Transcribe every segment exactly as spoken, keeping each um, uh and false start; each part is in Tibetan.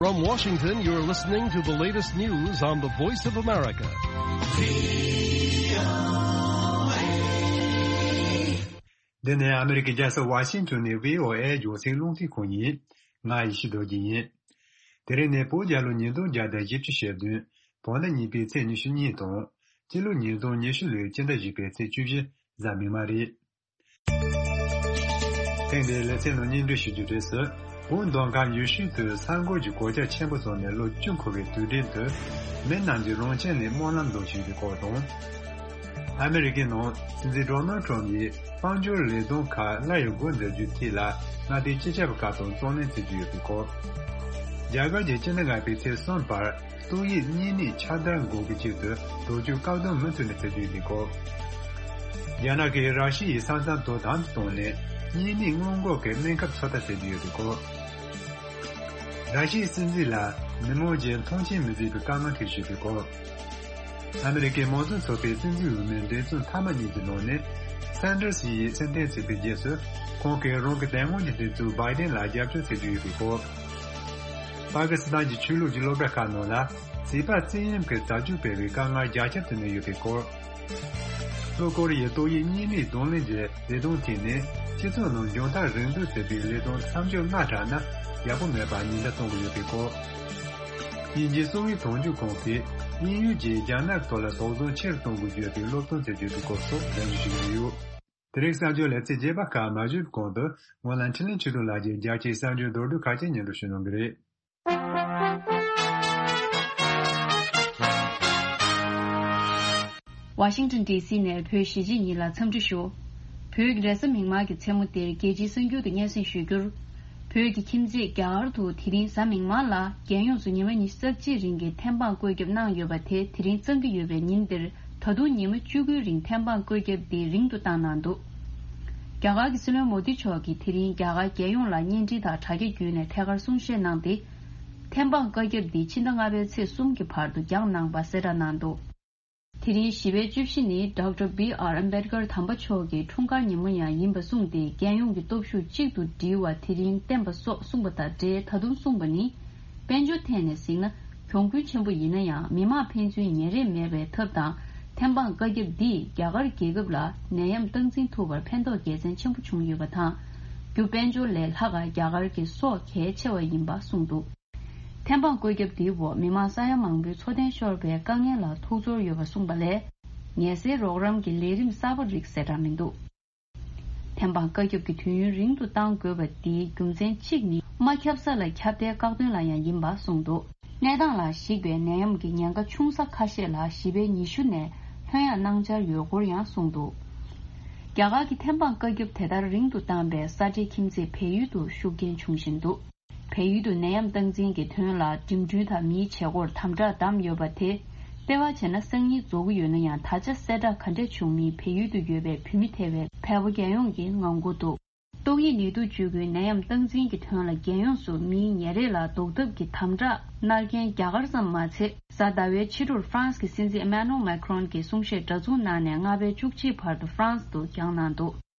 From Washington, you're listening to the latest news on the Voice of America. འདི་ནི་ཨ་མི་རི་ཀའི་རྒྱལ་ས་ཝ་ཤིང་ཏོན་ནས་བྷི་ཨོ་ཨེ་རྒྱང་སྲིང་རླུང་འཕྲིན་ཁང་ཡིན། ང་ཡེ་ཤེས་རྡོ་རྗེ་ཡིན། དེ་རིང་ནི་བོད་རྒྱལ་ལོ་ཉིས་སྟོང་བརྒྱ་དང་བཞི་བཅུ་ཞེ་བདུན། བོད་ཟླ་གཉིས་པའི་ཚེས་ཉི་ཤུ་གཉིས་དང་། སྤྱི་ལོ་ཉིས་སྟོང་ཉི་ཤུ་ལོའི་སྤྱི་ཟླ་བཞི་པའི་ཚེས་བཅུ་བཞི་གཟའ་མིག་དམར་རེད། ཐེངས་འདིའི་ལེ་ཚན་ནང་སྙན་སྒྲོན་ཞུ་རྒྱུ་རེད་ཟེར། བོད་མདོ་ཁམས་ཡུལ་ཤུལ་དུ་གསར་འགོད་ཀྱི་གོད་ཆག་ཆེན་པོ་བྱུང་ནས་ལོ་བཅུ་འཁོར་བའི་དུས་དྲན་དུ། མི་རྣམས་ཀྱིས་རང་ཁྱིམ་ནས་སྨོན་ལམ་འདོན་བཞིན་པའི་སྐོར་དང་། ཨ་མི་རི་ཀའི་ནང་སྲིད་འཛིན་ཌོ་ནལ་ཊམ་ཡིས་དཔལ་འབྱོར་ལས་དོན་ཁག་སླར་ཡང་འགོ་འཛུགས་རྒྱུའི་ཐད་ལ་མངའ་སྡེའི་སྤྱི་ཁྱབ་བཀའ་བློན་གཙོ་གནད་བྱེད་ཀྱི་ཡོད་པའི་སྐོར། རྒྱ་གར་གྱིས་སྤྱི་ཟླ་ལྔ་པའི་ཚེས་གསུམ་བར་ཏོག་དབྱིབས་གཉན་ནད་ཁྱབ་གདལ་འགོག་གི་ཆེད་དུ་བཟློག་བཅོས་བཀག་སྡོམ་མུ་མཐུད་ནས་བྱེད་ཀྱི་ཡོད་པའི་སྐོར། རྒྱ་ནག་གིས་ར་ཤི་ཡའི་ས་མཚམས་དོ་དམ་དུ་བཏང་ནས་གཉན་ནད་སྔོན་འགོག་གི་སྨན་ཁབ་ཚོད་ལྟ་བྱེད་ཀྱི་ཡོད་པའི་སྐོར། ར་ཤི་ཡའི་སྲིད་འཛིན་ལ་མི་མང་གིས་མཐོང་ཆེན་མི་བྱེད་པའི་བཀའ་མོལ་ཐེངས་ཤིག་བྱས་པའི་སྐོར། ཨ་མི་རི་ཀའི་མང་གཙོ་ཚོགས་པའི་སྲིད་འཛིན་འོས་མིའི་འདེམས་ཚོགས་མཐའ་མ་གཉིས་ཀྱི་ནང་ནས་སན་ཌར་སི་ཡིས་སེམས་གཏམ་བྱས་པའི་རྗེས་སུ་ཁོང་གིས་རང་གི་དེ་སྔོན་གྱི་འདེམས་གཙོ་བྷའི་ཌེན་ལ་རྒྱབ་སྐྱོར་བྱེད་ཀྱི་ཡོད་པའི་སྐོར། པ་ཀི་སི་ཐན་གྱི་ཆོས་ལུགས་ཀྱི་སློབ་གྲྭ་ཁག་ནང་ལ་བྱིས་པ་བཙན་གཡེམ་གྱི་བྱ་སྤྱོད་སྤེལ་བའི་དཀའ་ངལ་རྒྱ་ཁྱབ་ཏུ་གནས་ཡོད་པའི་སྐོར། ལྷོ་ཀོ་རི་ཡས་ཏོག་དབྱིབས་གཉན་ནད་གདོང་ལེན་གྱི་ལས་དོན་ཐད་ནས་སྤྱི་ཚོགས་ནང་མཇུག་མཐར་རིན་བསྡུར་བྱེད་པའི་ལས་དོན་མཚམས་འཇོག་སྔ་དྲགས་ན་ཡག་པོ་མེད་པར་ཉེན་བརྡ་གཏོང་གི་ཡོད་པའི་སྐོར། དབྱིན་ཇིའི་གསང་བའི་དོན་གཅོད་ཁང་གིས་དབྱིན་ཡུལ་གྱིས་རྒྱ་ནག་ཐོག་ལ་དོགས་ཟོན་ཆེ་རུ་གཏོང་དགོས་ཡོད་པའི་སློབ་སྟོན་བྱེད་ཀྱི་ཡོད་པའི་སྐོར་སོགས་ལན་འདེབས་ཞུས་ཡོད། དེ་རིང་གསར་འགྱུར་ལེ་ཚན་རྒྱས་པ་ཁག་མ་ཞུས་གོང་དུ་ངོས་ལ་འཕྲིན་ལས་ཆོས་སྒྲོན་ལགས་ཀྱིས་རྒྱལ་སྤྱིའི་གསར་འགྱུར་མདོར་བསྡུས་ཁག་ཅིག་སྙན་སྒྲོན་ཞུ་གནང་གི་རེད། ཝ་ཤིང་ཊོན་ཌི་སི་ནས་བོད་གཞིས་བྱེས་གཉིས་ལ་འཚམས་འདྲི་ཞུ། བོད་ཀྱི་རེས་གཟའ་མིག་དམར་གྱི་མཚན་མོ་འདིར་རྒྱལ་སྤྱིའི་གསར་འགྱུར་དུ་སྙན་སེང་ཞུ་རྒྱུར། བོད་ཀྱི་ཁྱིམ་མཚེས་རྒྱ་གར་དུ་དེ་རིང་གཟའ་མིག་དམར་ལ་རྒྱལ་ཡོངས་སུ་ཉི་མ་ཉི་ཤུ་རྩ་གཅིག་རིང་གི་ཐེམ་སྤང་བཀོད་ཁྱབ་གནང་ཡོད་པ་དེ་དེ་རིང་གཙང་གི་ཡོད་པའི་ཉིན་འདིར་ད་དུང་ཉི་མ་བཅུ་དགུའི་རིང་ཐེམ་སྤང་བཀོད་ཁྱབ་འདི་རིང་དུ་བཏང་གནང་འདུག་རྒྱ་གར་གྱི་སྲིད་བློན་མོ་དི་མཆོག་གིས་དེ་རིང་རྒྱ་གར་རྒྱལ་ཡོངས་ལ་བརྙན་འཕྲིན་དང་དྲ་རྒྱ་བརྒྱུད་ནས་ཐད་ཀར་གསུང་བཤད་གནང་སྟེ། ཐེམ་སྤང་བཀའ་ཁྱབ་འདི་ཕྱི་ཟླ་ལྔ་པའི་ཚེས་གསུམ་གྱི་བར་དུ་འགྱངས་གནང་བ་གསལ་བསྒྲགས་གནང་འདུག་དེ་རིང་བཞི་པའི་བཅུ་བཞི་ནི་ཌོག་ཊར་བྷི་ཨར་ཨམ་བྷེད་ཀར་དམ་པ་མཆོག་གི་འཁྲུངས་སྐར་ཉིན་མོ་ཡང་ཡིན་པ་གསུངས་ཏེ། རྒྱལ་ཡོངས་ཀྱི་སྟོབས་ཤུགས་གཅིག་ཏུ་སྒྲིལ་བ་དེ་རིང་བསྟན་པ་སོགས་གསུངས་པ་དང་འབྲེལ། ད་དུང་གསུངས་པ་ནི། དཔལ་འབྱོར་ཐད་ནས་གཟིགས་ན་གྱོང་གུན་ཆེན་པོ་ཡིན་ན་ཡང་མི་དམངས་ཕན་ཚུན་ཉེ་རེས་མེད་པའི་ཐབས་དང་། ཐེམ་སྤང་བཀའ་ཁྱབ་འདིས་རྒྱ་གར་རྒྱལ་ཁབ་ལ་ནད་ཡམས་སྟངས་འཛིན་ཐུབ་པར་ཕན་ཐོགས་དགེ་མཚན་ཆེན་པོ་བྱུང་ཡོད་པ་དང་། རྒྱུ་དཔལ་འབྱོར་ལས་ལྷག་ག་རྒྱ་གར་གྱི་སྲོག་གལ་ཆེ་བ་ཡིན་པ་གསུངས་འདུག་ཐེམ་སྤང་བཀོད་ཁྱབ་འདིའི་འོག་མི་མང་ས་ཡ་མང་པོའི་འཚོ་རྟེན་ཤོར་བའི་དཀའ་ངལ་ལ་ཐུགས་ཚོར་ཡོད་པ་གསུངས་པ་ལས། ངལ་སེལ་རོགས་རམ་གྱི་ལས་རིམ་གསར་པ་རིགས་གསལ་བསྒྲགས་མི་འདུག་ཐེམ་སྤང་བཀའ་ཁྱབ་ཀྱི་དུས་ཡུན་རིང་དུ་གཏང་དགོས་པ་འདིའི་རྒྱུ་མཚན་གཅིག་ནི། མ་ཁྱབ་ས་ལ་ཁྱབ་གདལ་བཀག་སྡོམ་ལ་ཡང་ཡིན་པ་གསུངས་འདུག་གནས་སྟངས་ལ་གཞིགས་པའི་ནད་ཡམས་ཀྱི་ཉེན་ཁ་ཆུང་ས་ཁ་ཤས་ལ་བཞི་པའི་ཉི་ཤུ་ནས་ལྷོད་ཡངས་གནང་འཆར་ཡོད་སྐོར་ཡང་གསུངས་འདུག་རྒྱ་གར་གྱི་ཐེམ་སྤང་བཀའ་ཁྱབ་དེ་ལྟར་རིང་དུ་བཏང་པས་ས་འབྲེལ་ཁྱིམ་མཚེས་བལ་ཡུལ་དུ་ཤུགས་རྐྱེན་བྱུང་བཞིན་འདུག་བལ་ཡུལ་དུ་ནད་ཡམས་སྟངས་འཛིན་གྱི་དོན་ལ་འགྲིམ་འགྲུལ་དང་མིའི་བྱེད་སྒོར་དམ་དྲག་བསྡམས་ཡོད་པ་དེ། ལྟེ་བ་བྱས་ན་སང་ཉིན་རྫོགས་ཀྱི་ཡོད་ན་ཡང་། ད་ཆ་གསལ་བསྒྲགས་ག་འདྲས་བྱུང་མིན་བལ་ཡུལ་དུ་ཡོད་པའི་བོད་མི་ཐེ་བའི་བལ་པོ་རྒྱལ་ཡོངས་ཀྱིས་ངང་སྒུག་འདུག་ཏོག་དབྱིབས་ནད་དུག་བཅོས་ཁུལ་ནད་ཡམས་སྟངས་འཛིན་གྱི་དོན་ལ་རྒྱལ་ཡོངས་སུ་མིའི་ཉེ་རེས་ལ་ཟློག་ཐབས་ཀྱི་དམ་དྲག་གནང་མཁན་རྒྱ་གར་ཙམ་མ་ཚད། གཟའ་ཟླ་བའི་ཕྱི་དྲོར་ཧྥ་རན་སི་གི་སྲིད་འཛིན་ཨེ་མ་ནུ་ཨེལ་མེ་ཁྲོན་གྱིས་གསུང་བཤད་འདྲ་མཚུངས་གནང་ནས་ལྔ་པའི་བཅུ་གཅིག་བར་དུ་ཧྥ་རན་སི་དུ་འགྱངས་གནང་འདུག་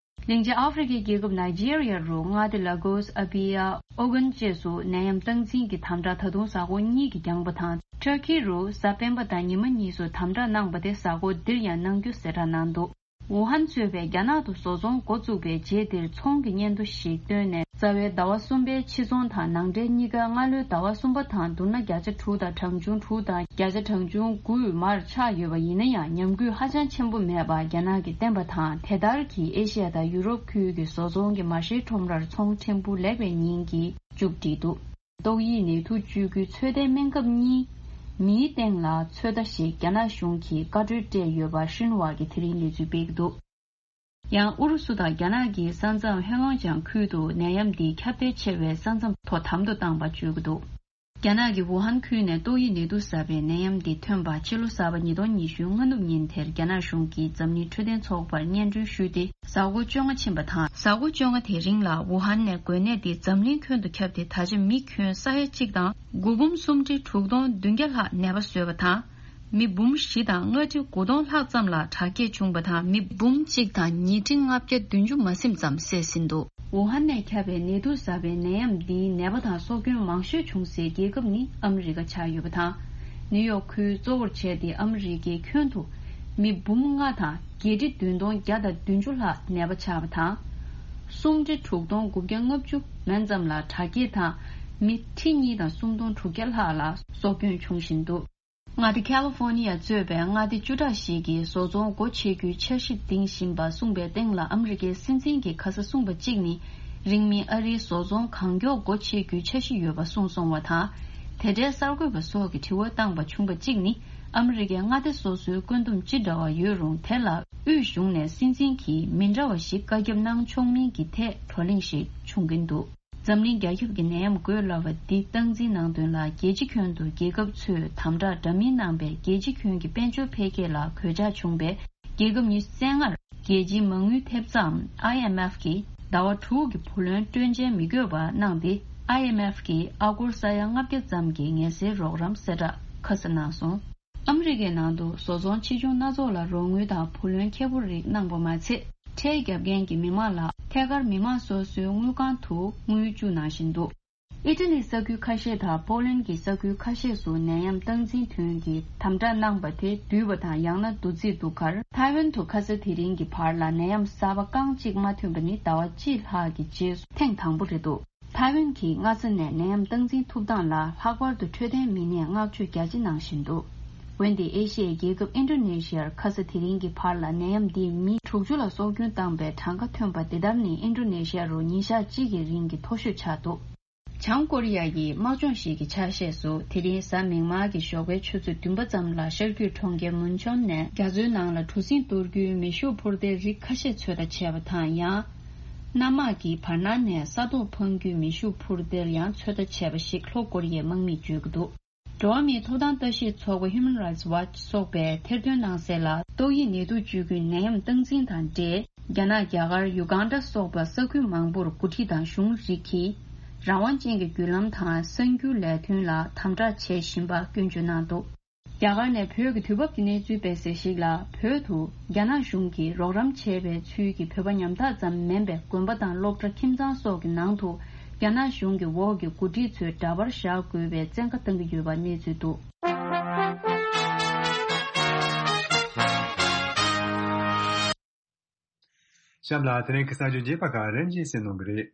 གླིང་ཆེན་ཨ་ཧྥེ་རི་ཁའི་རྒྱལ་ཁབ་ནཱི་ཇི་རི་ཡ་རུ་མངའ་སྡེ་ལ་གོས། ཨ་བྷི་ཡ། ཨོ་གྷན་བཅས་སུ་ནད་ཡམས་སྟངས་འཛིན་གྱི་དམ་དྲག་ད་དུང་གཟའ་འཁོར་གཉིས་ཀྱི་འགྱངས་པ་དང་། ཊར་ཀི་རུ་གཟའ་སྤེན་པ་དང་ཉི་མ་གཉིས་སུ་དམ་དྲག་གནང་པ་དེ་གཟའ་འཁོར་འདིར་ཡང་གནང་རྒྱུ་གསལ་བསྒྲགས་གནང་འདུག་ཝུ་ཧན་གཙོས་པའི་རྒྱ་ནག་ཏུ་བཟོ་ཚོང་འགོ་བཙུགས་པའི་རྗེས་འདིར་ཚོང་གི་སྙན་ཐོ་ཞིག་བཏོན་ནས། རྩ་བའི་ཟླ་བ་གསུམ་པའི་ཕྱི་ཚོང་དང་ནང་འདྲེན་གཉིས་ཀ་སྔ་ལོའི་ཟླ་བ་གསུམ་པ་དང་བསྡུར་ན་བརྒྱ་ཆ་དྲུག་དང་གྲངས་ཆུང་དྲུག་དང་བརྒྱ་ཆ་གྲངས་ཆུང་དགུ་མར་ཆག་ཡོད་པ་ཡིན་ན་ཡང་། ཉམས་རྒུད་ཧ་ཅང་ཆེན་པོ་མེད་པ་རྒྱ་ནག་གིས་བསྟན་པ་དང་། དེ་ལྟར་གྱིས་ཨེ་ཤི་ཡ་དང་ཡུ་རོབ་ཁུལ་གྱི་བཟོ་ཚོང་གི་མ་ཧྲེའི་ཁྲོམ་རར་ཚོང་ཕྲན་བུ་ལེགས་པའི་ཉིན་གྱིས་མཇུག་བསྒྲིལ་འདུག་ཏོག་དབྱིབས་ནད་དུག་བཅོས་ཁུལ་ཚོད་ལྟའི་སྨན་ཁབ་གཉིས་མིའི་སྟེང་ལ་ཚོད་ལྟ་ཞིག་རྒྱ་ནག་གཞུང་གིས་བཀའ་འཁྲོལ་སྤྲད་ཡོད་པ་ཧྲིན་ཧྭ་གིས་དེ་རིང་གནས་ཚུལ་སྤེལ་གྱི་འདུག་ཡང་ཨུ་རུ་སུ་དང་རྒྱ་ནག་གིས་ས་མཚམས་ཧེ་ལོང་ཅང་ཁུལ་དུ་ནད་ཡམས་འདི་ཁྱབ་གདལ་ཆེ་བའི་ས་མཚམས་དོ་དམ་དུ་བཏང་བ་བརྗོད་ཀྱི་འདུག་རྒྱ་ནག་གི་ཝུ་ཧན་ཁུལ་ནས་ཏོག་དབྱིབས་ནད་དུག་ཟ་བའི་ནད་ཡམས་འདི་ཐོན་པ་ཕྱི་ལོ་གསར་པ་ཉིས་སྟོང་ཉི་ཤུ་སྔ་ནུབ་ཉིན་དེར་རྒྱ་ནག་གཞུང་གིས་འཛམ་གླིང་འཕྲོད་བསྟེན་ཚོགས་པར་སྙན་སྒྲོན་ཞུས་ཏེ། གཟའ་འཁོར་བཅོ་ལྔ་ཕྱིན་པ་དང་། གཟའ་འཁོར་བཅོ་ལྔ་དེ་རིང་ལ་ཝུ་ཧན་ནས་འགོས་ནད་འདི་འཛམ་གླིང་ཁྱོན་དུ་ཁྱབ་སྟེ། ད་ཆ་མི་ཁྱོན་ས་ཡ་གཅིག་དང་དགུ་འབུམ་སུམ་ཁྲི་དྲུག་སྟོང་བདུན་བརྒྱ་ལྷག་ནད་པ་བཟོས་པ་དང་། མི་འབུམ་བཞི་དང་ལྔ་ཁྲི་དགུ་སྟོང་ལྷག་ཙམ་ལ་དྲག་སྐྱེད་བྱུང་བ་དང་། མི་འབུམ་གཅིག་དང་ཉིས་ཁྲི་ལྔ་བརྒྱ་བདུན་ཅུ་མ་ཟིན་ཙམ་བསད་ཟིན་འདུག་ཝུ་ཧན་ནས་ཁྱབ་པའི་ནད་དུག་གསར་པའི་ནད་ཡམས་འདིའི་ནད་པ་དང་སྲོག་སྐྱོན་མང་ཤོས་བྱུང་སའི་རྒྱལ་ཁབ་ནི་ཨ་མི་རི་ཀ་ཆགས་ཡོད་པ་དང་། ནིའུ་ཡོག་ཁུལ་གཙོ་བོར་བྱས་ཏེ་ཨ་མི་རི་ཀའི་ཁྱོན་དུ་མི་འབུམ་ལྔ་དང་བརྒྱད་ཁྲི་བདུན་སྟོང་བརྒྱ་དང་བདུན་ཅུ་ལྷག་ནད་པ་ཆགས་པ་དང་། སུམ་ཁྲི་དྲུག་སྟོང་དགུ་བརྒྱ་ལྔ་བཅུ་མན་ཙམ་ལ་དྲག་སྐྱེད་དང་། མི་ཁྲི་གཉིས་དང་སུམ་སྟོང་དྲུག་བརྒྱ་ལྷག་ལ་སྲོག་སྐྱོན་བྱུང་བཞིན་འདུག་མངའ་སྡེ་ཁ་ལི་ཧྥོ་ནི་ཡ་གཙོས་པའི་མངའ་སྡེ་བཅུ་ཕྲག་ཞིག་གིས་བཟོ་ཚོང་སྒོ་ཕྱེ་རྒྱུའི་འཆར་གཞི་འདིང་བཞིན་པ་གསུངས་པའི་སྟེང་ལ། ཨ་མི་རི་ཀའི་སྲིད་འཛིན་གྱིས་ཁ་ས་གསུངས་པ་གཅིག་ནི། རིང་མིན་ཨ་རིའི་བཟོ་ཚོང་གང་མགྱོགས་སྒོ་ཕྱེ་རྒྱུའི་འཆར་གཞི་ཡོད་པ་གསུངས་སོང་བ་དང་། དེ་འབྲེལ་གསར་འགོད་པ་སོགས་ཀྱིས་དྲི་བ་བཏང་པ་བྱུང་བ་གཅིག་ནི། ཨ་མི་རི་ཀའི་མངའ་སྡེ་སོ་སོའི་བཀོད་འདོམས་ཅི་འདྲ་བ་ཡོད་རུང་། དེ་ལ་དབུས་གཞུང་ནས་སྲིད་འཛིན་གྱིས་མི་འདྲ་བ་ཞིག་བཀའ་ཁྱབ་གནང་ཆོག་མིན་གྱི་ཐད་བགྲོ་གླེང་ཞིག་བྱུང་གིན་འདུག་འཛམ་གླིང་རྒྱ་ཁྱབ་ཀྱི་ནད་ཡམས་འགོས་སླ་བ་འདི་སྟངས་འཛིན་གནང་དོན་ལ། རྒྱལ་སྤྱི་ཁྱོན་དུ་རྒྱལ་ཁབ་ཚོས་དམ་དྲག་འདྲ་མིན་གནང་པས། རྒྱལ་སྤྱི་ཁྱོན་གྱི་དཔལ་འབྱོར་འཕེལ་རྒྱས་ལ་གོད་ཆག་བྱུང་བས། རྒྱལ་ཁབ་ཉི་ཤུ་རྩ་ལྔར་རྒྱལ་སྤྱིའི་མ་དངུལ་ཐེབས་རྩའམ་ཨའི་ཨེམ་ཨེཕ་གིས་ཟླ་བ་དྲུག་གི་བུ་ལོན་སྤྲོད་འཇལ་མི་དགོས་པ་གནང་སྟེ། ཨའི་ཨེམ་ཨེཕ་གིས་ཨ་སྒོར་ས་ཡ་ལྔ་བརྒྱ་ཙམ་གྱི་ངལ་སེལ་རོགས་རམ་གསལ་བསྒྲགས་ཁ་གསལ་གནང་སོང་། ཨ་མི་རི་ཀའི་ནང་དུ་བཟོ་ཚོང་ཆེ་ཆུང་སྣ་ཚོགས་ལ་རོགས་དངུལ་དང་བུ་ལོན་ཁེ་པོ་རིགས་གནང་པ་མ་ཚད། ཁྲལ་བརྒྱབ་མཁན་གྱི་མི་མང་ལ་ཐད་ཀར་མི་མང་སོ་སོའི་དངུལ་ཁང་དུ་དངུལ་བཅུག་གནང་བཞིན་འདུག་ཨི་ཊ་ལི་ས་ཁུལ་ཁ་ཤས་དང་པོ་ལན་གྱི་ས་ཁུལ་ཁ་ཤས་སུ་ནད་ཡམས་སྟངས་འཛིན་དོན་གྱི་དམ་དྲག་གནང་པ་དེ་བསྡུས་པ་དང་ཡང་ན་བསྡུ་རྩིས་འདུག་ཁར། ཐའེ་ཝན་དུ་ཁ་ས་དེ་རིང་གི་བར་ལ་ནད་ཡམས་གསར་པ་རྐང་གཅིག་མ་ཐོན་པ་ནི་ཟླ་བ་གཅིག་ལྷག་གི་རྗེས་སུ་ཐེངས་དང་པོ་རེད་འདུག་ཐའེ་ཝན་གྱིས་སྔ་ས་ནས་ནད་ཡམས་སྟངས་འཛིན་ཐུབ་སྟངས་ལ་ལྷག་པར་དུ་འཕྲོད་བསྟེན་མི་སྣས་བསྔགས་བརྗོད་རྒྱ་ཆེ་གནང་བཞིན་འདུག་འོན་ཏེ་ཨེ་ཤི་ཡའི་རྒྱལ་ཁབ་ཨིན་ཌོ་ནེ་ཤི་ཡར་ཁ་ས་དེ་རིང་གི་བར་ལ་ནད་ཡམས་འདིས་མི་དྲུག་ཅུ་ལ་སྲོག་སྐྱོན་བཏང་པའི་གྲངས་ཀ་ཐོན་པ་འདི་ལྟར་ནི་ཨིན་ཌོ་ནེ་ཤི་ཡ་རུ་ཉིན་ཞག་གཅིག་གི་རིང་གི་མཐོ་ཤོས་ཆགས་འདུག་བྱང་ཀོ་རི་ཡ་ཡི་དམག་སྦྱོང་ཞིག་གི་ཆ་ཤས་སུ། དེ་རིང་གཟའ་མིག་དམར་གྱི་ཞོགས་པའི་ཆུ་ཚོད་བདུན་པ་ཙམ་ལ་ཤར་རྒྱུད་གྲོང་ཁྱེར་མུན་ཆོན་ནས་རྒྱ་མཚོའི་ནང་ལ་གྲུ་གཟིངས་གཏོར་རྒྱུའི་མེ་ཤུགས་འཕུར་མདེལ་རིགས་ཁ་ཤས་ཚོད་ལྟ་བྱས་པ་དང་། ཡང་གནམ་དམག་གིས་བར་སྣང་ནས་ས་ཐོག་འཕང་རྒྱུའི་མེ་ཤུགས་འཕུར་མདེལ་ཡང་ཚོད་ལྟ་བྱས་པ་ཞིག་ལྷོ་ཀོ་རི་ཡའི་དམག་མིས་བརྗོད་ཀྱི་འདུག་འགྲོ་བ་མིའི་ཐོབ་ཐང་ལྟ་ཞིབ་ཚོགས་པ་Human Rights Watch སོགས་པས་ཐེར་འདོན་གནང་གསལ་ལ། ཏོག་དབྱིབས་ནད་དུག་བཅོས་ཁུལ་ནད་ཡམས་སྟངས་འཛིན་དང་འབྲེལ། རྒྱ་ནག་རྒྱ་གར་ཡུ་གང་ཌ་སོགས་པ་ས་ཁུལ་མང་པོར་འགོ་ཁྲིད་དང་གཞུང་རིགས་ཀྱིས་རང་དབང་ཅན་གྱི་བརྒྱུད་ལམ་དང་གསར་འགྱུར་ལས་དོན་ལ་དམ་དྲག་བྱེད་བཞིན་པ་སྐྱོན་བརྗོད་གནང་འདུག་རྒྱ་གར་ནས་བོད་ཀྱི་དུས་བབ་ཀྱི་གནས་ཚུལ་སྤེལ་གསལ་ཞིག་ལ། བོད་དུ་རྒྱ་ནག་གཞུང་གིས་རོགས་རམ་བྱས་པའི་ཚུལ་གྱིས་བོད་པ་ཉམ་ཐག་ཙམ་མིན་པའི་དགོན་པ་དང་སློབ་གྲྭ་ཁྱིམ་ཚང་སོགས་ཀྱི་ནང་དུ་རྒྱ་ནག་གཞུང་གི་འོག་གི་འགོ་ཁྲིད་ཚོས་འདྲ་པར་བཞག་དགོས་པའི་བཙན་བཀའ་བཏང་གི་ཡོད་པ་གནས་ཚུལ་འདུག་གཤམ་ལ་དེ་རིང་གི་གསར་འགྱུར་རྒྱས་པ་ཁག་རིམ་བཞིན་གསན་གནང་གི་རེད།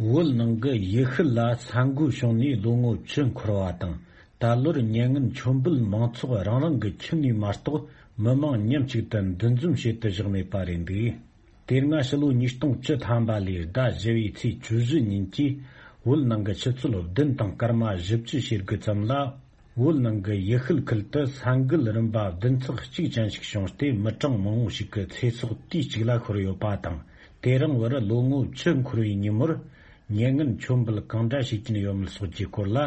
བོད་ནང་གི་ཡུལ་ཤུལ་ལ་ས་འགུལ་བྱུང་ནས་ལོ་ངོ་བཅུ་འཁོར་བ་དང་། ད་ལོར་ཉེར་ལྔ་མཆོད་འབུལ་མང་ཚོགས་རང་རང་གི་ཁྱིམ་ནས་མ་གཏོགས་མི་མང་མཉམ་གཅིག་ཏུ་འདུ་འཛོམས་བྱེད་དུ་བཞག་མེད་པ་རེད་འདུག་དེ་སྔ་ཕྱི་ལོ་ཉིས་སྟོང་བཅུ་ཐམ་པ་ལོའི་ཟླ་བཞི་བའི་ཚེས་བཅུ་བཞི་ཉིན་གྱི་བོད་ནང་གི་ཆུ་ཚོད་བདུན་དང་སྐར་མ་བཞི་བཅུ་ཞེ་དགུ་ཙམ་ལ། བོད་ནང་གི་ཡུལ་ཤུལ་ཁུལ་དུ་ས་འགུལ་རིམ་པ་བདུན་ཚེག་གཅིག་ཅན་ཞིག་བྱུང་སྟེ། མི་གྲངས་མང་བོ་ཞིག་གི་ཚེ་སྲོག་དུས་གཅིག་ལ་ཤོར་ཡོད་པ་དང་། དེ་རིང་བར་ལོ་ངོ་བཅུ་འཁོར་བའི་ཉིན་མོར་ཉེར་ལྔ་མཆོད་འབུལ་གང་འདྲ་བྱེད་ཀྱིན་ཡོད་མེད་སོགས་ཀྱི་སྐོར་ལ།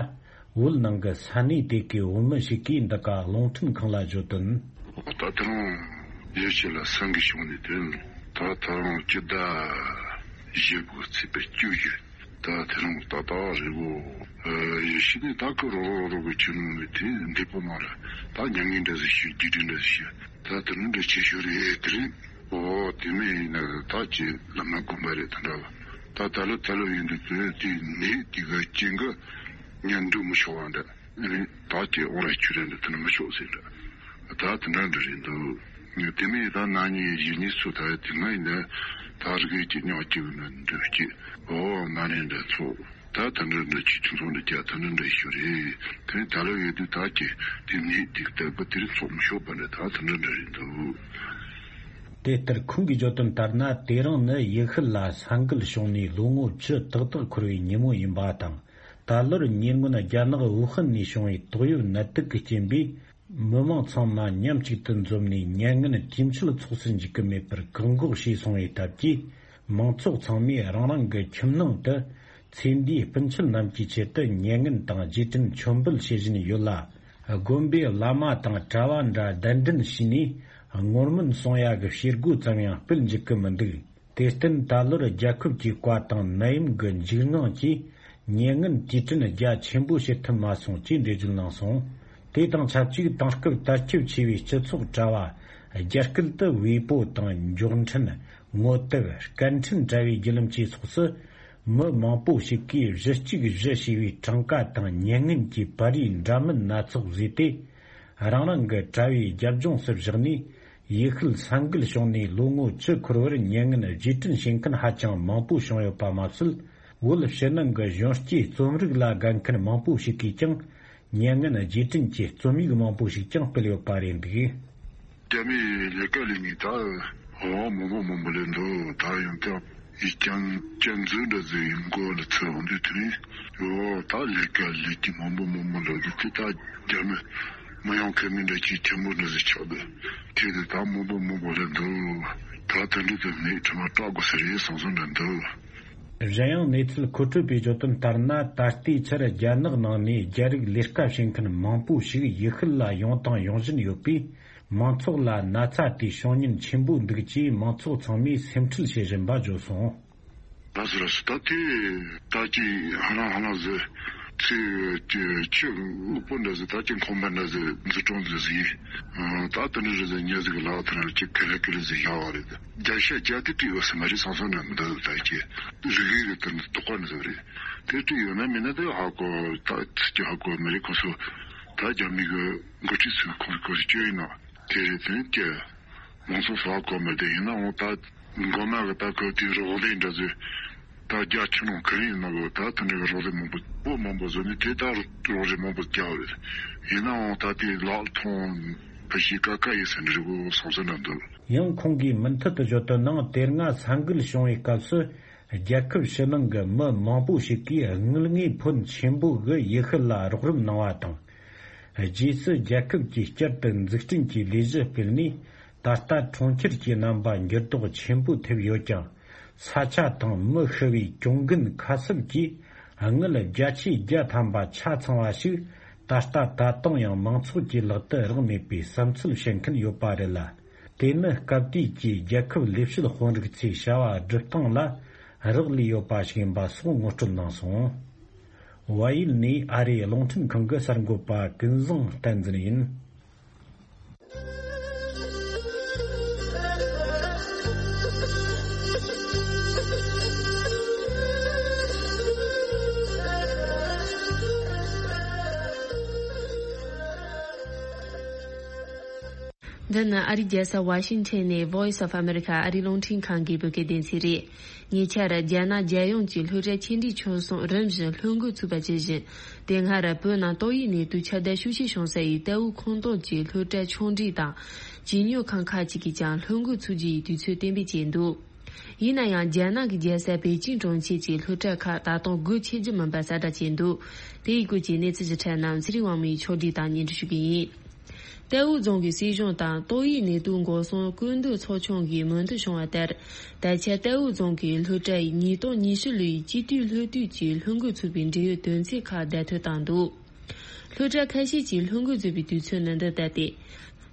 བོད་ནང་གི་ས་གནས་དེ་གའི་བོད་མི་ཞིག་གིས་འདི་ག་རླུང་འཕྲིན་ཁང་ལ་བརྗོད་དོན། ད་ད་རུང་ཡུལ་ཤུལ་ལ་ས་འགུལ་བྱུང་ནས་དོན་ད་ད་རུང་སྤྱི་ཟླ་བཞི་དགུ་ཚེས་པ་བཅུ་བཞི། ད་དེ་རིང་ད་ལྟ་རེད་གོ། ཡེ་ཤེས་ནི་ད་ཁོ་རོ་རོ་རོ་གི་ཆུ་ནང་ནས་དེ་འདི་པོ་མ་རེད། ད་མྱ་ངན་འདྲ་ཟིག་ཤི་རྒྱུ་འདྲ་ཟིག་ཤི། ད་དེ་ནི་འདྲ་ཆེ་ཤོས་རེད་དེ་རིང་། ཨོ་དེ་མིན་ཡིན་ན་ད་ཅི་ལ་མ་གོམས་པ་རེད་ད་འདྲ་བ། ད་ད་ལོ་ད་ལོ་ཡིན་དུས་དེ་དེ་ནི་དེ་ག་ཅན་ག་ཉན་འདུག་མི་ཆོག་བ་འདྲ། ཨ་ནི་ད་ཅི་ཨོ་ར་ཆུ་རེད་འདྲ་དེ་ནི་མི་ཆོག་ཟེར་འདྲ། ད་དེ་འདྲ་འདྲ་རེད་འདུག་དེ་མིན་ད་ན་ནིང་གཞེས་ནིང་སུ་ད་དེ་སྔ་ཡིན་ན་ད་རི་གའི་ཅི་ཉག་ཅིག་ན་འདུག་ཅི་ཨོ་ན་ནིང་འདྲ་ཚོ་ད་དེ་འདྲ་འདྲ་ཅི་ཁྱིམ་ཚང་འདྲ་རྒྱ་དེ་འདྲ་འདྲ་ཞུ་རེད། དེ་ནི་ད་ལོ་ཡོད་དུས་ད་ཅི་དེ་ནི་དེ་ལྟ་བུ་དེ་རིང་ཚོགས་མི་ཤོག་པ་འདྲ་ད་དེ་འདྲ་འདྲ་རེད་འདུག་དེ་ལྟར་ཁོང་གིས་བརྗོད་དོན་ལྟར་ན། དེ་རིང་ནི་ཡུལ་ཤུལ་ལ་ས་འགུལ་བྱུང་ནས་ལོ་ངོ་བཅུ་ཏག་ཏག་འཁོར་བའི་ཉིན་མོ་ཡིན་པ་དང་། ད་ལོར་ཉེ་སྔོན་རྒྱ་ནག་ཝུ་ཧན་ནས་བྱུང་བའི་ཏོག་དབྱིབས་ནད་དུག་གི་རྐྱེན་པས། མི་མང་ཚང་མ་མཉམ་གཅིག་ཏུ་འཛོམས་ནས་མྱ་ངན་དུས་མཆོད་ཚོགས་སུ་འཇུག་གི་མེད་པར་བཀག་འགོག་བྱས་སོང་བའི་སྟབས་ཀྱིས། མང་ཚོགས་ཚང་མས་རང་རང་གི་ཁྱིམ་ནང་དུ་ཚེ་འདིའི་སྤུན་མཆེད་རྣམས་ཀྱི་ཆེད་དུ་མྱ་ངན་དང་རྗེས་དྲན་མཆོད་འབུལ་བྱེད་བཞིན་ཡོད་ལ། དགོན་པའི་བླ་མ་དང་གྲྭ་བ་འདྲ་གདན་འདྲེན་བྱས་ནས་ངོར་མོན་སོང་ཡ་གི་བྱེད་སྒོ་ཙམ་ཡང་སྤེལ་འཇུག་གི་མི་འདུག་དེར་བརྟེན་ད་ལོར་རྒྱལ་ཁབ་ཀྱི་བཀའ་དང་ནད་ཡམས་ཀྱི་འཇིགས་དངངས་ཀྱིས་མྱ་ངན་དུས་དྲན་རྒྱ་ཆེན་པོ་བྱེད་ཐུབ་མ་སོང་ཅེས་འགྲེལ་བརྗོད་གནང་སོང་། དེ་དང་ཆབས་ཅིག་དེང་སྐབས་དར་ཁྱབ་ཆེ་བའི་སྤྱི་ཚོགས་དྲ་བ་རྒྱ་སྐད་དུ་ཝེ་པོ་དང་མགྱོགས་འཕྲིན་ ངོ་དེབ་སྐད་འཕྲིན་དྲ་བའི་བརྒྱུད་ལམ་བཅས་སོགས་སུ། མི་མང་པོ་ཞིག་གིས་གཞི་གཅིག་གཞི་ཞེས་པའི་གྲངས་ཀ་དང་མྱ་ངན་གྱི་པར་རིས་འདྲ་མིན་སྣ་ཚོགས་བཟོས་ཏེ། རང་རང་གི་དྲ་བའི་རྒྱབ་ལྗོངས་སུ་བཞག་ནས། ཡུལ་ཤུལ་ས་འགུལ་བྱུང་ནས་ལོ་ངོ་བཅུ་འཁོར་བར་མྱ་ངན་རྗེས་དྲན་བྱེད་མཁན་ཧ་ཅང་མང་པོ་བྱུང་ཡོད་པ་མ་ཟད། བོད་ཕྱི་ནང་གི་གཞོན་སྐྱེས་རྩོམ་རིག་ལ་དགའ་མཁན་མང་པོ་ཞིག་གིས་ཀྱང་། མྱ་ངན་རྗེས་དྲན་གྱི་རྩོམ་ཡིག་མང་པོ་ཞིག་ཀྱང་སྤེལ་ཡོད་པ་རེད་འདུག། རྒྱ་མིའི་ལས་ཀ་ལས་ངས་ད་འོ་མང་པོ་མང་པོ་ལས་འདུག། ད་ཡང་ད་ཡིག་རྐྱང་རྐྱང་འཛུགས་འདྲ་ཟིག་ཡིན་གོ་ལ་ཚུར་འོང་དུས་དེ་རིང་འོ་ད་ལས་ཀ་ལས་ཀྱི་མང་པོ་མང་པོ་ལ་གི་དེ་ད་རྒྱ་མི་མི་ཡོང་མཁན་མི་འདྲ་ཅིག་ཆེན་པོ་འདྲ་ཟིག་ཆགས་འདུག། དེ་དེ་ད་མང་པོ་མང་པོ་ལས་འདུག། ད་དེ་འདྲ་དེ་ནས་ཁྲིམས་སྐྲག་དགོས་ས་རེད་བསམ་བསམ་འདྲ་འདུག། གཞན་ཡང་གནས་ཚུལ་མཁོ་སྤྲོད་པས་བརྗོད་དོན་ལྟར་ན། ད་ལྟའི་ཆར་རྒྱ་ནག་ནང་ནས་རྒྱ་རིགས་ལས་ཀ་བྱེད་མཁན་མང་པོ་ཞིག་ཡུལ་ཤུལ་ལ་ཡོང་དང་ཡོང་བཞིན་ཡོད་པས། མང་ཚོགས་ལ་ན་ཚ་དེ་བྱུང་ཉེན་ཆེན་པོ་འདུག་ཅེས་མང་ཚོགས་ཚང་མས་སེམས་ཁྲལ་བྱེད་བཞིན་པ་བརྗོད་སོང་། ལགས་སོ་ལགས་སོ། ད་དེ་ད་ཅི་ཧ་ལམ་ཧ་ལམ་ཟེར་ཚེ་ཆུ་ཆུ་སློག་པོ་འདྲ་ཟེར། ད་ཅི་ཁང་པ་འདྲ་ཟེར་འཛུགས་སྐྲུན་ཟེར་ཟིག། ད་དེ་འདྲ་རེད་ཟེར་ཉེ་ཟིག་ལག་ཐེར་ཅི་ག་ལེ་ག་ལེ་ཟེར་བཞག་པ་རེད། བརྒྱ་ཆ་བརྒྱ་དེ་བྲིས་ཡོད་ས་མ་རེད་བསམ་བསམ་འདྲ་མི་འདུག། ད་ཅི་རིག་རིག་རེད། དེ་འདྲ་དོགས་པ་འདྲ་ཟེར་བ་རེད། དེ་བྲིས་ཡོད་ན་མིན་ན་དེ་ཧ་གོ། ད་ཚིག་གི་ཧ་གོ་མི་རེད། ཁོ་ཚོ་ད་རྒྱ་མི་གི་འགོ་ཁྲིད་ཚོས་ཁོ་ཚོ་ཁོ་ཚོ་སྐྱོན་ཡིན་ན་དེ་རེད། དེ་ནི་ཀྱེ་མང་ཚོགས་ཧ་གོ་མི་བདེ་ཡིན་ན་འོང་། ད་མགོ་མ་གི་ད་ཁོ་དེ་རོགས་ལས་འདྲ་ཟེར། ད་རྒྱ་ཆེ་ནང་ག་རེ་ཡིན་ན་གོ། ད་དེ་འདྲ་གི་རོགས་ལས་མང་པོ་པོ་མང་པོ་བཟོ་ནས་དེ་ད་རོགས་ལས་མང་པོ་རྒྱག་རེད། ཡིན་ན་འོང་ད་དེ་ལག་མཐོང་ཕ་ཤི་ཀ་ཀ་ཡིན་ས་འདྲ་གོ་བསམ་ས་འདྲ་འདུག། ཡང་ཁོང་གིས་མུ་མཐུད་དུ་བརྗོད་དོན་ནང་། དེ་སྔ་ས་འགུལ་བྱུང་བའི་སྐབས་སུ། རྒྱལ་ཁབ་ཕྱི་ནང་གི་མི་མང་པོ་ཞིག་གིས་དངུལ་དངོས་ཕོན་ཆེན་པོ་གི་ཡུལ་ཤུལ་ལ་རོགས་རམ་གནང་བ་དང་། རྗེས་སུ་རྒྱལ་ཁབ་ཀྱིས་བསྐྱར་དུ་འཛུགས་སྐྲུན་གྱི་ལས་གཞི་སྤེལ་ནས། ད་ལྟ་གྲོང་ཁྱེར་གྱི་རྣམ་པ་འགྱུར་ལྡོག་ཆེན་པོ་ཐེབས་ཡོད་ཀྱང་། ས་ཆ་དང་མི་ཤི་བའི་གྱོང་གུན་ཁ་གསབ་ཀྱིས་དངུལ་བརྒྱ་ཆའི་བརྒྱ་ཐམ་པ་ཆ་ཚང་བ་ཞིག་ད་ལྟ་ད་དུང་ཡང་མང་ཚོགས་ཀྱི་ལག་ཏུ་རག་མེད་པའི་བསམ་ཚུལ་བཤད་མཁན་ཡོད་པ་རེད་ལ། དེ་ནི་སྐབས་དུས་ཀྱི་རྒྱལ་ཁབ་ལས་བྱེད་དཔོན་རིགས་ཚོས་བྱ་བ་སྒྲུབ་སྟངས་ལ་རག་ལས་ཡོད་པ་ཞིག་ཡིན་པ་སོགས་ངོ་སྤྲོད་གནང་སོང་། བལ་ཡུལ་ནས་ཨ་རིའི་རླུང་འཕྲིན་ཁང་གི་གསར་འགོད་པ་ཀུན་བཟང་བསྟན་འཛིན་ཡིན། འདི་ནི་ཨ་རིའི་རྒྱལ་ས་ཝ་ཤིང་ཊོན་ནས་Voice of America ཨ་རིའི་རླུང་འཕྲིན་ཁང་གི་བོད་སྐད་སྡེ་ཚན་རེད། ཉེ་ཆར་རྒྱ་ནག་རྒྱལ་ཡོངས་ཀྱི་སློབ་གྲྭ་ཆེ་འབྲིང་ཆུང་གསུམ་རིམ་བཞིན་སློབ་འགོ་ཚུགས་པ་ཇི་བཞིན། དེ་སྔར་བོད་ནང་ཏོག་དབྱིབས་ནད་དུག་ཁྱབ་གདལ་ཤུགས་ཆེ་བྱུང་ས་ཡི་ཏའུ་ཁོངས་གཏོགས་ཀྱི་སློབ་གྲྭ་ཆུང་འབྲིང་དང་བྱིས་སྨྱོ་ཁང་ཁག་ཅིག་གིས་ཀྱང་སློབ་འགོ་ཚུགས་རྒྱུ་ཡི་དུས་ཚོད་གཏན་འབེབས་བྱས་འདུག། ཡིན་ན་ཡང་རྒྱ་ནག་གི་རྒྱལ་ས་པེ་ཅིང་གྲོང་ཁྱེར་གྱི་སློབ་གྲྭ་ཁག་ད་དུང་སྒོ་ཕྱེ་རྒྱུ་མིན་པ་གསལ་བསྒྲགས་བྱས་འདུག། དེའི་སྐོར་གྱི་གནས་ཚུལ་ཞིབ་ཕྲ་རྣམས་ཚེ་རིང་དབང་མོས་ཕྱོགས་བསྒྲིགས་དང་སྙན་སྒྲོན་ཞུ་གི་ཡིན། ཏའོ་རྫོང་གི་སྲིད་གཞུང་དང་ཏོག་དབྱིབས་ནད་དུག་འགོག་སྲུང་སྐུལ་འདེད་ཚོགས་ཆུང་གིས་མོས་མཐུན་བྱུང་བ་ལྟར། ད་ཆ་ཏའོ་རྫོང་གི་སློབ་གྲྭ་ཡི་ཉིས་སྟོང་ཉི་ཤུ་ལོའི་སྤྱི་འཐུས་སློབ་དུས་ཀྱི་སློབ་འགོ་ཚུགས་པའི་འབྲེལ་ཡོད་དོན་ཚན་ཁག་བརྡ་ཐོ་བཏང་འདུག། སློབ་གྲྭ་ཁ་ཤས་ཀྱིས་སློབ་འགོ་འཛུགས་པའི་དུས་ཚོད་ནི་འདི་ལྟ་སྟེ།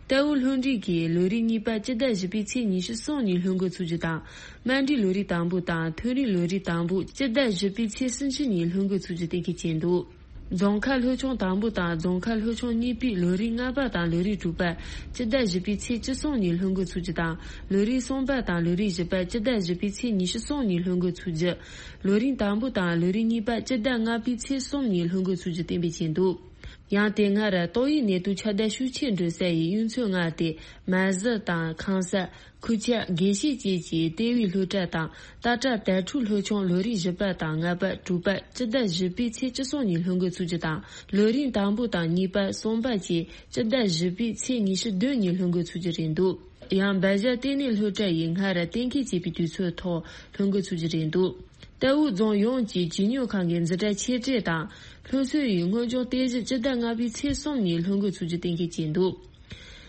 ཏའོ་སློབ་འབྲིང་གིས་ལོ་རེའི་གཉིས་པ་སྤྱི་ཟླ་བཞི་པའི་ཚེས་ཉི་ཤུ་གསུམ་ཉིན་སློབ་འགོ་ཚུགས་རྒྱུ་དང་། དམའ་འབྲིང་ལོ་རེའི་དང་པོ་དང་མཐོ་རིམ་ལོ་རེའི་དང་པོ་སྤྱི་ཟླ་བཞི་པའི་ཚེས་སུམ་ཅུ་ཉིན་སློབ་འགོ་ཚུགས་རྒྱུ་གཏན་འཁེལ་བྱས་འདུག། རྫོང་ཁ་སློབ་ཆུང་དང་པོ་དང་རྫོང་ཁ་སློབ་ཆུང་གཉིས་པའི་ལོ་རེའི་ལྔ་པ་དང་ལོ་རེའི་དྲུག་པ་སྤྱི་ཟླ་བཞི་པའི་ཚེས་བཅུ་གསུམ་ཉིན་སློབ་འགོ་ཚུགས་རྒྱུ་དང་། ལོ་རེའི་གསུམ་པ་དང་ལོ་རེའི་བཞི་པ་སྤྱི་ཟླ་བཞི་པའི་ཚེས་ཉི་ཤུ་གསུམ་ཉིན་སློབ་འགོ་ཚུགས་རྒྱུ། ལོ་རེའི་དང་པོ་དང་ལོ་རེའི་གཉིས་པ་སྤྱི་ཟླ་ལྔ་པའི་ཚེས་གསུམ་ཉིན་སློབ་འགོ་ཚུགས་རྒྱུ་གཏན་འབེབས་བྱས་འདུག། ཡང་དེ་སྔར་ཏོག་དབྱིབས་ནད་དུག་ཁྱབ་གདལ་ཤུགས་ཆེ་འགྲོ་ས་ཡི་གཡུལ་ཚོ་ལྔ་སྟེ། མ་ཟི་དང་ཁང་ས། ཁུ་ཆ། དགེ་བཤེས་བཅས་ཀྱི་ལྟེ་བའི་སློབ་གྲྭ་དང་། ཏཱ་ཀྲ་དྭ་ཕྲུག་སློབ་ཆུང་ལོ་རེའི་བཞི་པ་དང་ལྔ་པ་དྲུག་པ་སྤྱི་ཟླ་བཞི་པའི་ཚེས་བཅུ་གསུམ་ཉིན་སློབ་འགོ་ཚུགས་རྒྱུ་དང་། ལོ་རེའི་དང་པོ་དང་གཉིས་པ་གསུམ་པ་བཅས་སྤྱི་ཟླ་བཞི་པའི་ཚེས་ཉི་ཤུ་བདུན་ཉིན་སློབ་འགོ་ཚུགས་རྒྱུ་རེད་འདུག། ཡང་སྦ་བཞག་ལྟེ་གནས་སློབ་གྲྭ་ཡིས་སྔར་གཏན་འཁེལ་བྱས་པའི་དུས་ཚོད་ཐོག་སློབ་འགོ་ཚུགས་རྒྱུ་རེད་འདུག། ཏའོ་རྫོང་ཡོངས་ཀྱི་བྱིས་སྨྱོ་ཁང་གི་འཛིན་གྲྭ་ཆེ་གྲས་དང་སློབ་གསོ་ཡི་སྔོན་སྦྱོང་རྟེན་གཞི་སྤྱི་ཟླ་ལྔ་པའི་ཚེས་གསུམ་ཉིན་སློབ་འགོ་ཚུགས་རྒྱུ་གཏན་འཁེལ་བྱས་འདུག།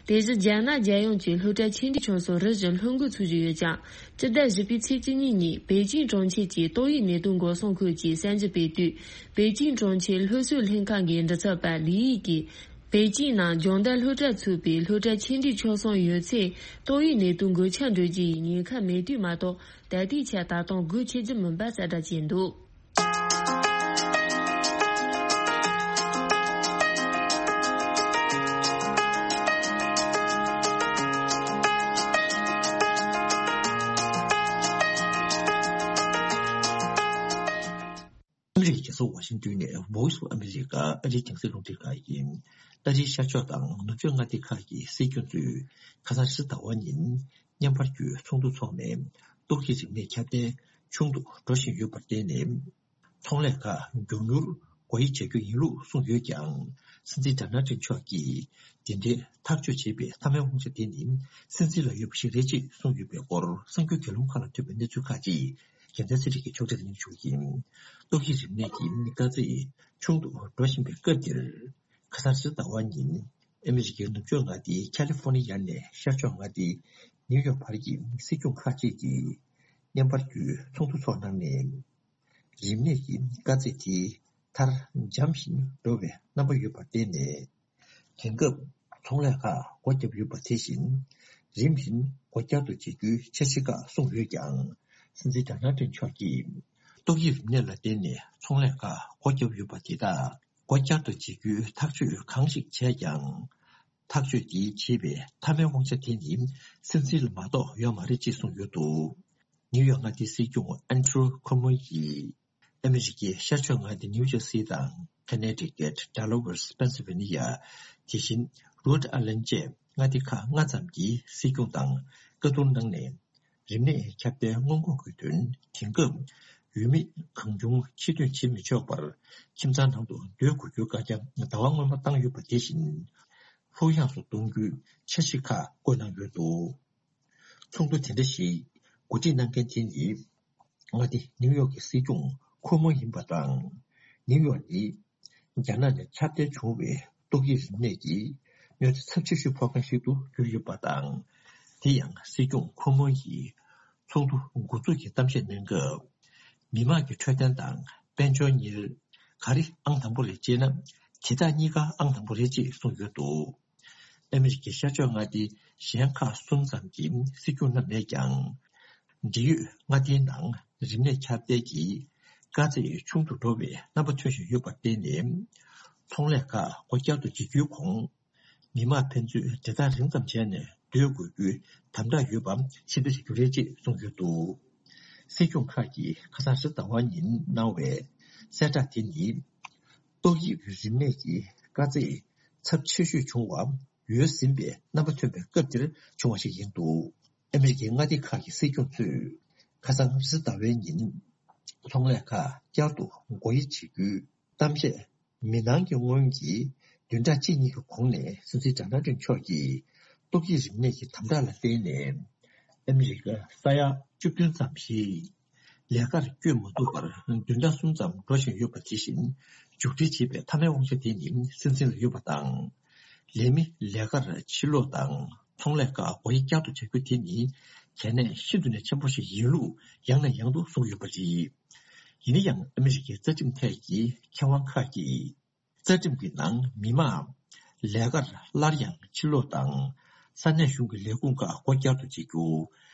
དེ་བཞིན་རྒྱ་ནག་རྒྱལ་ཡོངས་ཀྱི་སློབ་གྲྭ་ཆེ་འབྲིང་ཆུང་གསུམ་རིམ་བཞིན་སློབ་འགོ་ཚུགས་བཞིན་ཡོད་ཀྱང་། སྤྱི་ཟླ་བཞི་པའི་ཚེས་བཅུ་གཉིས་ཉིན་པེ་ཅིང་གྲོང་ཁྱེར་གྱི་ཏོག་དབྱིབས་ནད་དུག་འགོག་སྲུང་ཁུལ་གྱི་གསར་འགྱུར་སྤེལ་དུས། པེ་ཅིང་གྲོང་ཁྱེར་སློབ་གསོའི་ལྷན་ཁང་གི་མགྲིན་ཚབ་པ་ལི་ཡིས་ཀྱིས། པེ་ཅིང་ནང་སྦྱོང་བརྡར་སློབ་གྲྭ་ཚུད་པའི་སློབ་གྲྭ་ཆེ་འབྲིང་ཆུང་གསུམ་ཡོད་ཚད་ཏོག་དབྱིབས་ནད་དུག་འགོས་ཁྱབ་འགྲོ་རྒྱུ་ཡི་ཉེན་ཁ་མེད་དུས་མ་གཏོགས། ད་ལྟའི་ཆར་ད་དུང་སྒོ་ཕྱེ་རྒྱུ་མིན་པ་གསལ་བསྒྲགས་བྱས་འདུག། ཨ་མི་རི་ཀའི་རྒྱལ་ས་ཝ་ཤིང་ཏོན་ནས་Voice of America ཨ་རིའི་རྒྱང་སྲིང་རླུང་འཕྲིན་ཁང་ཡིན། ཨ་རིའི་ཤར་ཕྱོགས་དང་ནུབ་ཕྱོགས་མངའ་སྡེ་ཁག་གི་སྲིད་སྐྱོང་ཚོས་ཁ་སང་རེས་གཟའ་ཟླ་བ་ཉིན་བརྙན་པར་བརྒྱུད་ཚོགས་འདུ་འཚོགས་ནས་ཏོག་དབྱིབས་རིམས་ནད་ཁྱབ་གདལ་ཆུང་དུ་འགྲོ་བཞིན་ཡོད་པར་བརྟེན་ནས། ཚོང་ལས་ཁག་མགྱོགས་མྱུར་སྒོ་དབྱེ་བྱ་རྒྱུ་ཡིན་ལུགས་གསུངས་ཡོད་ཀྱང་། སྲིད་འཛིན་ཌོ་ནལ་ཊམ་མཆོག་གིས་འདི་འདྲའི་ཐག་གཅོད་བྱས་པའི་མཐའ་མའི་དབང་ཆ་དེ་ནི་སྲིད་འཛིན་ལ་ཡོད་པ་ཞིག་རེད་ཅེས་གསུངས་ཡོད་པའི་སྐོར་གསར་འགྱུར་གྱི་ལུང་ཁག་ལ་ཐོན་པའི་གནས་ཚུལ་ཁག་ཅིག་རྒྱལ་མཚན་ཚེ་རིང་གིས་ཕྱོགས་སྒྲིག་གནང་ཞུ་གི་ཡིན། ཏོག་དབྱིབས་རིམས་ནད་ཀྱི་དཀའ་ཚེགས་ཆུང་དུ་འགྲོ་བཞིན་པའི་སྐབས་འདིར། ཁ་སང་རེས་གཟའ་ཟླ་བ་ཉིན་ཨ་མི་རི་ཀའི་ནུབ་ཕྱོགས་མངའ་སྡེ་ཁ་ལི་ཧྥོ་ནི་ཡ་ནས་ཤར་ཕྱོགས་མངའ་སྡེ་ནིའུ་ཡོག་བར་གྱི་སྲིད་སྐྱོང་ཁག་ཅིག་གིས་བརྙན་པར་བརྒྱུད་ཚོགས་འདུ་འཚོགས་གནང་ནས། རིམས་ནད་ཀྱི་དཀའ་ཚེགས་དེ་མཐར་འཇམ་བཞིན་འགྲོ་བའི་རྣམ་པ་ཡོད་པར་བརྟེན་ནས། དེང་སྐབས་ཚོང་ལས་ཁག་སྒོ་བརྒྱབ་ཡོད་པ་དེ་བཞིན་རིམ་བཞིན་སྒོ་བསྐྱར་དུ་འབྱེད་རྒྱུའི་འཆར་གཞི་ཁག་གསུངས་ཡོད་ཀྱང་། སྲིད་འཛིན་ཌོ་ནལ་ཊམ་མཆོག་གིས་ཏོག་དབྱིབས་རིམས་ནད་ལ་བརྟེན་ནས་ཚོང་ལས་ཁག་སྒོ་བརྒྱབ་ཡོད་པ་དེ་དག་སྒོ་བསྐྱར་དུ་འབྱེད་རྒྱུའི་ཐག་གཅོད་གང་ཞིག་བྱས་ཀྱང་། ཐག་གཅོད་འདི་བྱེད་པའི་མཐའ་མའི་དབང་ཆ་དེ་ནི་སྲིད་འཛིན་ལ་མ་གཏོགས་ཡོད་མ་རེད་ཅེས་གསུངས་ཡོད་འདུག་ནིའུ་ཡོག་མངའ་སྡེའི་སྲིད་སྐྱོང་ཨན་ཌྲུ་ཁོ་མོ་ཡིས་ཨ་མི་རི་ཀའི་ཤར་ཕྱོགས་མངའ་སྡེ་ནིའུ་ཇར་སི་དང་ཁ་ནེ་ཊི་ཀེཊ། ཌེ་ལ་ཝེར། སྤེན་སི་ཝེ་ནི་ཡ། དེ་བཞིན་རོཌ་ཨའི་ལན་ཌ་བཅས་མངའ་སྡེ་ཁག་ལྔ་ཙམ་གྱི་སྲིད་སྐྱོང་དང་བཀའ་བསྡུར་གནང་ནས། རིམས་ནད་ཁྱབ་གདལ་སྔོན་འགོག་གི་དོན། དེང་སྐབས་འོས་མི་གང་བྱུང་ཕྱིར་ཐོན་བྱེད་མི་ཆོག་པར་ཁྱིམ་ཚང་ནང་དུ་སྡོད་དགོས་རྒྱུའི་བཀའ་རྒྱ་ཟླ་བ་སྔོན་མ་བཏང་ཡོད་པ་དེ་བཞིན། ལྷོད་ཡངས་སུ་གཏོང་རྒྱུའི་འཆར་གཞི་ཁག་བཀོད་གནང་ཡོད་འདུག་ཚོགས་འདུ་དེ་འདྲ་ཞིག་གོ་སྒྲིག་གནང་མཁན་དེ་ནི། མངའ་སྡེ་ནིའུ་ཡོག་གི་སྲིད་སྐྱོང་ཁོ་མོ་ཡིན་པ་དང་། ནིའུ་ཡོག་ནི། རྒྱ་ནག་ནས་ཁྱབ་གདལ་བྱུང་བའི་ཏོག་དབྱིབས་རིམས་ནད་ཀྱི་གནོད་འཚེ་ཚབས་ཆེ་ཤོས་ཕོག་མཁན་ཞིག་ཏུ་གྱུར་ཡོད་པ་དང་། དེ་ཡང་སྲིད་སྐྱོང་ཁོ་མོ་ཡིས་ཚོགས་འདུ་འགོ་འཛུགས་ཀྱི་གཏམ་བཤད་གནང་སྐབས། མི་དམངས་ཀྱི་འཕྲོད་བསྟེན་དང་དཔལ་འབྱོར་གཉིས་ག་རེ་ཨང་དང་པོ་རེད་ཅེ་ན། དེ་དག་གཉིས་ཀ་ཨང་དང་པོ་རེད་ཅེས་གསུངས་ཡོད་འདུག་ཨ་མི་རི་ཀའི་ཤར་ཕྱོགས་མངའ་སྡེ་གཞན་ཁག་གསུམ་ཙམ་གྱི་སྲིད་སྐྱོང་རྣམས་ནས་ཀྱང་། འབྲེལ་ཡོད་མངའ་སྡེའི་ནང་རིམས་ནད་ཁྱབ་གདལ་གྱི་དཀའ་ཚེགས་ཆུང་དུ་འགྲོ་བའི་རྣམ་པ་ཐོན་བཞིན་ཡོད་པར་བརྟེན་ནས། ཚོང་ལས་ཁག་སྒོ་བསྐྱར་དུ་འབྱེད་རྒྱུའི་གོང་། མི་དམངས་ཕན་ཚུན་འབྲེལ་ཐག་རིང་ཙམ་བྱས་ནས་སྡོད་དགོས་རྒྱུའི་དམ་དྲག་ཡོད་པ་ཕྱིར་འཐེན་བྱེད་རྒྱུ་རེད་ཅེས་གསུངས་ཡོད་འདུག་སྲིད་སྐྱོང་ཁག་གིས་ཁ་སང་རེས་གཟའ་ཟླ་བ་ཉིན་གནང་བའི་གསལ་བསྒྲགས་དེ་ནི། ཏོག་དབྱིབས་རིམས་ནད་ཀྱི་དཀའ་ཚེགས་ཚབས་ཆེ་ཤོས་བྱུང་བ་ཡོལ་ཟིན་པའི་རྣམ་པ་ཐོན་པའི་སྐབས་འདིར་བྱུང་བ་ཞིག་ཡིན་འདུག་ཨ་མི་རི་ཀའི་མངའ་སྡེ་ཁག་གི་སྲིད་སྐྱོང་ཚོས་ཁ་སང་རེས་གཟའ་ཟླ་བའི་ཉིན་ཚོང་ལས་ཁག་བསྐྱར་དུ་སྒོ་དབྱེ་བྱེད་རྒྱུའི་གཏམ་བཤད། མི་ནང་གི་སྔོན་གྱི་བདུན་ཕྲག་གཅིག་གཉིས་ཀྱི་གོང་ནས་སྲིད་འཛིན་ཌོ་ནལ་ཊམ་མཆོག་གིས་ཏོག་དབྱིབས་རིམས་ནད་ཀྱི་དམ་དྲག་ལ་བརྟེན་ནས། ཨ་མི་རི་ཀ་ས་ཡ་བཅུ་བདུན་ཙམ་ཞིག་ལས་ཀར་བསྐྱོད་མ་ཐུབ་པར་བདུན་ཕྲག་གསུམ་ཙམ་འགྲོ་བཞིན་ཡོད་པ་དེ་བཞིན། མཇུག་སྒྲིལ་བྱེད་པའི་མཐའ་མའི་དབང་ཆ་དེ་ནི་སྲིད་འཛིན་ལ་ཡོད་པ་དང་། ལས་མི་ལས་ཀར་ཕྱིར་ལོག་དང་ཚོང་ལས་ཁག་སྒོ་དབྱེ་བསྐྱར་དུ་བྱ་རྒྱུ་དེ་ནི་གལ་གནད་ཤིན་ཏུ་ནས་ཆེན་པོ་ཞིག་ཡིན་ལུགས་ཡང་ནས་ཡང་དུ་གསུངས་ཡོད་པ་རེད། ཡིན་ན་ཡང་ཨ་མི་རི་ཀའི་རྩ་ཁྲིམས་ཐད་ཀྱི་མཁས་དབང་ཁག་གིས། རྩ་ཁྲིམས་ཀྱི་ནང་མི་མང་ལས་ཀར་སླར་ཡང་ཕྱིར་ལོག་དང་། ས་གནས་གཞུང་གི་ལས་ཁུངས་ཁག་སྒོ་བསྐྱར་དུ་འབྱེད་རྒྱུ།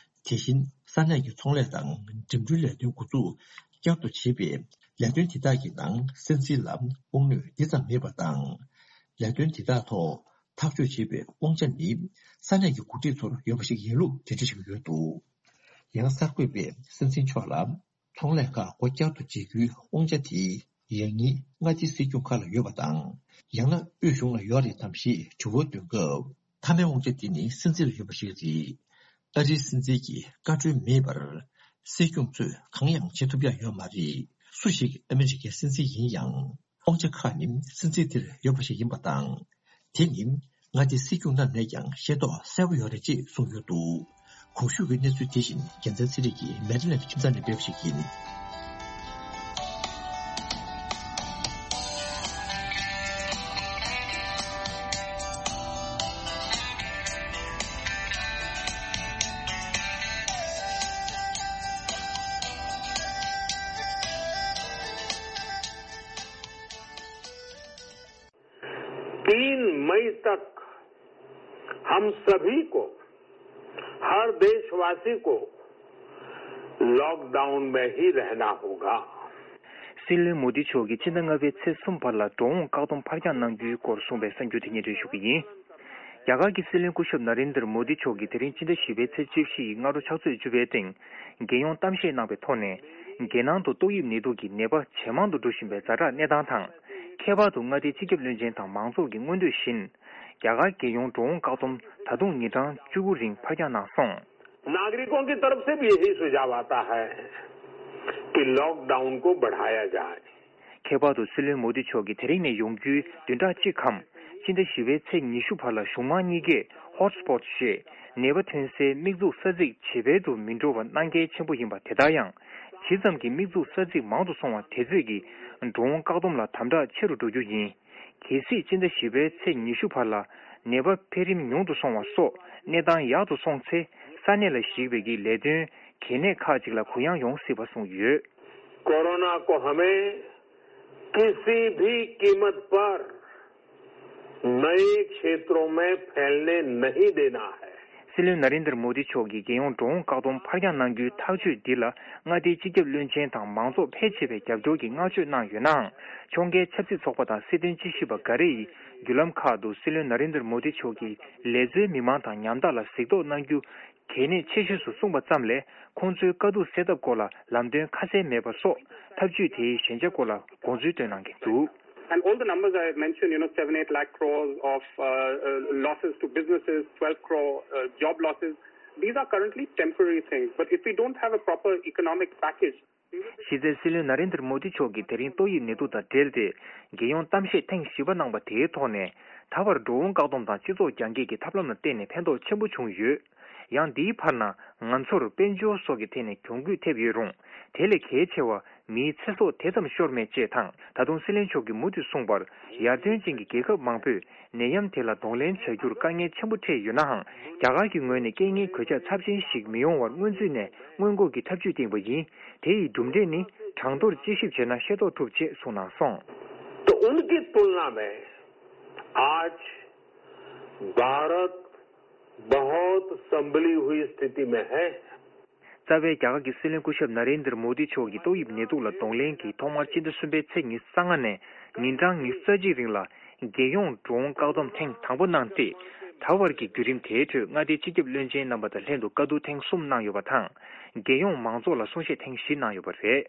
དེ་བཞིན་ས་གནས་ཀྱི་ཚོང་ལས་དང་འགྲིམ་འགྲུལ་ལས་དོན་འགོ་འཛུགས་བསྐྱར་དུ་བྱེད་པའི་ལས་དོན་དེ་དག་གི་ནང་སྲིད་འཛིན་ལ་དབང་གནས་འདི་ཙམ་མེད་པ་དང་། ལས་དོན་དེ་དག་ཐོག་ཐག་གཅོད་བྱེད་པའི་དབང་ཆ་ནི་ས་གནས་ཀྱི་འགོ་ཁྲིད་ཚོར་ཡོད་པ་ཞིག་ཡིན་ལུགས་འགྲེལ་བརྗོད་བྱེད་ཀྱི་ཡོད་འདུག་ཡང་གསར་འགོད་པས་སྲིད་འཛིན་མཆོག་ལ། ཚོང་ལས་ཁག་སྒོ་བསྐྱར་དུ་འབྱེད་རྒྱུའི་དབང་ཆ་དེ་ཡང་སྙིང་མངའ་སྡེའི་སྲིད་སྐྱོང་ཁག་ལ་ཡོད་པ་དང་། ཡང་ན་དབུས་གཞུང་ལ་ཡོད་རེད་དམ་ཞེས་དྲི་བ་འདོན་སྐབས། མཐའ་མའི་དབང་ཆ་དེ་ནི་སྲིད་འཛིན་ལ་ཡོད་པ་ཞིག་རེད། ཨ་རིའི་སྲིད་འཛིན་གྱི་བཀའ་འཁྲོལ་མེད་པར། སྲིད་སྐྱོང་ཚོས་གང་ཡང་བྱེད་ཐུབ་ཡག་ཡོད་མ་རེད། སུ་ཞིག་ཨ་མི་རི་ཀའི་སྲིད་འཛིན་ཡིན་ཡང་། དབང་ཆ་ཁག་ནི་སྲིད་འཛིན་དེར་ཡོད་པ་ཞིག་ཡིན་པ་དང་། དེ་ནི་མངའ་སྡེའི་སྲིད་སྐྱོང་རྣམས་ནས་ཀྱང་ཤེས་རྟོགས་གསལ་པོ་ཡོད་རེད་ཅེས་གསུངས་ཡོད་འདུག་གོང་ཞུས་ཀྱི་གནས་ཚུལ་དེ་བཞིན་རྒྱལ་མཚན་ཚེ་རིང་གིས་མེ་རི་ལེན་ཁྱིམ་ཚང་ནས་སྤེལ་བ་ཞིག་ཡིན། तीन मई तक हम सभी को, हर देशवासी को लॉकडाउन में ही रहना होगा। སྲིད་བློན་མོ་དི་མཆོག་གིས་ཕྱི་ཟླ་ལྔ་པའི་ཚེས་གསུམ་བར་ལ་འགྲོ་འོང་བཀག་སྡོམ་ཕར་འགྱངས་གནང་རྒྱུའི་སྐོར་གསུངས་པའི་གསར་འགྱུར་དེ་སྙན་སྒྲོན་ཞུ་གི་ཡིན། རྒྱ་གར་གྱི་སྲིད་བློན་སྐུ་ཞབས་ན་རེན་དར་མོ་དི་མཆོག་གིས་དེ་རིང་ཕྱི་ཟླ་བཞི་པའི་ཚེས་བཅུ་བཞི་ཡི་སྔ་དྲོ་ཕྱག་ཚོད་བཅུ་པའི་སྟེང་། རྒྱལ་ཡོངས་གཏམ་བཤད་གནང་བའི་ཐོག་ནས། རྒྱལ་ནང་དུ་ཏོག་དབྱིབས་ནད་དུག་གི་ནད་པ་ཇེ་མང་དུ་འགྲོ་བཞིན་པའི་ཛ་དྲག་གནས་སྟངས་དང་། ཁྱད་པར་དུ་མངའ་སྡེའི་སྤྱི་ཁྱབ་བློན་ཆེན་དང་མང་ཚོགས་ཀྱི་མངོན་འདོད་བཞིན། རྒྱ་གར་རྒྱལ་ཡོངས་འགྲོ་འོང་བཀག་སྡོམ་ད་དུང་ཉིན་གྲངས་བཅུ་དགུ་རིང་ཕར་འགྱངས་གནང་སོང་། नागरिकों की तरफ से भी यही सुझाव आता है कि लॉकडाउन को बढ़ाया जाए। ཁྱད་པར་དུ་སྲིད་བློན་མོ་དི་མཆོག་གིས་དེ་རིང་ནས་ཡོང་རྒྱུའི་བདུན་ཕྲག་གཅིག་གམ། སྤྱི་ཟླ་བཞི་པའི་ཚེས་ཉི་ཤུ་བར་ལ་གཞུང་མང་གཉིས་ཀས་ཧོ་ཊི་སི་པོ་ཊི་ཞེས་ནད་པ་ཐོན་སའི་དམིགས་འཛུགས་ས་ཚིགས་ཇེ་འཕེལ་དུ་མི་འགྲོ་བ་གནང་གལ་ཆེན་པོ་ཡིན་པ། དེ་ལྟར་ཡང་ཇི་ཙམ་གྱི་དམིགས་འཛུགས་ས་ཚིགས་མང་དུ་སོང་བ་དེ་ཚོད་ཀྱིས་འགྲོ་འོང་བཀག་སྡོམ་ལ་དམ་དྲག་ཆེ་རུ་འགྲོ་རྒྱུ་ཡིན། གལ་སྲིད་སྤྱི་ཟླ་བཞི་པའི་ཚེས་ཉི་ཤུ་བར་ལ་ནད་པ་འཕེལ་རིམ་ཉུང་དུ་སོང་བ་སོགས་གནས་སྟངས་ཡག་ཏུ་སོང་ཚེ། ས་གནས་ལ་གཞིགས་པའི་གི་ལས་དོན་གལ་གནད་ཁག་ཅིག་ལ་གུ་ཡངས་ཡོང་སྲིད་པ་གསུངས་ཡོད། कोरोना को हमें किसी भी कीमत पर नए क्षेत्रों में फैलने नहीं देना है। སྲིད་བློན་ན་རེན་དར་མོ་དི་མཆོག་གིས་རྒྱལ་ཡོངས་འགྲོ་འོང་བཀག་སྡོམ་ཕར་འགྱངས་གནང་རྒྱུའི་ཐག་གཅོད་འདི་ལ། མངའ་སྡེའི་སྤྱི་ཁྱབ་བློན་ཆེན་དང་མང་ཚོགས་ཕལ་ཆེ་བས་རྒྱབ་སྐྱོར་གྱི་བསྔགས་བརྗོད་གནང་ཡོད་ནའང་། ཕྱོགས་འགལ་ཆབ་སྲིད་ཚོགས་པ་དང་སྲིད་དོན་དཔྱད་ཞིབ་པ་འགའ་རེ་ཡིས་བརྒྱུད་ལམ་ཁག་ཏུ་སྲིད་བློན་ན་རེན་དར་མོ་དི་མཆོག་གིས་ལས་བཟོའི་མི་མང་དང་ཉམ་ཐག་ལ་གཟིགས་རྟོག་གནང་རྒྱུ་གལ་གནད་ཆེ་ཤོས་སུ་གསུངས་པ་ཙམ་ལས། ཁོང་ཚོའི་དཀའ་སྡུག་སེལ་ཐབས་སྐོར་ལ་ལམ་སྟོན་ཁ་གསལ་མེད་པ་སོགས་ཐབས་ཇུས་དེའི་ཞན་ཆ་སྐོར་ལ་དགོངས་ཚུལ་བཏོན་གནང་གི་འདུག། And all the numbers I mentioned, you know, seven, eight lakh crores of uh, uh, losses to businesses, twelve crore uh, job losses, these are currently temporary things. But if we don't have a proper economic package, གཞི་རྩའི་སྲིད་བློན་ན་རེན་དར་མོ་དི་མཆོག་གིས་དེ་རིང་ཏོག་དབྱིབས་ནད་དུག་དང་འབྲེལ་ཏེ། རྒྱལ་ཡོངས་གཏམ་བཤད་ཐེངས་བཞི་པ་གནང་པ་དེའི་ཐོག་ནས། ད་བར་འགྲོ་འོང་བཀག་སྡོམ་དང་སྤྱི་ཚོགས་རྒྱང་བཀྱེད་ཀྱི་ཐབས་ལམ་ལ་བརྟེན་ནས་ཕན་ཐོགས་ཆེན་པོ་བྱུང་ཡོད། ཡང་འདིའི་བར་ན་ང་ཚོར་དཔལ་འབྱོར་སོགས་ཀྱི་ཐད་ནས་གྱོང་གུད་ཐེབས་ཡོད་རུང་། དེ་ལས་གལ་ཆེ་བ་མིའི་ཚེ་སྲོག་དེ་ཙམ་ཤོར་མེད་ཅེས་དང་། ད་དུང་སྲིད་བློན་མཆོག་གིས་མུ་མཐུད་གསུངས་པར། ཡར་ཐོན་ཅན་གྱི་རྒྱལ་ཁབ་མང་པོས་ནད་ཡམས་དེ་ལ་གདོང་ལེན་བྱ་རྒྱུར་དཀའ་ངལ་ཆེན་པོ་འཕྲད་ཡོད་ནའང་། རྒྱ་གར་གྱི་ངོས་ནས་རྐྱེན་ངན་གོད་ཆག་ཚབས་ཆེན་ཞིག་མི་ཡོང་བར་སྔོན་ཚུད་ནས་སྔོན་འགོག་གི་ཐབས་ཇུས་བཏིང་པ་ཡིན། དེ་ཡི་གྲུབ་འབྲས་ནི་གྲངས་ཐོར་དཔྱད་ཞིབ་བྱས་ན་ཤེས་རྟོགས་ཐུབ་ཅེས་གསུངས་གནང་སོང་། तो उनकी तुलना में आज भारत बहुत संभली हुई स्थिति में है। རྩ་བའི་རྒྱ་གར་གྱི་སྲིད་བློན་སྐུ་ཞབས་ན་རེན་དར་མོ་དི་མཆོག་གིས་ཏོག་དབྱིབས་ནད་དུག་ལ་གདོང་ལེན་གྱིས་ཐོག་མར་སྤྱི་ཟླ་གསུམ་པའི་ཚེས་ཉི་ཤུ་རྩ་ལྔ་ནས་ཉིན་གྲངས་ཉི་ཤུ་རྩ་གཅིག་རིང་ལ་རྒྱལ་ཡོངས་འགྲོ་འོང་བཀག་སྡོམ་ཐེངས་དང་པོ་གནང་སྟེ། ད་བར་གྱི་བརྒྱུད་རིམ་དེའི་ཁྲོད་མངའ་སྡེའི་སྤྱི་ཁྱབ་བློན་ཆེན་རྣམ་པ་དང་ལྷན་དུ་བཀའ་བསྡུར་ཐེངས་གསུམ་གནང་ཡོད་པ་དང་། རྒྱལ་ཡོངས་མང་ཚོགས་ལ་གསུང་བཤད་ཐེངས་བཞི་གནང་ཡོད་པ་རེད།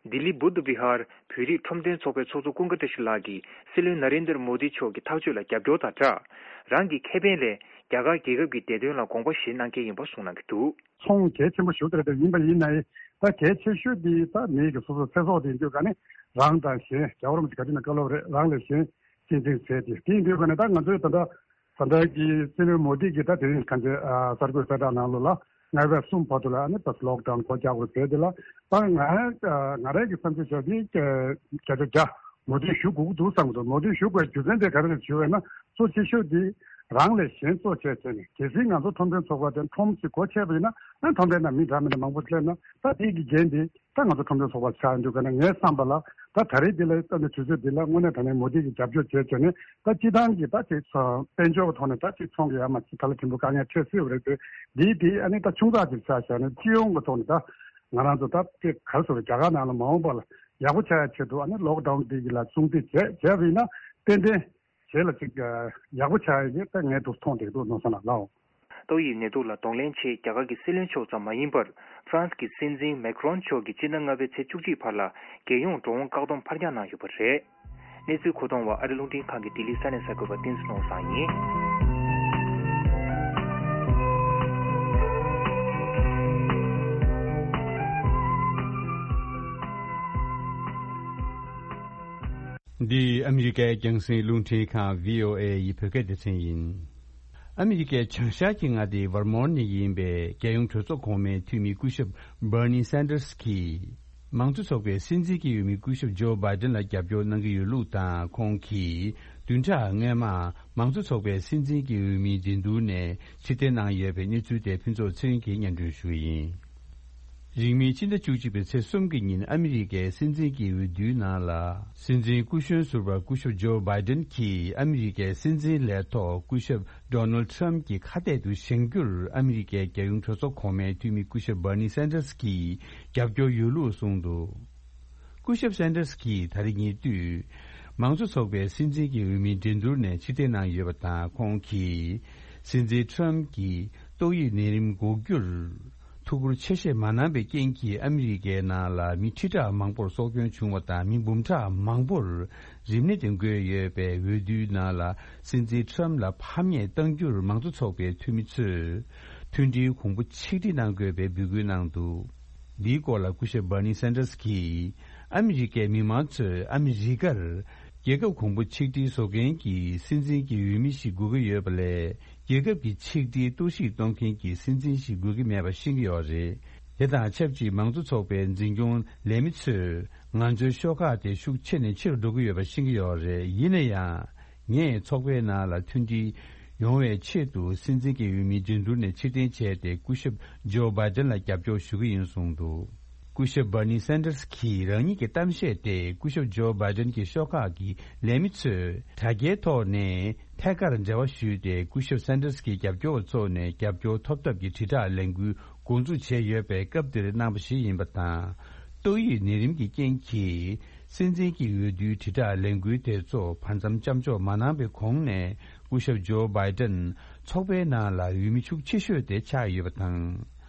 ལྡི་ལི་བུདྡྷ་བི་ཧར་བོད་རིགས་ཁྲོམ་སྟོན་ཚོགས་པའི་ཚོགས་གཙོ་ཀུན་དགའ་བཀྲ་ཤིས་ལགས་ཀྱིས་སྲིད་བློན་ན་རེན་དར་མོ་དི་མཆོག་གི་ཐག་གཅོད་ལ་རྒྱབ་སྐྱོར་དང་སྦྲགས། རང་གི་ཁེ་ཕན་ལས་རྒྱ་གར་རྒྱལ་ཁབ་ཀྱི་བདེ་དོན་ལ་དགོངས་པ་བཞེས་གནང་གལ་ཡིན་པ་གསུངས་གནང་གི་འདུག། ཚོང་གལ་ཆེན་པོ་ཞིག་རེད་དེ། ཡིན་པ་ཡིན་ནའི་ད་གལ་ཆེ་ཤོས་འདི་ད་མི་གི་སོ་སོ་ཚེ་སྲོག་དེ་ཡིན་དུས་ཀ་ནི་རང་དང་གཞན་རྒྱལ་བ་རིན་པོ་ཆེ་ག་དུས་ན་བཀའ་སློབ་རེད། རང་ལས་གཞན་གཅེས་འཛིན་བྱས་ཏེ། དེ་ཡིན་དུས་ཀ་ནི་ད་ང་ཚོའི་ད་ལྟ་ད་ལྟ་གི་སྲིད་བློན་མོ་དི་གིས་ད་དེ་རིང་ག་ཚོད་ཨ་གསར་འགོད་གསལ་བསྒྲགས་ནང་ལོགས་ལ་ལྔ་པའི་གསུམ་བར་དུ་ལ་ཨ་ནི་ད་ལོག་ཌའུན་སྒོ་རྒྱག་དགོས་ཟེར་དེ་ལ། ད་ང་ང་རང་གི་བསམ་ཚུལ་བྱས་ཏེ་བརྒྱ་ཆ་བརྒྱ་མོ་དི་ཞུ་དགོས་ཀྱི་འདུག་བསམ་གྱི་འདུག། མོ་དི་ཞུ་དགོས་རྒྱུ་མཚན་དེ་ག་རེ་རེད་ཞུ་བས་ན། གཙོ་ཆེ་ཤོས་དེ་རང་ལས་གཞན་གཙོ་བྱས་བྱས་ནས། གལ་སྲིད་ང་ཚོ་ཁྲོམ་སྟོན་ཚོགས་པ་དེ་ཁྲོམ་ཞིག་སྒོ་ཕྱེ་བ་ཡིན་ན། ཨ་ཁྲོམ་པའི་ནང་མི་འདྲ་མི་འདྲ་མང་པོ་སླེབས་ན། ད་དེ་གི་འགན་དེ་ད་ང་ཚོ་ཁྲོམ་སྟོན་ཚོགས་པ་ཆགས་ཡོང་དུས་ཀ་ནས། ངའི་བསམ་པ་ལ་ད་ད་རེས་འདི་ལ་ལྟ་ན་དུས་ཚོད་འདི་ལ་དངོས་གནས་དྲང་གནས་མོ་དི་གི་རྒྱབ་སྐྱོར་བྱས་བྱས་ནས། ད་སྤྱི་བཏང་གི་ད་ཅིག་དཔལ་འབྱོར་གྱི་ཐོག་ནས་ད་ཅིག་ཚོང་གི་ཡ་མ་ཅིག་ད་ལ་ཕྲན་བུ་དཀའ་ངལ་འཕྲད་སྲིད་པ་རེད་དེ། འདི་དེ་ཨ་ནི་ད་ཆུང་ཙག་ཅིག་ཆགས་བྱས་ནས་སྤྱི་ཡོངས་ཀྱི་ཐོག་ནས་ད་ང་རང་ཚོ་ད་དེ་ག་རེ་ཟེར་དགོས། རྒྱ་གར་ནང་ལ་མ་འོངས་པ་ལ་ཡག་པོ་ཆགས་ཡ་ཆེད་དུ་ཨ་ནི་ལོག་ཌའུན་འདི་གི་ལ་སྲུང་བརྩི་བྱས་བྱས་པ་ཡིན་ན། ཏན་ཏན་རྗེས་ལ་ཅིག་ཡག་པོ་ཆགས་ཡ་ཡིན་ད་ངས་འདུག་མཐོང་བསྡད་འདུག་ནོར་བཟང་ལགས་ལགས། ཏོག་དབྱིབས་ནད་དུག་ལ་གདོང་ལེན་ཆེད་རྒྱ་གར་གྱི་སྲིད་བློན་མཆོག་ཙམ་མ་ཡིན་པར། ཧྥ་རན་སི་གི་སྲིད་འཛིན་མེག་རོན་མཆོག་གིས་སྤྱི་ཟླ་ལྔ་པའི་ཚེས་བཅུ་གཅིག་བར་ལ་རྒྱལ་ཡོངས་འགྲོ་འོང་བཀག་སྡོམ་ཕར་འགྱངས་གནང་ཡོད་པ་རེད། གནས་ཚུལ་མཁོ་གཏོང་བ་ཨ་རི་རླུང་འཕྲིན་ཁང་གི་ལྡི་ལི་ས་གནས་གསར་འགོད་པ་བསྟན་འཛིན་ནོར་བཟང་ཡིན། འདི་ཨ་མི་རི་ཀའི་རྒྱང་སྲིང་རླུང་འཕྲིན་ཁང་བྷི་ཨོ་ཨེ་ཡི་བོད་སྐད་སྡེ་ཚན་ཡིན། ཨ་མི་རི་ཀའི་བྱང་ཤར་གྱི་མངའ་སྡེ་ཝར་མོན་ནས་ཡིན་པའི་རྒྱལ་ཡོངས་གྲོས་ཚོགས་གོང་མའི་འཐུས་མི་སྐུ་ཞབས་Bernie Sanders གྱིས། མང་གཙོ་ཚོགས་པའི་སྲིད་འཛིན་གྱི་འོས་མི་སྐུ་ཞབས་ཇོ་བྷའི་ཌེན་ལ་རྒྱབ་སྐྱོར་གནང་གི་ཡོད་ལུགས་དང་། ཁོང་གིས་བདུན་ཕྲག་སྔོན་མ་མང་གཙོ་ཚོགས་པའི་སྲིད་འཛིན་གྱི་འོས་མིའི་འགྲན་བསྡུར་ནས་ཕྱིར་འཐེན་གནང་ཡོད་པའི་གནས་ཚུལ་དེ་ཕུན་ཚོགས་ཚེ་རིང་གིས་སྙན་སྒྲོན་ཞུ་གི་ཡིན། རིང་མིན་ཕྱི་ཟླ་བཅུ་གཅིག་པའི་ཚེས་གསུམ་གྱི་ཉིན་ཨ་མི་རི་ཀའི་སྲིད་འཛིན་གྱི་འོས་བསྡུའི་ནང་ལ། སྲིད་འཛིན་སྐུ་གཞོན་ཟུར་པ་སྐུ་ཞབས་ཇོ་བྷའི་ཌེན་གྱིས་ཨ་མི་རི་ཀའི་སྲིད་འཛིན་ལས་ཐོག་སྐུ་ཞབས་ཌོ་ནལ་ཌི་ཊརམ་ཕི་གྱི་ཁ་གཏད་དུ་བཞེངས་རྒྱུར་ཨ་མི་རི་ཀའི་རྒྱལ་ཡོངས་གྲོས་ཚོགས་གོང་མའི་འཐུས་མི་སྐུ་ཞབས་Bernie Sanders གྱིས་རྒྱབ་སྐྱོར་ཡོད་ལུགས་གསུངས་འདུག། སྐུ་ཞབས་Sanders གྱིས་ད་རེས་ཉེ་དུས་མང་གཙོ་ཚོགས་པའི་སྲིད་འཛིན་གྱི་འོས་མིའི་འགྲན་བསྡུར་ནས་ཕྱིར་འཐེན་གནང་ཡོད་པ་དང་། ཁོང་གིས་སྲིད་འཛིན་ཊརམ་ཕི་གྱིས་ཏོག་དབྱིབས་ནད་རིམས་འགོག་རྒྱུར། ཐུགས་ཁུར་ཆེ་བཞེས་མ་གནང་བའི་རྐྱེན་གྱིས་ཨ་མི་རི་ཀའི་ནང་ལ་མི་ཁྲི་ཕྲག་མང་པོར་སྲོག་སྐྱོན་བྱུང་བ་དང་མི་འབུམ་ཕྲག་མང་པོར་རིམས་ནད་དེ་འགོས་ཡོད་པའི་འོས་བསྡུའི་ནང་ལ་སྲིད་འཛིན་ཁྲམ་ལ་ཕམ་ཉེས་གཏང་རྒྱུར་མང་གཙོ་ཚོགས་པའི་འཐུས་མི་ཚོས་མཐུན་སྒྲིལ་གོང་བུ་ཆིག་སྒྲིལ་གནང་དགོས་པའི་འབོད་སྐུལ་གནང་འདུག་འདིའི་སྐོར་ལ་སྐུ་ཞབས་Bernie Sanders་གྱིས་ཨ་མི་རི་ཀའི་མི་མང་ཚོས་ཨ་མི་རི་ཀར་རྒྱལ་ཁབ་གོང་བུ་ཆིག་སྒྲིལ་བཟོ་མཁན་གྱི་སྲིད་འཛིན་གྱི་འོས་མི་ཞིག་དགོས་ཀྱི་ཡོད་པ་ལས། རྒྱལ་ཁབ་ཀྱི་ཆིག་སྒྲིལ་གཏོར་བཤིག་གཏོང་མཁན་གྱི་སྲིད་འཛིན་ཞིག་དགོས་ཀྱི་མེད་པ་ཤེས་ཀྱི་ཡོད་རེད། དེ་དང་ཆབས་ཅིག་མང་གཙོ་ཚོགས་པའི་འཛིན་སྐྱོང་ལས་མི་ཚོས་ང་ཚོའི་ཤོག་ཁག་དེ་ཤུགས་ཆེ་ནས་ཆེ་རུ་འགྲོ་གི་ཡོད་པ་ཤེས་ཀྱི་ཡོད་རེད། ཡིན་ན་ཡང་། ངས་ཚོགས་པའི་ནང་ལ་མཐུན་སྒྲིལ་ཡོང་བའི་ཆེད་དུ་སྲིད་འཛིན་གྱི་འོས་མི་འགྲན་བསྡུར་ནས་ཕྱིར་འཐེན་བྱས་ཏེ་སྐུ་ཞབས་ཇོ་བྷའི་ཏན་ལ་རྒྱབ་སྐྱོར་ཞུ་གི་ཡིན་གསུངས་འདུག་སྐུ་ཞབས་Bernie Sanders་གྱིས་རང་ཉིད་ཀྱི་གཏམ་བཤད་དེ་སྐུ་ཞབས་ཇོ་བྷའི་ཏན་གྱི་ཤོག་ཁག་གི་ལས་མི་ཚོས་དྲ་རྒྱའི་ཐོག་ནས་ཐད་ཀར་འབྲེལ་བ་ཞུས་ཏེ་སྐུ་ཞབས་Sanders་གྱི་རྒྱབ་སྐྱོར་བ་ཚོ་ནས་རྒྱབ་སྐྱོར་ཐོབ་ཐབས་ཀྱི་དྲིལ་བསྒྲགས་ལས་འགུལ་འགོ་འཛུགས་བྱས་ཡོད་པའི་སྐབས་འདིར་གནང་བ་ཞིག་ཡིན་པ་དང་། ཏོག་དབྱིབས་ནད་རིམས་ཀྱི་རྐྱེན་གྱིས་སྲིད་འཛིན་གྱི་འོས་བསྡུའི་དྲིལ་བསྒྲགས་ལས་འགུལ་དེ་ཚོ་བར་མཚམས་མཚམས་འཇོག་མ་གནང་བའི་གོང་ནས་སྐུ་ཞབས་ཇོ་བྷའི་ཏན་ཚོགས་པའི་ནང་ལ་འོས་མི་ཤུགས་ཆེ་ཤོས་དེ་ཆགས་ཡོད་པ་དང་།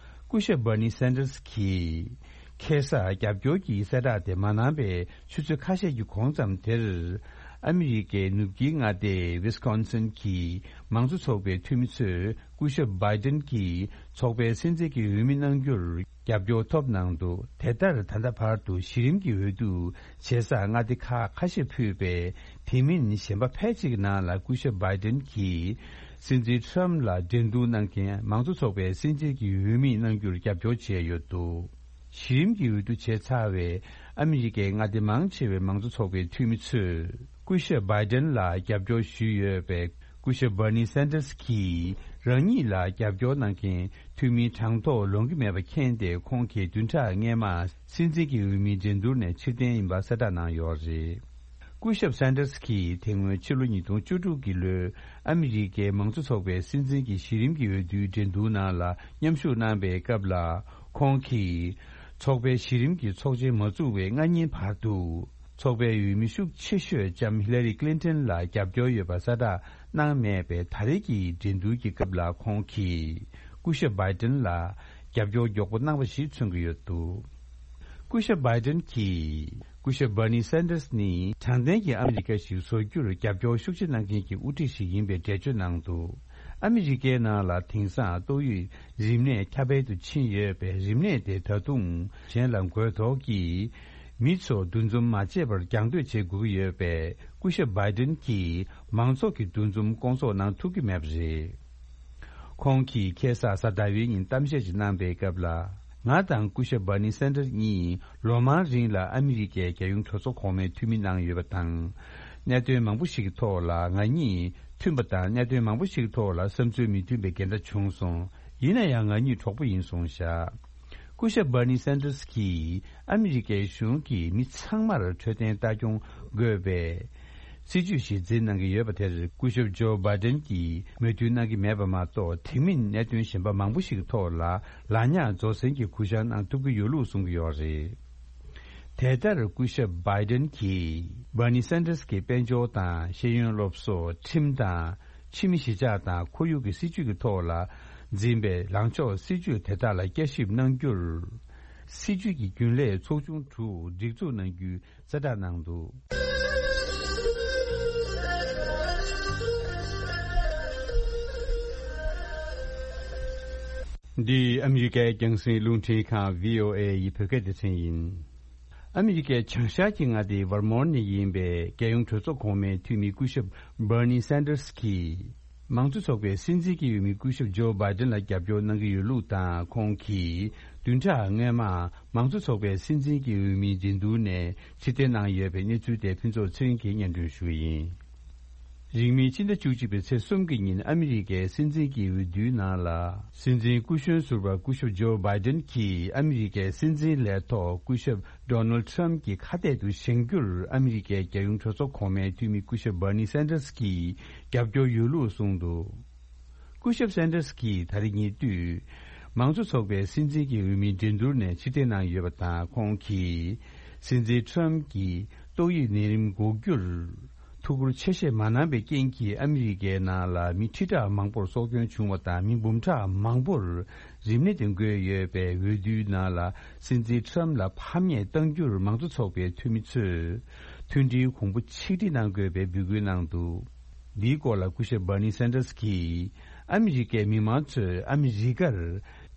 སྐུ་ཞབས་Bernie Sanders་གྱིས་ཁ་སང་རྒྱབ་སྐྱོར་གྱི་གསལ་བསྒྲགས་དེ་མ་གནང་བའི་ཆུ་ཚོད་ཁ་ཤས་ཀྱི་གོང་ཙམ་དེར། ཨ་མི་རི་ཀའི་ནུབ་དཀྱིལ་མངའ་སྡེ་Wisconsin་གྱི་མང་གཙོ་ཚོགས་པའི་འཐུས་མི་ཚོས་སྐུ་ཞབས་Biden་གྱིས་ཚོགས་པའི་སྲིད་འཛིན་གྱི་འོས་མི་གནང་རྒྱུར་རྒྱབ་སྐྱོར་ཐོབ་གནང་འདུག་དེ་ལྟར་ད་ལྟ་བར་དུ་གཞི་རིམ་གྱི་འོས་བསྡུ་བྱེད་ས་མངའ་སྡེ་ཁག་ཁ་ཤས་ཕུད་པའི། དེ་མིན་གཞན་པ་ཕལ་ཆེར་གྱི་ནང་ལ་སྐུ་ཞབས་Biden་གྱིས་སྲིད་འཛིན་Trump་ལ་འགྲན་བསྡུར་གནང་མཁན་མང་གཙོ་ཚོགས་པའི་སྲིད་འཛིན་གྱི་འོས་མི་གནང་རྒྱུར་རྒྱབ་སྐྱོར་བྱས་ཡོད་འདུག་གཞི་རིམ་གྱི་འོས་བསྡུ་བྱས་ཚར་བའི་ཨ་མི་རི་ཀའི་མངའ་སྡེ་མང་ཆེ་བའི་མང་གཙོ་ཚོགས་པའི་འཐུས་མི་ཚོས་སྐུ་ཞབས་Biden་ལ་རྒྱབ་སྐྱོར་ཞུས་ཡོད་པས། སྐུ་ཞབས་Bernie Sanders་གྱིས་རང་ཉིད་ལ་རྒྱབ་སྐྱོར་གནང་མཁན་འཐུས་མིའི་གྲངས་ཐོ་ལོང་གི་མེད་པ་མཁྱེན་ཏེ། ཁོང་གིས་བདུན་ཕྲག་སྔོན་མ་སྲིད་འཛིན་གྱི་འོས་མིའི་འགྲན་བསྡུར་ནས་ཕྱིར་འཐེན་ཡིན་པ་གསལ་བསྒྲགས་གནང་ཡོད་རེད། སྐུ་ཞབས་Sanders་གྱིས་དེ་སྔོན་ཕྱི་ལོ་ཉིས་སྟོང་བཅུ་དྲུག་གི་ལོའི་ཨ་མི་རི་ཀའི་མང་གཙོ་ཚོགས་པའི་སྲིད་འཛིན་གྱི་གཞི་རིམ་གྱི་འོས་བསྡུའི་འགྲན་བསྡུར་ནང་ལ་མཉམ་ཞུགས་གནང་བའི་སྐབས་ལ། ཁོང་གིས་ཚོགས་པའི་གཞི་རིམ་གྱི་ཚོགས་ཆེན་མ་ཚུགས་པའི་སྔ་ཉིན་བར་དུ། ཚོགས་པའི་འོས་མི་ཤུགས་ཆེ་ཤོས་ལྕམ་Hillary Clinton་ལ་རྒྱབ་སྐྱོར་ཡོད་པ་གསལ་བསྒྲགས་གནང་མེད་པས། ད་རེས་ཀྱི་འགྲན་བསྡུར་གྱི་སྐབས་ལ་ཁོང་གིས་སྐུ་ཞབས་Biden་ལ་རྒྱབ་སྐྱོར་མགྱོགས་པོ་གནང་བ་ཞིག་མཚོན་གྱི་ཡོད་འདུག་སྐུ་ཞབས་Biden་གྱིས། སྐུ་ཞབས་Bernie Sanders་ནི་དྲང་བདེན་གྱི་ཨ་མི་རི་ཀ་ཞིག་བཟོ་རྒྱུར་རྒྱབ་སྐྱོར་ཤུགས་ཆེ་གནང་མཁན་གྱི་དབུ་ཁྲིད་ཞིག་ཡིན་པའི་འགྲེལ་བརྗོད་གནང་འདུག་ཨ་མི་རི་ཀའི་ནང་ལ་དེང་སང་ཏོག་དབྱིབས་རིམས་ནད་ཁྱབ་སྤེལ་དུ་ཕྱིན་ཡོད་པས། རིམས་ནད་དེ་ད་དུང་གཞན་ལ་འགོས་དོགས་ཀྱིས་མི་ཚོ་འདུ་འཛོམས་མ་བྱེད་པར་རྒྱང་སྡོད་བྱེད་དགོས་ཀྱི་ཡོད་པས། སྐུ་ཞབས་Biden་གྱིས་མང་ཚོགས་ཀྱི་འདུ་འཛོམས་སྐོང་ཚོགས་གནང་ཐུབ་ཀྱི་མེད་པ་རེད། ཁོང་གིས་ཁ་སང་གཟའ་ཟླ་བའི་ཉིན་གཏམ་བཤད་ཅིག་གནང་པའི་སྐབས་ལ། ང་དང་སྐུ་ཞབས་Bernie Sanders་གཉིས་ལོ་མང་རིང་ལ་ཨ་མི་རི་ཀའི་རྒྱལ་ཡོངས་གྲོས་ཚོགས་གོང་མའི་འཐུས་མི་གནང་ཡོད་པ་དང་། གནད་དོན་མང་པོ་ཞིག་གི་ཐོག་ལ་ང་གཉིས་མཐུན་པ་དང་། གནད་དོན་མང་པོ་ཞིག་གི་ཐོག་ལ་བསམ་ཚུལ་མི་མཐུན་པའི་འགལ་ཟླ་བྱུང་སོང་། ཡིན་ན་ཡང་ང་གཉིས་གྲོགས་པོ་ཡིན་གསུངས་བཞག་སྐུ་ཞབས་Bernie Sanders་གྱིས་ཨ་མི་རི་ཀའི་གཞུང་གིས་མི་ཚང་མར་འཕྲོད་བསྟེན་ལྟ་སྐྱོང་དགོས་པའི་སྲིད་ཇུས་ཤིག་འཛིན་གནང་གི་ཡོད་པ་དེར། སྐུ་ཞབས་ཇོ་བྷའི་ཏན་གྱིས་མོས་མཐུན་གནང་གི་མེད་པ་མ་གཏོགས། དེ་མིན་གནད་དོན་གཞན་པ་མང་པོ་ཞིག་གི་ཐོག་ལ་ལག་ཉར་རྫོགས་ཟིན་གྱི་གུ་བཤངས་གནང་ཐུབ་ཀྱི་ཡོད་ལུགས་གསུང་གི་ཡོད་རེད། དེ་ལྟར་སྐུ་ཞབས་Biden་གྱིས་Bernie Sanders་གྱི་དཔལ་འབྱོར་དང་ཤེས་ཡོན་སློབ་གསོ། ཁྲིམས་དང་ཕྱི་མི་གཞིས་ཆགས་དང་ཁོར་ཡུག་གི་སྲིད་ཇུས་ཀྱི་ཐོག་ལ་འཛིན་པའི་ལངས་ཕྱོགས་སྲིད་ཇུས་དེ་དག་ལ་བསྐྱར་ཞིབ་གནང་རྒྱུར། སྲིད་ཇུས་ཀྱི་རྒྱུན་ལས་ཚོགས་ཆུང་དྲུག་སྒྲིག་འཛུགས་གནང་རྒྱུའི་གསལ་བསྒྲགས་གནང་འདུག་འདི་ཨ་མི་རི་ཀའི་རྒྱང་སྲིང་རླུང་འཕྲིན་ཁང་བྷི་ཨོ་ཨེ་ཡི་བོད་སྐད་སྡེ་ཚན་ཡིན། ཨ་མི་རི་ཀའི་བྱང་ཤར་གྱི་མངའ་སྡེ་ཝར་མོན་ནས་ཡིན་པའི་རྒྱལ་ཡོངས་གྲོས་ཚོགས་གོང་མའི་འཐུས་མི་སྐུ་ཞབས་Bernie Sanders་གྱིས། མང་གཙོ་ཚོགས་པའི་སྲིད་འཛིན་གྱི་འོས་མི་སྐུ་ཞབས་ཇོ་བྷའི་ཏན་ལ་རྒྱབ་སྐྱོར་གནང་གི་ཡོད་ལུགས་དང་། ཁོང་གིས་བདུན་ཕྲག་སྔོན་མ་མང་གཙོ་ཚོགས་པའི་སྲིད་འཛིན་གྱི་འོས་མིའི་འགྲན་བསྡུར་ནས་ཕྱིར་འཐེན་གནང་ཡོད་པའི་གནས་ཚུལ་དེ་ཕུན་ཚོགས་ཚེ་རིང་གིས་སྙན་སྒྲོན་ཞུ་གི་ཡིན། རིང་མིན་ཕྱི་ཟླ་བཅུ་གཅིག་པའི་ཚེས་གསུམ་གྱི་ཉིན་ཨ་མི་རི་ཀའི་སྲིད་འཛིན་གྱི་འོས་བསྡུའི་ནང་ལ། སྲིད་འཛིན་སྐུ་གཞོན་ཟུར་པ་སྐུ་ཞབས་ཇོ་བྷའི་ཏན་གྱིས་ཨ་མི་རི་ཀའི་སྲིད་འཛིན་ལས་ཐོག་སྐུ་ཞབས་Donald Trump་གྱི་ཁ་གཏད་དུ་བཞེངས་རྒྱུར་ཨ་མི་རི་ཀའི་རྒྱལ་ཡོངས་གྲོས་ཚོགས་གོང་མའི་འཐུས་མི་སྐུ་ཞབས་Bernie Sanders་གྱིས་རྒྱབ་སྐྱོར་ཡོད་ལུགས་གསུངས་འདུག་སྐུ་ཞབས་Sanders་གྱིས་ད་རེས་ཉེ་དུས་མང་གཙོ་ཚོགས་པའི་སྲིད་འཛིན་གྱི་འོས་མིའི་འགྲན་བསྡུར་ནས་ཕྱིར་འཐེན་གནང་ཡོད་པ་དང་། ཁོང་གིས་སྲིད་འཛིན་Trump་གྱིས་ཏོག་དབྱིབས་ནད་རིམས་འགོག་རྒྱུར། ཐུགས་ཁུར་ཆེ་བཞེས་མ་གནང་པའི་རྐྱེན་གྱིས། ཨ་མི་རི་ཀའི་ནང་ལ་མི་ཁྲི་ཕྲག་མང་པོར་སྲོག་སྐྱོན་བྱུང་བ་དང་། མི་འབུམ་ཕྲག་མང་པོར་རིམས་ནད་དེ་འགོས་ཡོད་པའི་འོས་བསྡུའི་ནང་ལ། སྲིད་འཛིན་ཁྲམ་ལ་ཕམ་ཉེས་གཏང་རྒྱུར་མང་གཙོ་ཚོགས་པའི་འཐུས་མི་ཚོས་མཐུན་སྒྲིལ་གོང་བུ་ཆིག་སྒྲིལ་གནང་དགོས་པའི་འབོད་སྐུལ་གནང་འདུག། འདིའི་སྐོར་ལ་སྐུ་ཞབས་Bernie Sanders་གྱིས། ཨ་མི་རི་ཀའི་མི་མང་ཚོས་ཨ་མི་རི་ཀར་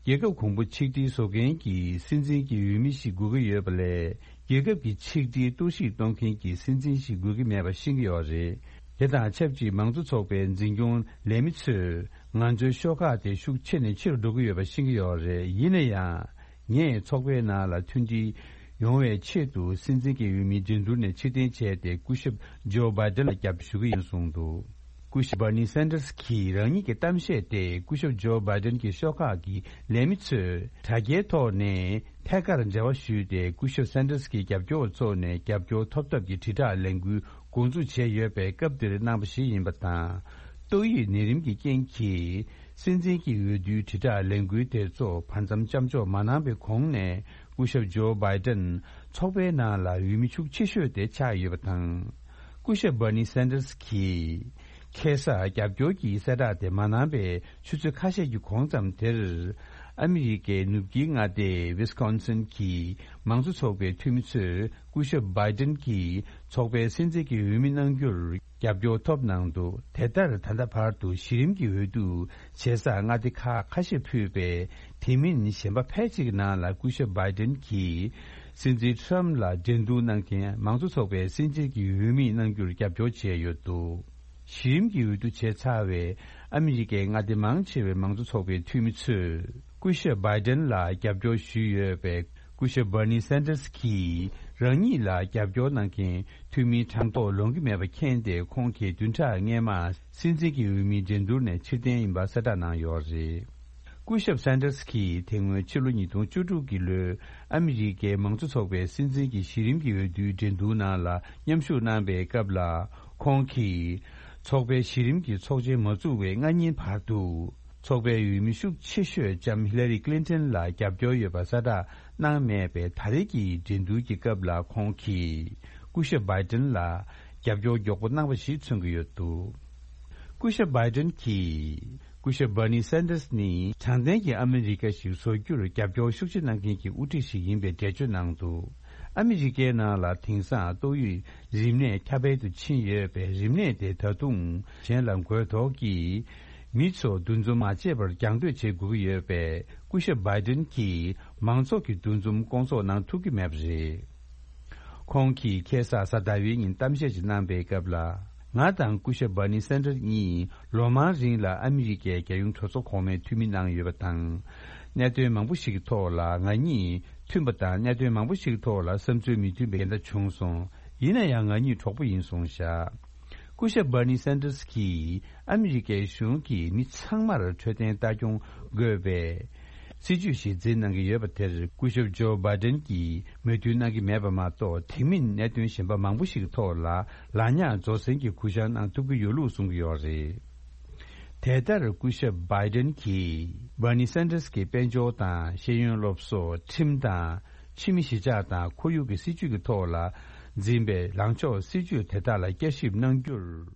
རྒྱལ་ཁབ་གོང་བུ་ཆིག་སྒྲིལ་བཟོ་མཁན་གྱི་སྲིད་འཛིན་གྱི་འོས་མི་ཞིག་དགོས་ཀྱི་ཡོད་པ་ལས། རྒྱལ་ཁབ་ཀྱི་ཆིག་སྒྲིལ་གཏོར་བཤིག་གཏོང་མཁན་གྱི་སྲིད་འཛིན་ཞིག་དགོས་ཀྱི་མེད་པ་ཤེས་ཀྱི་ཡོད་རེད། དེ་དང་ཆབས་ཅིག་མང་གཙོ་ཚོགས་པའི་འཛིན་སྐྱོང་ལས་མི་ཚོས་ང་ཚོའི་ཤོག་ཁག་དེ་ཤུགས་ཆེ་ནས་ཆེ་རུ་འགྲོ་གི་ཡོད་པ་ཤེས་ཀྱི་ཡོད་རེད། ཡིན་ན་ཡང་། ངས་ཚོགས་པའི་ནང་ལ་མཐུན་སྒྲིལ་ཡོང་བའི་ཆེད་དུ། སྲིད་འཛིན་གྱི་འོས་མི་འགྲན་བསྡུར་ནས་ཕྱིར་འཐེན་བྱས་ཏེ། སྐུ་ཞབས་ཇོ་བྷའི་ཏན་ལ་རྒྱབ་སྐྱོར་ཞུ་གི་ཡིན་གསུངས་འདུག། སྐུ་ཞབས་Bernie Sanders་གྱིས་རང་ཉིད་ཀྱི་གཏམ་བཤད་དེ། སྐུ་ཞབས་ཇོ་བྷའི་ཏན་གྱི་ཤོག་ཁག་གི་ལས་མི་ཚོས་དྲ་རྒྱའི་ཐོག་ནས་ཐད་ཀར་འབྲེལ་བ་ཞུས་ཏེ། སྐུ་ཞབས་Sanders་གྱི་རྒྱབ་སྐྱོར་བ་ཚོ་ནས་རྒྱབ་སྐྱོར་ཐོབ་ཐབས་ཀྱི་དྲིལ་བསྒྲགས་ལས་འགུལ་འགོ་འཛུགས་བྱས་ཡོད་པའི་སྐབས་འདིར་གནང་བ་ཞིག་ཡིན་པ་དང་། ཏོག་དབྱིབས་ནད་རིམས་ཀྱི་རྐྱེན་གྱིས། སྲིད་འཛིན་གྱི་འོས་བསྡུའི་དྲིལ་བསྒྲགས་ལས་འགུལ་དེ་ཚོ་བར་མཚམས་མཚམས་འཇོག་མ་གནང་བའི་གོང་ནས། སྐུ་ཞབས་ཇོ་བྷའི་ཏན་ཚོགས་པའི་ནང་ལ་འོས་མི་ཤུགས་ཆེ་ཤོས་དེ་ཆགས་ཡོད་པ་དང་། སྐུ་ཞབས་Bernie Sanders་གྱིས་ཁ་སང་རྒྱབ་སྐྱོར་གྱི་གསལ་བསྒྲགས་དེ་མ་གནང་པའི་ཆུ་ཚོད་ཁ་ཤས་ཀྱི་གོང་ཙམ་དེར། ཨ་མི་རི་ཀའི་ནུབ་དཀྱིལ་མངའ་སྡེ་Wisconsin་གྱི་མང་གཙོ་ཚོགས་པའི་འཐུས་མི་ཚོས། སྐུ་ཞབས་བྷའི་ཏན་གྱིས་ཚོགས་པའི་སྲིད་འཛིན་གྱི་འོས་མི་གནང་རྒྱུར་རྒྱབ་སྐྱོར་ཐོབ་གནང་འདུག། དེ་ལྟར་ད་ལྟ་བར་དུ་གཞི་རིམ་གྱི་འོས་བསྡུ་བྱེད་སར་མངའ་སྡེ་ཁག་ཁ་ཤས་ཕུད་པས། དེ་མིན་གཞན་པ་ཕལ་ཆེར་གྱི་ནང་ལ་སྐུ་ཞབས་བྷའི་ཏན་གྱིས་སྲིད་འཛིན་ཁྲམ་ལ་འགྲན་བསྡུར་གནང་མཁན་མང་གཙོ་ཚོགས་པའི་སྲིད་འཛིན་གྱི་འོས་མི་གནང་རྒྱུར་རྒྱབ་སྐྱོར་བྱས་ཡོད་འདུག། གཞི་རིམ་གྱི་འོས་བསྡུ་བྱས་ཚར་བའི་ཨ་མི་རི་ཀའི་མངའ་སྡེ་མང་ཆེ་བའི་མང་གཙོ་ཚོགས་པའི་འཐུས་མི་ཚོས་སྐུ་ཞབས་བྷའི་ཏན་ལ་རྒྱབ་སྐྱོར་ཞུས་ཡོད་པས། སྐུ་ཞབས་Bernie Sanders་གྱིས་རང་ཉིད་ལ་རྒྱབ་སྐྱོར་གནང་མཁན་འཐུས་མིའི་གྲངས་ཐོ་ལོན་གྱི་མེད་པ་མཁྱེན་ཏེ། ཁོང་གིས་བདུན་ཕྲག་སྔོན་མ་སྲིད་འཛིན་གྱི་འོས་མིའི་འགྲན་བསྡུར་ནས་ཕྱིར་འཐེན་ཡིན་པ་གསལ་བསྒྲགས་གནང་ཡོད་རེད། སྐུ་ཞབས་Sanders་གྱིས་དེ་སྔོན་ཕྱི་ལོ་ཉིས་སྟོང་བཅུ་དྲུག་གི་ལོའི་ཨ་མི་རི་ཀའི་མང་གཙོ་ཚོགས་པའི་སྲིད་འཛིན་གྱི་གཞི་རིམ་གྱི་འོས་བསྡུའི་འགྲན་བསྡུར་ནང་ལ་མཉམ་ཞུགས་གནང་པའི་སྐབས་ལ། ཁོང་གིས་ཚོགས་པའི་གཞི་རིམ་གྱི་ཚོགས་ཆེན་མ་ཚུགས་པའི་སྔ་ཉིན་བར་དུ། ཚོགས་པའི་འོས་མི་ཤུགས་ཆེ་ཤོས་ལྕམ་ཧི་ལ་རི་ཀླིན་ཏན་ལ་རྒྱབ་སྐྱོར་ཡོད་པ་གསལ་བསྒྲགས་གནང་མེད་པའི་ད་རེས་ཀྱི་འགྲན་བསྡུར་གྱི་སྐབས་ལ། ཁོང་གིས་སྐུ་ཞབས་བྷའི་ཏན་ལ་རྒྱབ་སྐྱོར་མགྱོགས་པོ་གནང་བ་ཞིག་མཚོན་གྱི་ཡོད་འདུག། སྐུ་ཞབས་བྷའི་ཏན་གྱིས། སྐུ་ཞབས་Bernie Sanders་ནི་དྲང་བདེན་གྱི་ཨ་མི་རི་ཀ་ཞིག་བཟོ་རྒྱུར་རྒྱབ་སྐྱོར་ཤུགས་ཆེ་གནང་མཁན་གྱི་དབུ་ཁྲིད་ཞིག་ཡིན་པའི་འགྲེལ་བརྗོད་གནང་འདུག། ཨ་མི་རི་ཀའི་ནང་ལ་དེང་སང་ཏོག་དབྱིབས་རིམས་ནད་ཁྱབ་སྤེལ་དུ་ཕྱིན་ཡོད་པས། རིམས་ནད་དེ་ད་དུང་གཞན་ལ་འགོས་དོགས་ཀྱིས་མི་ཚོ་འདུ་འཛོམས་མ་བྱས་པར་རྒྱང་སྡོད་བྱེད་དགོས་ཀྱི་ཡོད་པས། སྐུ་ཞབས་བྷའི་ཏན་གྱིས་མང་ཚོགས་ཀྱི་འདུ་འཛོམས་སྐོང་ཚོགས་གནང་ཐུབ་ཀྱི་མེད་པ་རེད། ཁོང་གིས་ཁ་སང་གཟའ་ཟླ་བའི་ཉིན་གཏམ་བཤད་ཅིག་གནང་པའི་སྐབས་ལ། ང་དང་སྐུ་ཞབས་Bernie Sanders་གཉིས་ལོ་མང་རིང་ལ་ཨ་མི་རི་ཀའི་རྒྱལ་ཡོངས་གྲོས་ཚོགས་གོང་མའི་འཐུས་མི་གནང་ཡོད་པ་དང་། གནད་དོན་མང་པོ་ཞིག་གི་ཐོག་ལ་ང་གཉིས་མཐུན་པ་དང་། གནད་དོན་མང་པོ་ཞིག་གི་ཐོག་ལ་བསམ་ཚུལ་མི་མཐུན་པའི་འགལ་ཟླ་བྱུང་སོང་། ཡིན་ན་ཡང་ང་གཉིས་གྲོགས་པོ་ཡིན་སོང་བཞག། སྐུ་ཞབས་Bernie Sanders་གྱིས་ཨ་མི་རི་ཀའི་གཞུང་གིས་མི་ཚང་མར་འཕྲོད་བསྟེན་ལྟ་སྐྱོང་དགོས་པའི་སྲིད་ཇུས་ཤིག་འཛིན་གནང་གི་ཡོད་པ་དེར། སྐུ་ཞབས་ཇོ་བྷའི་ཏན་གྱིས་མོས་མཐུན་གནང་གི་མེད་པ་མ་གཏོགས། དེ་མིན་གནད་དོན་གཞན་པ་མང་པོ་ཞིག་གི་ཐོག་ལ་ལག་ཉར་རྫོགས་ཟིན་གྱི་གུ་བཤངས་གནང་ཐུབ་ཀྱི་ཡོད་ལུགས་གསུང་གི་ཡོད་རེད། དེ་ལྟར་སྐུ་ཞབས་བྷའི་ཏན་གྱིས་Bernie Sanders་གྱི་དཔལ་འབྱོར་དང་། ཤེས་ཡོན་སློབ་གསོ། ཁྲིམས་དང་། ཕྱི་མི་གཞིས་ཆགས་དང་ཁོར་ཡུག་གི་སྲིད་ཇུས་ཀྱི་ཐོག་ལ་འཛིན་པའི་ལངས་ཕྱོགས་སྲིད་ཇུས་དེ་དག་ལ་བསྐྱར་ཞིབ་གནང་རྒྱུར།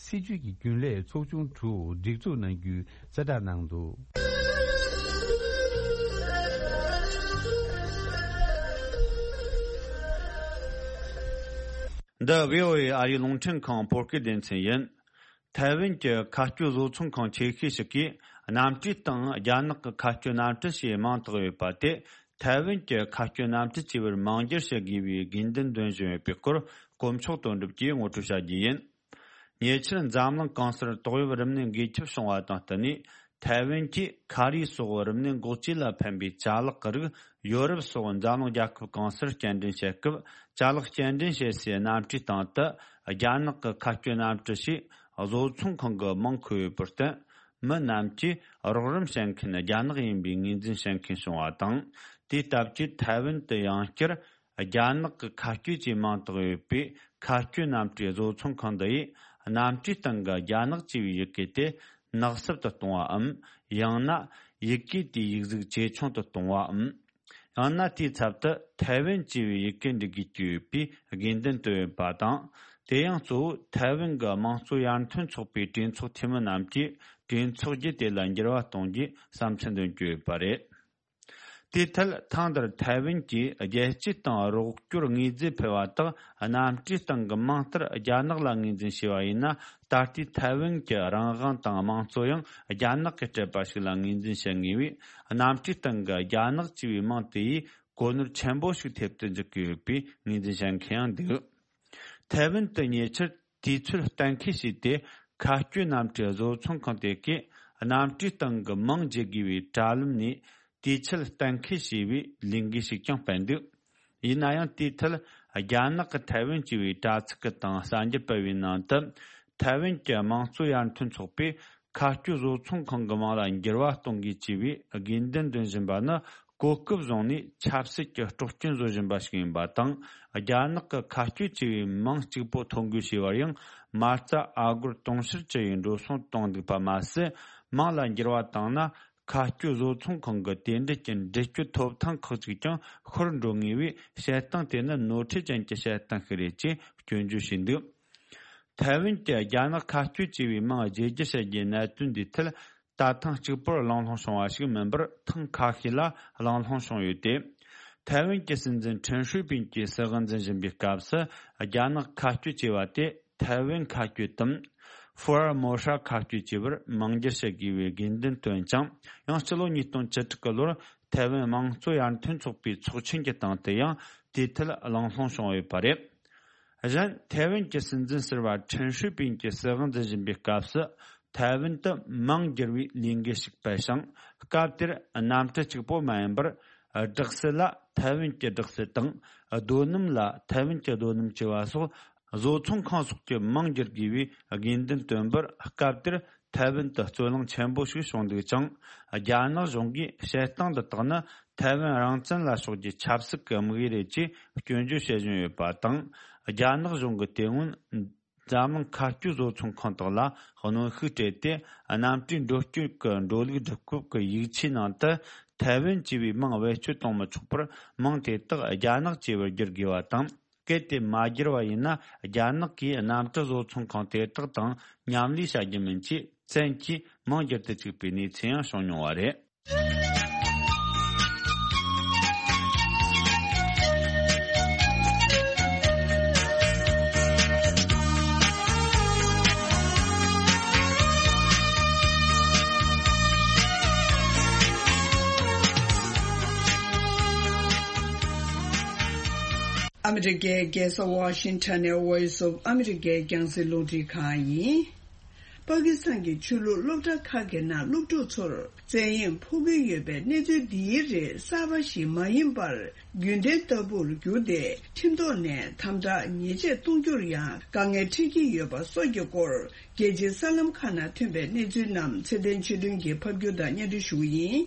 སྲིད་ཇུས་ཀྱི་རྒྱུན་ལས་ཚོགས་ཆུང་དྲུག་སྒྲིག་འཛུགས་གནང་རྒྱུའི་གསལ་བསྒྲགས་གནང་འདུག། འདི་བྷི་ཨོ་ཨེ་ཨ་རིའི་རླུང་འཕྲིན་ཁང་བོད་སྐད་སྡེ་ཚན་ཡིན། ཐའེ་ཝན་གྱི་མཁའ་སྐྱོད་བཟོ་ཚོང་ཁང་ཆེ་ཤོས་ཤིག་གིས་གནམ་གྲུའི་སྟེང་རྒྱ་ནག་གི་མཁའ་སྐྱོད་གནམ་གྲུ་ཞེས་མིང་བཏགས་ཡོད་པ་དེ། ཐའེ་ཝན་གྱི་མཁའ་སྐྱོད་གནམ་གྲུ་ཅེས་པར་མིང་བསྒྱུར་བྱེད་དགོས་པའི་དགོས་འདུན་འདོན་བཞིན་ཡོད་པའི་སྐོར། དཀོན་མཆོག་དོན་གྲུབ་ཀྱིས་ངོ་སྤྲོད་བྱ་རྒྱུ་ཡིན། ཉེ་ཆར་འཛམ་གླིང་གང་སར་ཏོག་དབྱིབས་རིམས་ནད་འགོས་ཁྱབ་བྱུང་བ་དང་བསྟུན་ནས། ཐའེ་ཝན་གྱིས་ཁ་རས་སོགས་རིམས་ནད་འགོག་བཅོས་ལ་ཕན་པའི་ཅ་ལག་གི་རིགས་ཡོ་རོབ་སོགས་འཛམ་གླིང་རྒྱལ་ཁབ་གང་སར་སྐྱེལ་འདྲེན་བྱེད་སྐབས། ཅ་ལག་སྐྱེལ་འདྲེན་བྱེད་སའི་གནམ་གྲུའི་སྟེང་དུ་རྒྱ་ནག་གི་མཁའ་སྐྱོད་གནམ་གྲུ་ཞེས་བཟོ་ཚོང་ཁང་གི་མིང་འཁོད་ཡོད་པར་བརྟེན། མི་རྣམས་ཀྱིས་རོགས་རམ་བྱེད་མཁན་རྒྱ་ནག་ཡིན་པའི་ངོས་འཛིན་བྱེད་མཁན་བྱུང་བ་དང་། དེའི་སྟབས་ཀྱིས་ཐའེ་ཝན་དུ་ཡང་བསྐྱར། རྒྱ་ནག་གི་མཁའ་སྐྱོད་ཅེས་མིང་བཏགས་ཡོད་པའི་མཁའ་སྐྱོད་གནམ་གྲུའི་བཟོ་ཚོང་ཁང་འདི་ཡིས། གནམ་གྲུའི་སྟེང་གི་རྒྱ་ནག་ཅེས་པའི་ཡི་གེ་དེ་ནག་སུབ་ཏུ་གཏོང་བའམ། ཡང་ན་ཡི་གེ་དེའི་ཡིག་གཟུགས་ཇེ་ཆུང་དུ་གཏོང་བའམ། ཡང་ན་དེའི་ཚབ་ཏུ་ཐའེ་ཝན་ཅེས་པའི་ཡི་གེ་འབྲི་དགོས་ཀྱི་ཡོད་པའི་དགོས་འདུན་བཏོན་ཡོད་པ་དང་། དེ་ཡང་གཙོ་བོ་ཐའེ་ཝན་གྱི་དམངས་གཙོ་ཡར་ཐོན་ཚོགས་པའི་གྲོས་ཚོགས་འཐུས་མི་རྣམས་ཀྱིས་གྲོས་ཚོགས་བརྒྱུད་དེ་ལ་འགྱུར་བ་གཏོང་རྒྱུའི་བསམ་ཚུལ་འདོན་གྱི་ཡོད་པ་རེད། དེའི་ཐད་ཐེངས་འདིར་ཐའེ་ཝན་གྱིས་རྒྱལ་སྤྱིའི་སྟེང་རོགས་སྐྱོར་དངོས་རྫས་འཕེལ་བ་དག་གནམ་གྲུའི་སྟེང་གི་མིང་ལྟར་རྒྱ་ནག་ལ་ངོས་འཛིན་བྱས་པ་ཡིན་ན། ད་ལྟའི་ཐའེ་ཝན་གྱི་རང་དབང་དང་དམངས་གཙོ་ཡང་རྒྱ་ནག་གིས་སྤྲད་པ་ཞིག་ལ་ངོས་འཛིན་བྱེད་ངེས་པས། གནམ་གྲུའི་སྟེང་གི་རྒྱ་ནག་ཅེས་པའི་མིང་དེ་ཡིས་གོ་ནོར་ཆེན་པོ་ཞིག་ཐེབས་དུ་འཇུག་གི་ཡོད་པའི་ངོས་འཛིན་བྱེད་མཁན་ཡང་འདུག་ཐའེ་ཝན་དུ་ཉེ་ཆར་དུས་ཚོད་གཏན་འཁེལ་བྱས་ཏེ། མཁའ་སྐྱོད་གནམ་གྲུའི་བཟོ་ཚོང་ཁང་དེ་གས་གནམ་གྲུའི་སྟེང་གི་མིང་བརྗེ་དགོས་པའི་དྲ་ལམ་ནས་དུས་ཚོད་གཏན་འཁེལ་བྱས་པའི་ལས་འགུལ་ཞིག་ཀྱང་སྤེལ་འདུག་ཡིན་ན་ཡང་དེའི་ཐད་རྒྱ་ནག་གི་ཐའེ་ཝན་ཅེས་པའི་དྲ་ཚིགས་ཀྱི་སྟེང་གསར་འགྱུར་སྤེལ་བའི་ནང་དུ། ཐའེ་ཝན་གྱི་དམངས་གཙོ་ཡར་ཐོན་ཚོགས་པས་མཁའ་སྐྱོད་བཟོ་ཚོང་ཁང་གི་མིང་ལ་འགྱུར་བ་གཏོང་དགོས་ཅེས་པའི་དགོས་འདུན་འདོན་བཞིན་པ་ནི། གོ་སྐབས་བཟུང་ནས་ཆབ་སྲིད་ཀྱི་སྲོག་སྐྱོན་བཟོ་བཞིན་པ་ཞིག་ཡིན་པ་དང་། རྒྱ་ནག་གི་མཁའ་སྐྱོད་ཅེས་པའི་མིང་གཅིག་པོ་ཐོ་འགོད་བྱས་པར་ཡང་། མ་རྩ་ཨ་སྒོར་དུང་ཕྱུར་བཅུ་ཡི་འགྲོ་སོང་གཏོང་འདུག་པ་མ་ཟད། མིང་ལ་འགྱུར་བ་བཏང་ན། མཁའ་སྐྱོད་བཟོ་ཚོང་ཁང་གི་དེ་འབྲེལ་གྱི་འདྲི་གཅོད་ཐོབ་ཐང་ཁག་ཅིག་ཀྱང་ཤོར་འགྲོ་ངེས་པས། བཤད་སྟངས་དེ་ནི་ནོར་འཁྲུལ་ཅན་གྱི་བཤད་སྟངས་ཤིག་རེད་ཅེས་སྐྱོན་བརྗོད་བྱས་འདུག་ཐའེ་ཝན་གྱིས་རྒྱ་ནག་མཁའ་སྐྱོད་ཅེས་པའི་མིང་བརྗེ་བསྒྱུར་བྱ་རྒྱུའི་གནད་དོན་འདིའི་ཐད། ད་ཐེངས་གཅིག་པུར་གླེང་སློང་བྱུང་བ་ཞིག་མིན་པར། ཐེངས་ཁ་ཤས་ལ་གླེང་སློང་བྱུང་ཡོད་དེ། ཐའེ་ཝན་གྱི་སྲིད་འཛིན་ཁྲེན་ཧྲུའུ་པིན་གྱིས་སྲིད་དབང་འཛིན་བཞིན་པའི་སྐབས་སུ། རྒྱ་ནག་མཁའ་སྐྱོད་ཅེས་པ་དེ་ཐའེ་ཝན་མཁའ་སྐྱོད་དམ། ཧྥུ་ཨར་མོ་ཧྲ་མཁའ་སྐྱོད་ཅེས་པར་མིང་བསྒྱུར་བྱེད་དགོས་པའི་དགོས་འདུན་བཏོན་ཅིང་། ཡང་སྤྱི་ལོ་ཉིས་སྟོང་བཅུ་དྲུག་གི་ལོར་ཐའེ་ཝན་དམངས་གཙོ་ཡར་ཐོན་ཚོགས་པའི་ཚོགས་ཆེན་གྱི་སྟེང་དུ་ཡང་དེའི་ཐད་གླེང་སློང་བྱུང་ཡོད་པ་རེད། གཞན། ཐའེ་ཝན་གྱི་སྲིད་འཛིན་ཟུར་པ་ཁྲེན་ཧྲུའུ་པིན་གྱིས་སྲིད་དབང་འཛིན་བཞིན་པའི་སྐབས་སུ། ཐའེ་ཝན་དུ་མིང་བསྒྱུར་བའི་ལས་འགུལ་ཞིག་སྤེལ་ཞིང་། སྐབས་དེར་གནམ་གྲུ་གཅིག་པོ་མ་ཡིན་པར། སྦྲག་སྲིད་ལ་ཐའེ་ཝན་གྱི་སྦྲག་སྲིད་དང་། རྡོ་སྣུམ་ལ་ཐའེ་ཝན་གྱི་རྡོ་སྣུམ་ཅེས་པ་སོགས། བཟོ་ཚོང་ཁང་སོགས་ཀྱི་མིང་བསྒྱུར་དགོས་པའི་དགོས་འདུན་བཏོན་པར། སྐབས་དེར་ཐའེ་ཝན་དུ་རྩོད་གླེང་ཆེན་པོ་ཞིག་བྱུང་འདུག་ཅིང་། རྒྱ་ནག་གཞུང་གིས་བཤད་སྟངས་འདི་དག་ནི་ཐའེ་ཝན་རང་བཙན་ལ་སོགས་ཀྱི་ཆབ་སྲིད་ཀྱི་དམིགས་ཡུལ་རེད་ཅེས་སྐྱོན་བརྗོད་བྱེད་བཞིན་ཡོད་པ་དང་། རྒྱ་ནག་གཞུང་གིས་དེ་སྔོན་འཛམ་གླིང་མཁའ་སྐྱོད་བཟོ་ཚོང་ཁང་དག་ལ་གནོན་ཤུགས་སྤྲད་དེ། གནམ་གྲུའི་འགྲོ་སྐྱོད་ཀྱི་འགྲོ་ལུགས་སྒྲིག་བཀོད་ཀྱི་ཡིག་ཆའི་ནང་དུ་ཐའེ་ཝན་ཅེས་པའི་མིང་བེད་སྤྱོད་གཏོང་མི་ཆོག་པར། མིང་དེ་དག་རྒྱ་ནག་ཅེས་པར་བསྒྱུར་དགོས་པ་དང་། གལ་ཏེ་མ་བསྒྱུར་བ་ཡིན་ན། རྒྱ་ནག་གིས་གནམ་གྲུ་བཟོ་ཚོང་ཁང་དེ་དག་དང་མཉམ་ལས་བྱ་རྒྱུ་མིན་ཅེས་བཙན་གྱིས་མིང་བསྒྱུར་དུ་བཅུག་པའི་གནས་ཚུལ་ཡང་བྱུང་མྱོང་བ་རེད། ཨ་མི་རི་ཀའི་རྒྱལ་ས་ཝ་ཤིང་ཊོན་ནས་Voice of America་རྒྱང་སྲིང་རླུང་འཕྲིན་ཁང་ཡིན། པ་ཀི་སི་ཐན་གྱི་ཆོས་ལུགས་སློབ་གྲྭ་ཁག་གི་ནང་སློབ་ཕྲུག་ཚོར་བཙན་གཡེམ་ཕོག་གི་ཡོད་པའི་གནས་ཚུལ་འདིའི་རིགས་གསར་པ་ཞིག་མ་ཡིན་པར། རྒྱུན་ལྡན་ལྟ་བུར་གྱུར་ཏེ། ཁྲིམས་ཐོག་ནས་དམ་དྲག་ཉེས་ཆད་གཏོང་རྒྱུར་ཡང་དཀའ་ངལ་འཕྲད་ཀྱི་ཡོད་པ་སོགས་ཀྱི་སྐོར། རྒྱལ་སྤྱིའི་གསར་ལམ་ཁག་ནང་ཐོན་པའི་གནས་ཚུལ་རྣམས་ཚེ་བརྟན་ཆོས་སྒྲོན་གྱིས་ཕབ་སྒྱུར་དང་སྙན་སྒྲོན་ཞུ་གི་ཡིན།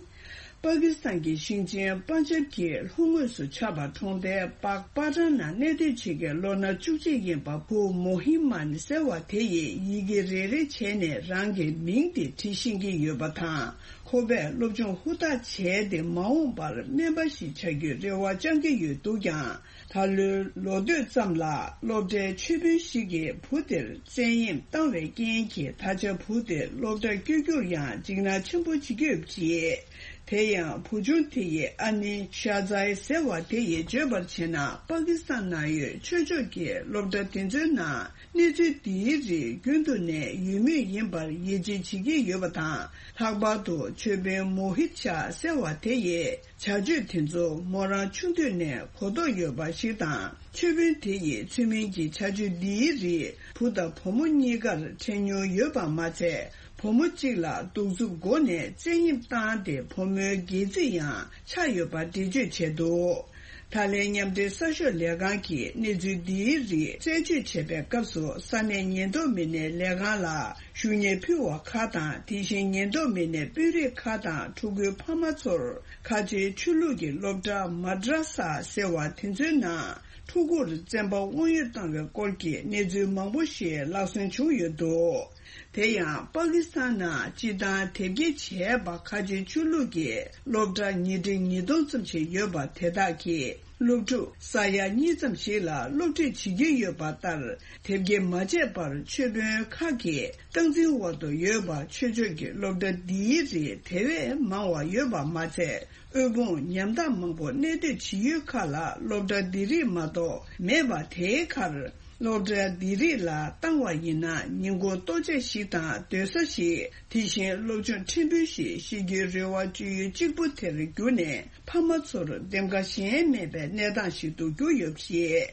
པ་ཀི་སི་ཐན་གྱི་ཞིང་ཆེན་པན་ཇབ་ཀྱི་ལྷོ་ངོས་སུ་ཆགས་པ་གྲོང་རྡལ་པག་པ་ཊང་ནང་གནས་སྡོད་བྱེད་མཁན་ལོ་ན་བཅུ་གཅིག་ཡིན་པ་བུ་མོ་ཧི་མན་ཟེར་བ་དེ་ཡིས་ཡི་གེ་རེ་རེ་བྱས་ནས་རང་གི་མིང་དེ་བྲིས་ཤེས་ཀྱི་ཡོད་པ་དང་། ཁོ་པས་སློབ་སྦྱོང་ཧུར་ཐག་བྱས་ཏེ་མ་འོངས་པར་སྨན་པ་ཞིག་བྱ་རྒྱུའི་རེ་བ་བཅང་གི་ཡོད་འདུག་ཀྱང་། ད་ལོའི་ལོ་སྟོད་ཙམ་ལ་སློབ་གྲྭའི་ཆོས་དཔོན་ཞིག་གིས་བུ་དེར་བཙན་གཡེམ་བཏང་བའི་རྐྱེན་གྱིས། ད་ཆ་བུ་དེ་སློབ་གྲྭར་བསྐྱོད་རྒྱུར་ཡང་འཇིགས་སྣང་ཆེན་པོ་བྱེད་ཀྱི་ཡོད་པ་རེད། དེ་ཡང་བུ་ཆུང་དེ་ཡི་ཨ་ནེ་ཤ་ཛའི་ཟེར་བ་དེ་ཡིས་བརྗོད་པར་བྱས་ན། པ་ཀི་སི་ཐན་ནང་ཡོད་ཆོས་ཕྱོགས་ཀྱི་སློབ་གྲྭ་དེ་ཚོའི་ནང་གནས་ཚུལ་འདིའི་རིགས་རྒྱུན་དུ་ནས་ཡོད་མུས་ཡིན་པར་ཡིད་ཆེས་བྱེད་ཀྱི་ཡོད་པ་དང་། ལྷག་པར་དུ་ཆོས་དཔོན་མོ་ཧི་ཆ་ཟེར་བ་དེ་ཡིས། བྱ་སྤྱོད་དེ་ཚོ་མོ་རང་ཆུང་དུས་ནས་གོ་རྟོགས་ཡོད་པ་ཞིག་དང་། ཆོས་དཔོན་དེ་ཡིས་ཚུལ་མིན་གྱི་བྱ་སྤྱོད་འདིའི་རིགས་བུ་དང་བུ་མོ་གཉིས་ཀར་འཕྲད་མྱོང་ཡོད་པ་མ་ཚད། བུ་མོ་གཅིག་ལ་གདུག་རྩུབ་སྒོ་ནས་བཙན་གཡེམ་བཏང་སྟེ། བུ་མོའི་སྒལ་ཚིགས་ཡང་ཆག་ཡོད་པ་འགྲེལ་བརྗོད་བྱས་འདུག་ད་ལན་མཉམ་འབྲེལ་གསར་ཤོག་ལས་ཁང་གིས་གནས་ཚུལ་འདིའི་རིགས་རྩད་གཅོད་བྱེད་པའི་སྐབས་སུ། ས་གནས་ཉེན་རྟོག་མི་སྣའི་ལས་ཁང་ལ་ཞུ་སྙན་ཕུལ་བ་ཁག་དང་། དེ་བཞིན་ཉེན་རྟོག་མི་སྣའི་དཔོན་རིགས་ཁག་དང་ཕྲུ་གུའི་ཕ་མ་ཚོར་ཁ་ཆེའི་ཆོས་ལུགས་ཀྱི་སློབ་གྲྭ་མ་དྲ་ས་ཟེར་བ་དེ་ཚོའི་ནང་ཕྲུ་གུར་བཙན་པ་དབང་ཡོད་བཏང་བའི་སྐོར་གྱི་གནས་ཚུལ་མང་པོ་ཞིག་ལག་སོན་བྱུང་ཡོད་འདུག་དེ་ཡང་པ་ཀི་སི་ཐན་ནང་སྤྱིར་བཏང་དེབ་སྐྱེལ་བྱས་པ་ཁ་ཆེ་ཆོས་ལུགས་ཀྱི་སློབ་གྲྭ་ཉིས་ཁྲི་ཉིས་སྟོང་ཙམ་ཞིག་ཡོད་པ་དེ་དག་གིས་སློབ་ཕྲུག་ས་ཡ་གཉིས་ཙམ་ཞིག་ལ་སློབ་ཁྲིད་བྱེད་ཀྱི་ཡོད་པ་ལྟར། དེབ་སྐྱེལ་མ་བྱས་པར་ཆོས་དཔོན་ཁག་གིས་སྟངས་འཛིན་འོག་ཏུ་ཡོད་པ་ཆོས་ཕྱོགས་ཀྱི་སློབ་གྲྭ་འདིའི་རིགས་དེ་བས་མང་བ་ཡོད་པ་མ་ཚད། དབུལ་ཕོངས་ཉམ་ཐག་མང་པོ་གནས་སྡོད་བྱེད་ཡུལ་ཁག་ལ་སློབ་གྲྭ་འདི་རིགས་མ་གཏོགས་མེད་པ། དེའི་ཁར་སློབ་གྲྭ་འདི་རིགས་ལ་བཏང་བ་ཡིན་ན་ཉིན་གུང་ལྟོ་ཆས་ཤིག་དང་སྡོད་ས་ཞིག་དེ་བཞིན་སློབ་སྦྱོང་ཕྲན་བུ་ཞིག་ཤེས་རྒྱུའི་རེ་བ་བཅོལ་ཡུལ་གཅིག་པུ་དེར་གྱུར་ནས། ཕ་མ་ཚོར་འདེམས་ཀ་གཞན་མེད་པའི་གནས་སྟངས་ཤིག་ཏུ་གྱུར་ཡོད་པ་རེད།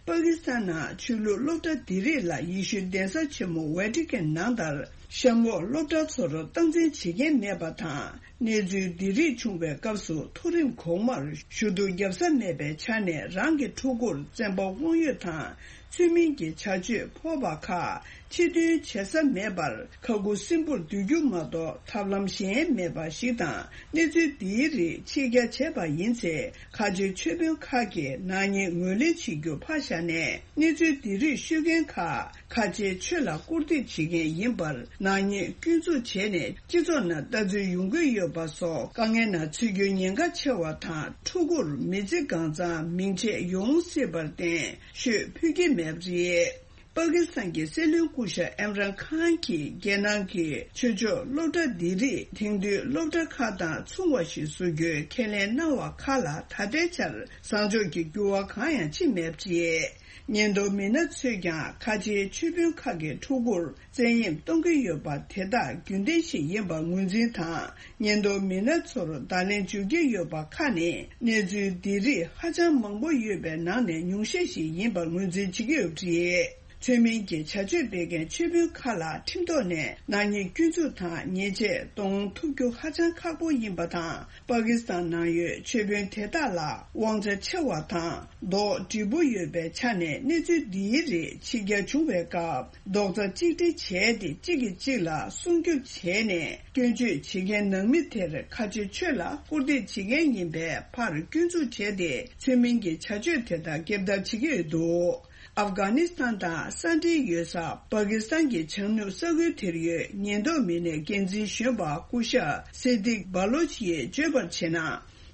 པ་ཀི་སི་ཐན་ནང་ཆོས་ལུགས་སློབ་གྲྭ་འདི་རིགས་ལ་ཡེ་ཤུའི་གདན་ས་ཆེན་མོ་ཝེ་ཏི་ཀན་ནང་ལྟར་གཤམ་འོག་སློབ་གྲྭ་ཚོར་སྟངས་འཛིན་བྱེད་མཁན་མེད་པ་དང་། གནས་ཚུལ་འདི་རིགས་བྱུང་བའི་སྐབས་སུ་མཐོ་རིམ་གོང་མར་ཞུ་གཏུག་བརྒྱབ་ས་མེད་པའི་ཆ་ནས། རང་གི་ཕྲུ་གུར་བཙན་པ་དབང་ཡོད་དང་ཚུལ་མིན་གྱི་བྱ་སྤྱོད་ཕོག་པ་ཁག་ཕྱིར་འདོན་བྱེད་ས་མེད་པར་ཁ་ཁུ་སིམ་པོར་སྡོད་རྒྱུ་མ་གཏོགས་ཐབས་ལམ་གཞན་མེད་པ་ཞིག་དང་། གནས་ཚུལ་འདིའི་རིགས་ཕྱིར་གྱར་བྱས་པ་ཡིན་ཚེ། ཁ་ཆེ་ཆོས་དཔོན་ཁག་གིས་ནག་ཉེས་ངོས་ལེན་བྱེད་རྒྱུ་ཕར་བཞག་ནས། གནས་ཚུལ་འདི་རིགས་ཤོད་མཁན་ཁག་ཁ་ཆེའི་ཆོས་ལ་བཀུར་འདེབས་བྱེད་མཁན་ཡིན་པར་ནག་ཉེས་སྐྱོན་འཛུགས་བྱས་ནས་སྤྱི་ཚོགས་ནང་ལྟ་ཚུལ་ཡོང་གི་ཡོད་པ་སོགས་དཀའ་ངལ་ནང་ཚུད་རྒྱུའི་ཉེན་ཁ་ཆེ་བ་དང་། ཕྲུ་གུར་མི་ཚེ་གང་ཚང་མིང་ཆད་ཡོང་སྲིད་པར་བརྟེན་ཤོད་ཕོད་ཀྱི་མེད་པ་རེད། པ་ཀི་སི་ཐན་གྱི་སྲིད་བློན་སྐུ་ཞབས་ཨིམ་རན་ཁཱན་གྱིས་རྒྱལ་ནང་གི་ཆོས་ཕྱོགས་སློབ་གྲྭ་འདི་རིགས་དེང་དུས་སློབ་གྲྭ་ཁག་དང་མཚུངས་པ་ཞིག་བཟོ་རྒྱུའི་ཁས་ལེན་གནང་བ་ཁག་ལ་ད་ལྟའི་ཆར་བཟང་ཕྱོགས་ཀྱི་འགྱུར་བ་གང་ཡང་ཕྱིན་མེད་པ་རེད། ཉེན་རྟོག་མི་སྣ་ཚོས་ཀྱང་ཁ་ཆེའི་ཆོས་དཔོན་ཁག་གི་ཕྲུ་གུར་བཙན་གཡེམ་གཏོང་གི་ཡོད་པ་དེ་དག་རྒྱུན་ལྡན་ཞིག་ཡིན་པར་ངོས་འཛིན་དང་། ཉེན་རྟོག་མི་སྣ་ཚོར་བརྡ་ལན་བརྗོད་ཀྱི་ཡོད་པ་ཁག་ནི་གནས་ཚུལ་འདི་རིགས་ཧ་ཅང་མང་པོ་ཡོད་པའི་ནང་ནས་ཉུང་ཤས་ཤིག་ཡིན་པར་ངོས་འཛིན་བྱེད་ཀྱི་ཡོད་པ་རེད། ཚུལ་མིན་གྱི་བྱ་སྤྱོད་སྤེལ་མཁན་ཆོས་དཔོན་ཁག་ལ་ཁྲིམས་ཐོག་ནས་ནག་ཉེས་སྐྱོན་འཛུགས་དང་ཉེས་ཆད་གཏོང་ཐུབ་རྒྱུ་ཧ་ཅང་ཁག་པོ་ཡིན་པ་དང་། པ་ཀི་སི་ཐན་ནང་ཡོད་ཆོས་དཔོན་དེ་དག་ལ་དབང་ཆ་ཆེ་བ་དང་རྡོག་སྒྲིལ་པོ་ཡོད་པའི་ཆ་ནས། གནས་ཚུལ་འདིའི་རིགས་ཕྱིར་གྱར་བྱུང་བའི་སྐབས་རྡོག་རྩ་གཅིག་སྒྲིལ་བྱས་ཏེ་གཅིག་གིས་གཅིག་ལ་སྲུང་སྐྱོབ་བྱས་ནས། སྐྱོན་བརྗོད་བྱེད་མཁན་ནང་མི་དེར་ཁ་ཆེ་ཆོས་ལ་བཀུར་འདེབས་བྱེད་མཁན་ཡིན་པའི་ཕར་སྐྱོན་འཛུགས་བྱས་ཏེ། ཚུལ་མིན་གྱི་བྱ་སྤྱོད་དེ་དག་སྐྱེལ་ཐབས་བྱེད་ཀྱི་ཡོད་འདུག་ཨབ་གྷ་ནི་སི་ཐན་དང་ས་འབྲེལ་ཡོད་ས་པ་ཀི་སི་ཐན་གྱི་བྱང་ནུབ་ས་ཁུལ་དེར་ཡོད་ཉེན་རྟོག་མི་སྣའི་འགན་འཛིན་གཞོན་པ་སྐུ་ཞབས་སེ་དིག་བྷ་ལོ་ཆི་ཡིས་བརྗོད་པར་བྱས་ན།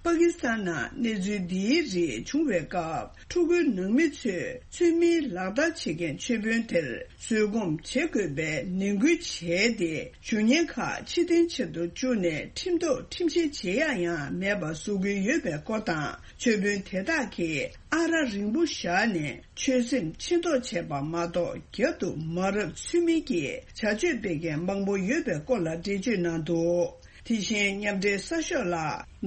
པ་ཀི་སི་ཐན་ནང་གནས་ཚུལ་འདིའི་རིགས་བྱུང་བའི་སྐབས། ཕྲུ་གུའི་ནང་མི་ཚོས་ཚུལ་མིན་ལག་བསྟར་བྱེད་མཁན་ཆོས་དཔོན་དེར་བཟོད་སྒོམ་བྱེད་དགོས་པའི་ནན་སྐུལ་བྱས་ཏེ། བཞུགས་གཉེན་ཁག་ཕྱིར་འཐེན་བྱེད་དུ་བཅུག་ནས་ཁྲིམས་ཐོག་ཁྲིམས་བཤེར་བྱེད་ཡག་ཡང་མེད་པ་བཟོ་གི་ཡོད་པའི་སྐོར་དང་། ཆོས་དཔོན་དེ་དག་གིས་ཨ་ར་རིང་པོ་བཞག་ནས་ཆོས་སེམས་ཆེ་མདོག་བྱས་པ་མ་གཏོགས། རྒྱབ་ཏུ་མ་རབས་ཚུལ་མིན་གྱི་བྱ་སྤྱོད་སྤེལ་མཁན་མང་པོ་ཡོད་པའི་སྐོར་ལ་འགྲེལ་བརྗོད་གནང་འདུག་དེ་བཞིན་མཉམ་འབྲེལ་གསར་ཤོག་ལ་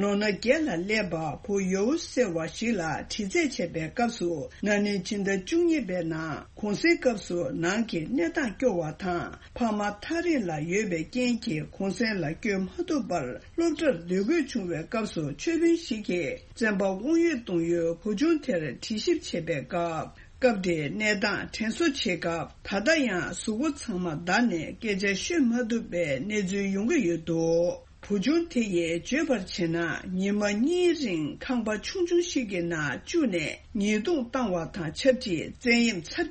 ལོ་ན་བརྒྱད་ལ་སླེབས་པ་བུ་ཡོའུ་ཟེར་བ་ཞིག་ལ་དྲི་རྩད་བྱས་པའི་སྐབས་སུ། ན་ནིང་སྤྱི་ཟླ་བཅུ་གཉིས་པའི་ནང་གུང་སེང་སྐབས་སུ་ནང་གི་གནས་སྟངས་སྐྱོ་བ་དང་། ཕ་མ་ཐག་རིང་ལ་ཡོད་པའི་རྐྱེན་གྱིས་གུང་སེང་ལ་བསྐྱོད་མ་ཐུབ་པར་སློབ་གྲྭར་སྡོད་དགོས་བྱུང་བའི་སྐབས་སུ། ཆོས་དཔོན་ཞིག་གིས་བཙན་པ་དབང་ཡོད་གཏོང་ཡུལ་བུ་ཆུང་དེར་དྲི་ཞིབ་བྱེད་པའི་སྐབས། སྐབས་དེའི་གནས་སྟངས་དྲན་གསོ་བྱེད་སྐབས། ད་ལྟ་ཡང་གཟུགས་པོ་ཚང་མ་འདར་ནས་སྐད་ཆ་ཤོད་མ་ཐུབ་པའི་གནས་ཚུལ་ཡོང་གི་ཡོད་འདུག་བུ་ཆུང་དེ་ཡིས་བརྗོད་པར་བྱས་ན། ཉི་མ་གཉིས་རིང་ཁང་པ་ཆུང་ཆུང་ཞིག་གི་ནང་བཅུག་ནས་ཉེས་རྡུང་བཏང་བ་དང་ཆབས་ཅིག་བཙན་གཡེམ་ཚབས་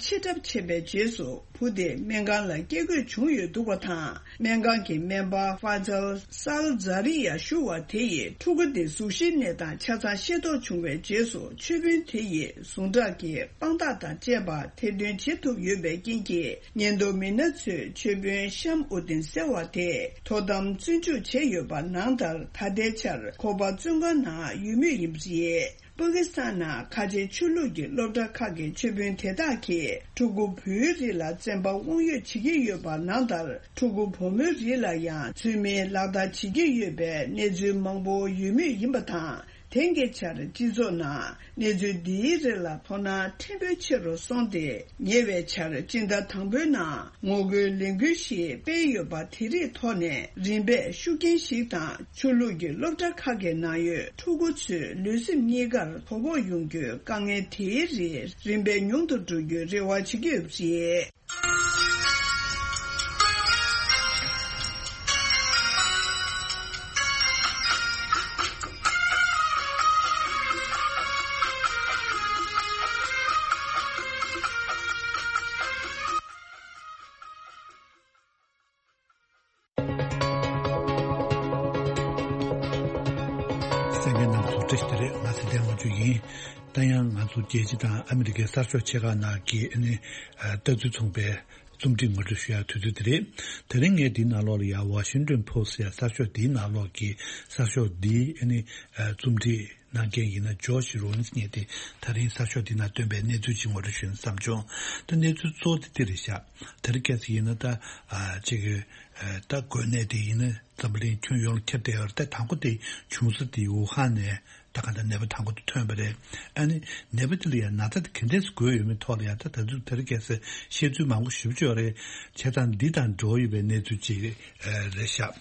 ཆེ་བ་ཕྱིར་བསྒྲགས་བྱས་པའི་རྗེས་སུ། བུ་དེ་སྨན་ཁང་ལ་སྐྱེལ་དགོས་བྱུང་ཡོད་འདུག་པ་དང་། སྨན་ཁང་གི་སྨན་པ་ཧྥ་ཛལ་སཱལ་ཛ་རི་ཡ་ཞུ་བ་དེ་ཡིས་ཕྲུ་གུ་དེ་གཟུགས་གཞིའི་གནས་སྟངས་ཆ་ཚང་ཤེས་རྟོགས་བྱུང་བའི་རྗེས་སུ། ཆོས་དཔོན་དེ་ཡིས་ཟུངས་ཁྲག་གི་དཔང་རྟགས་དང་བཅས་པ་ཐེར་འདོན་བྱེད་ཐུབ་ཡོད་པའི་རྐྱེན་གྱིས། ཉེན་རྟོག་མི་སྣ་ཚོས་ཆོས་དཔོན་ཤམ་ཨུ་དིན་ཟེར་བ་དེ་དོ་དམ་བཙོན་འཇུག་བྱས་ཡོད་པ་ནང་ལྟར། ད་ལྟའི་ཆར་ཁོ་པ་བཙོན་ཁང་ནང་ཡོད་མུས་ཡིན་པ་རེད། པ་ཀི་སི་ཐན་ནང་ཁ་ཆེའི་ཆོས་ལུགས་ཀྱི་སློབ་གྲྭ་ཁག་གི་ཆོས་དཔོན་དེ་དག་གིས་ཕྲུ་གུ་བུའི་རིགས་ལ་བཙན་པ་དབང་ཡོད་བྱེད་ཀྱི་ཡོད་པ་ནང་ལྟར། ཕྲུ་གུ་བུ་མོའི་རིགས་ལ་ཡང་ཚུལ་མིན་ལག་བསྟར་བྱེད་ཀྱི་ཡོད་པའི་གནས་ཚུལ་མང་པོ་ཡོད་མུས་ཡིན་པ་དང་། དེང་གི་ཆར་སྤྱི་ཚོགས་ནང་གནས་ཚུལ་འདིའི་རིགས་ལ་དོ་སྣང་ཕྲན་བུ་ཆེ་རུ་སོང་སྟེ། ཉེ་བའི་ཆར་སྤྱི་ཟླ་དང་པོའི་ནང་ངོ་རྒོལ་ལས་འགུལ་ཞིག་སྤེལ་ཡོད་པ་དེ་རིགས་ཐོག་ནས་རིམ་པས་ཤུགས་རྐྱེན་ཞིག་དང་། ཆོས་ལུགས་ཀྱི་སློབ་གྲྭ་ཁག་གི་ནང་ཡོད་ཕྲུ་གུ་ཚོའི་ལུས་སེམས་གཉིས་ཀར་དོ་ཕོག་ཡོང་རྒྱུའི་དཀའ་ངལ་དེའི་རིགས་རིམ་པས་ཉུང་དུ་འགྲོ་རྒྱུའི་རེ་བ་བྱེད་ཀྱི་ཡོད་པ་རེད། དེ་རེད། ང་ཚེ་བརྟན་དབང་ཕྱུག་ཡིན། ད་ཡང་ང་ཚོ་རྒྱལ་སྤྱི་དང་ཨ་མི་རི་ཀའི་གསར་ཤོག་ཆེ་ཁག་ནང་གི་ཨ་ནི་ལྟ་ཚུལ་མཚུངས་པའི་རྩོམ་སྒྲིག་ངོ་སྤྲོད་ཞུ་ཡག་དུས་ཚོད་དེ་རེད། དེ་རིང་ངས་འདིའི་ནང་ལོགས་ལ་ཡང་Washington Post་ཡ་གསར་ཤོག་འདིའི་ནང་ལོགས་ཀྱི་གསར་ཤོག་འདིའི་ཨ་ནི་རྩོམ་སྒྲིག་གནང་མཁན་ཡིན་ན་ཇོརྗ་རོ་ལིན་སི་ངས་དེ་ད་རིང་གསར་ཤོག་འདི་ནང་བཏོན་པའི་གནས་ཚུལ་ཅིག་ངོ་སྤྲོད་ཞུ་ན་བསམ་བྱུང་། ད་གནས་ཚུལ་གཙོ་བོ་དེ་འདི་རེད་ཤག་དེ་རིང་ཁ་སང་ཡིན་ན་ད་ཨ་ཅིག་ད་འགོས་ནད་དེ་ཡིན་ན་འཛམ་བུ་གླིང་ཁྱོན་ཡོངས་ལ་ཁྱབ་བསྡད་ཡོད་རེད། ད་དང་པོ་དེ་བྱུང་ས་དེ་ཝུ་ཧན་ནས་ད་ག་ད་ནད་པ་དང་པོ་དེ་ཐོན་པ་རེད། ཨ་ནི་ནད་པ་དེ་ལ་ཡང་ན་ཚ་དེ་ག་འདྲས་འགོས་ཡོད་མེད་ཐོག་ལ་ཡང་ད་ད་དུང་དེ་རིང་ཁ་སང་བཤད་ཚུལ་མང་པོ་ཞེ་པོ་ཅིག་ཡོད་རེད། བྱས་ཙང་འདི་དང་འབྲེལ་བ་ཡོད་པའི་གནས་ཚུལ་ཅིག་རེད་ཤག་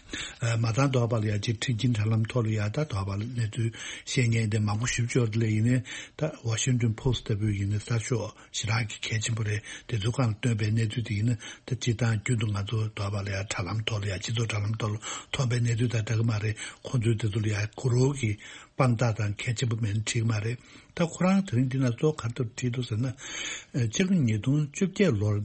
མ་ཚང་དོགས་པ་ལ་ཡ་གཅིག་མཁྲེགས་སྐྱེན་དྲ་ལམ་ཐོག་ལ་ཡ་ད་དོགས་པ་ལ་གནས་ཚུལ་བཤད་མཁན་དེ་མང་པོ་ཞིབ་ཕྱོགས་དེ་ལ་ཡིན་ནའི་ད་Washington Post་ལྟ་བུའི་ཡིན་ནའི་གསར་ཤོག་ཞེ་དྲག་གི་གལ་ཆེན་པོ་རེད། དེ་ཚོའི་སྒང་ལ་བཏོན་པའི་གནས་ཚུལ་དེ་ཡིན་ན་ད་སྤྱིར་བཏང་རྒྱུན་དུ་ང་ཚོ་དོགས་པ་ལ་ཡ་དྲ་ལམ་ཐོག་ལ་ཡ་སྤྱི་ཚོགས་དྲ་ལམ་ཐོག་ལ་ཐོན་པའི་གནས་ཚུལ་དང་འདྲ་གི་མ་རེད། ཁོང་ཚོའི་དེ་ཚོ་ལ་ཡ་གུ་རུ་གི་དཔང་རྟགས་དང་གལ་ཆེན་པོ་མེད་ན་འགྲིག་གི་མ་རེད། ད་ཁོ་རང་དེ་རིང་འདི་ན་གཙོ་བོ་ག་རེ་ཐོག་བྲིས་འདུག་ཟེར་ན། ཕྱི་ལོ་ཉིས་སྟོང་བཅོ་བརྒྱད་ལོར།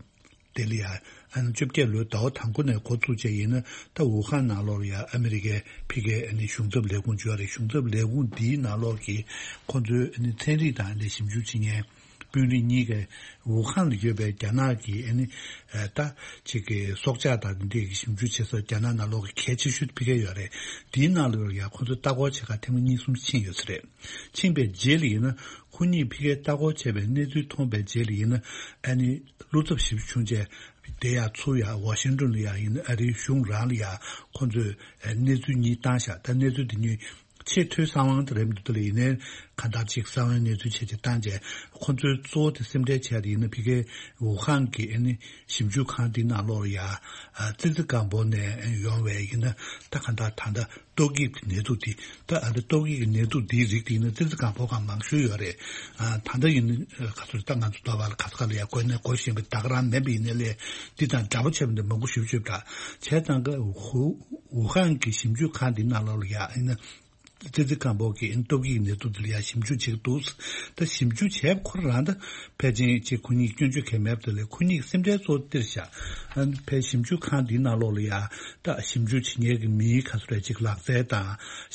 དེ་ལ་ཡང་ཨ་ནི་བཅོ་བརྒྱད་ལོའི་ཟླ་བ་དང་པོ་ནས་འགོ་བཙུགས་བྱས་ཡིན་ན་ད་ཝུ་ཧན་ནང་ལོགས་ལ་ཡང་ཨ་མི་རི་ཀའི་ཕ་གིའི་ཨ་ནི་གཞུང་ཚབ་ལས་ཁུངས་བརྗོད་རེད། གཞུང་ཚབ་ལས་ཁུངས་འདིའི་ནང་ལོགས་ཀྱི་ཁོང་ཚོའི་ཨ་ནི་ཚན་རིག་དང་ཨ་ནི་ཞིབ་འཇུག་བྱེད་མཁན་དཔོན་རིགས་གཉིས་ཀས་ཝུ་ཧན་ལ་ཡོད་པའི་རྒྱ་ནག་གི་ཨ་ནི་ད་ཅིག་གི་སྲོག་ཆགས་དང་འདི་འདྲའི་ཞིབ་འཇུག་བྱེད་ས་རྒྱ་ནག་ནང་ལོགས་ཀྱི་གལ་ཆེ་ཤོས་ཕ་གི་ཡོད་རེད། དེའི་ནང་ལོགས་ལ་ཡང་ཁོང་ཚོ་ལྟ་སྐོར་བྱེད་ག་ཐེངས་མ་གཉིས་གསུམ་ཕྱིན་ཡོད་ས་རེད། ཕྱིན་པའི་རྗེས་ལ་ཡིན་ན་ཁོ་གཉིས་ཕ་གིར་ལྟ་སྐོར་བྱས་པའི་གནས་ཚུལ་མཐོང་པའི་རྗེས་ལ་ཡིན་ན་ཨ་ནི་བློ་འཚབ་ཞེ་པོ་བྱུང་རྗེས་དེ་ཡང་ཚུར་ཡང་ཝ་ཤིང་ཏོན་ལ་ཡང་ཡིན་ན་ཨ་རིའི་གཞུང་རང་ལ་ཡང་ཁོ་ཚོས་གནས་ཚུལ་གཉིས་བཏང་བཞག་ད་གནས་ཚུལ་དེ་གཉིས་ཆེས་མཐོའི་གསང་བ་དེ་རེད་མི་འདུག་ད་ལ་ཡིན་ནའི་གང་ལྟར་ཅིག་གསང་བའི་གནས་ཚུལ་བྱས་ཅིག་བཏང་རྗེས་ཁོ་ཚོའི་གཙོ་བོ་དེ་སེམས་ཁྲལ་བྱས་ཏེ་ཡིན་ན་ཕ་གིའི་ཝུ་ཧན་གྱི་ཨ་ནི་ཞིབ་འཇུག་ཁང་དེའི་ནང་ལོགས་ལ་ཡང་ཙི་ཙི་སྒང་པོ་ནས་ཡོང་བའི་ཡིན་ན་ད་གང་ལྟར་ད་ལྟ། ཏོག་དབྱིབས་ཀྱི་ནད་དུག་འདི་ད་ཨ་ནི་ཏོག་དབྱིབས་ཀྱི་ནད་དུག་འདིའི་རིགས་འདི་ནི་ཙི་ཙི་སྒང་པོ་སྒང་མང་ཤོས་ཡོད་རེད། ཨ་ད་ལྟ་ཡིན་ན་ག་ཚོད་ད་ང་ཚོ་ལྟ་བ་ལ་ག་ས་ག་ལ་ཡ་འགོས་ནས་འགོས་བཞིན་པའི་ད་ག་རང་མེད་པ་ཡིན་ནའི་ལས་འདི་དང་འདྲ་པོ་བྱས་པ་འདི་མང་པོ་ཞེ་པོ་ཅིག་ཡོད་པ་འདྲ། བྱས་ཙང་ག་ཝུ་ཧན་གྱི་ཞིབ་འཇུག་ཁང་འདི་ནང་ལོགས་ལ་ཡ་ཡིན་ན་ཙི་ཙི་སྒང་པོ་གི་ཨ་ནི་ཏོག་དབྱིབས་ཀྱི་ནད་དུག་འདི་ལ་ཡ་ཞིབ་འཇུག་བྱེད་ཀྱི་འདུག་ད་ཞིབ་འཇུག་བྱས་པ་ཁོ་རང་ད་ཕལ་ཆེར་ཅིག་ཁོ་གཉིས་སྐྱོན་བརྗོད་གལ་མེད་པ་དེ་ལས་ཁོ་གཉིས་ཀྱི་སེམས་ཁྲལ་གཙོ་བོ་འདིར་བཞག་ཨ་ནི་ཕའི་ཞིབ་འཇུག་ཁང་འདིའི་ནང་ལོགས་ལ་ཡ། ད་ཞིབ་འཇུག་བྱེད་མཁན་གྱི་མིའི་ག་ཚོད་རེ་ཅིག་ལག་རྩལ་དང་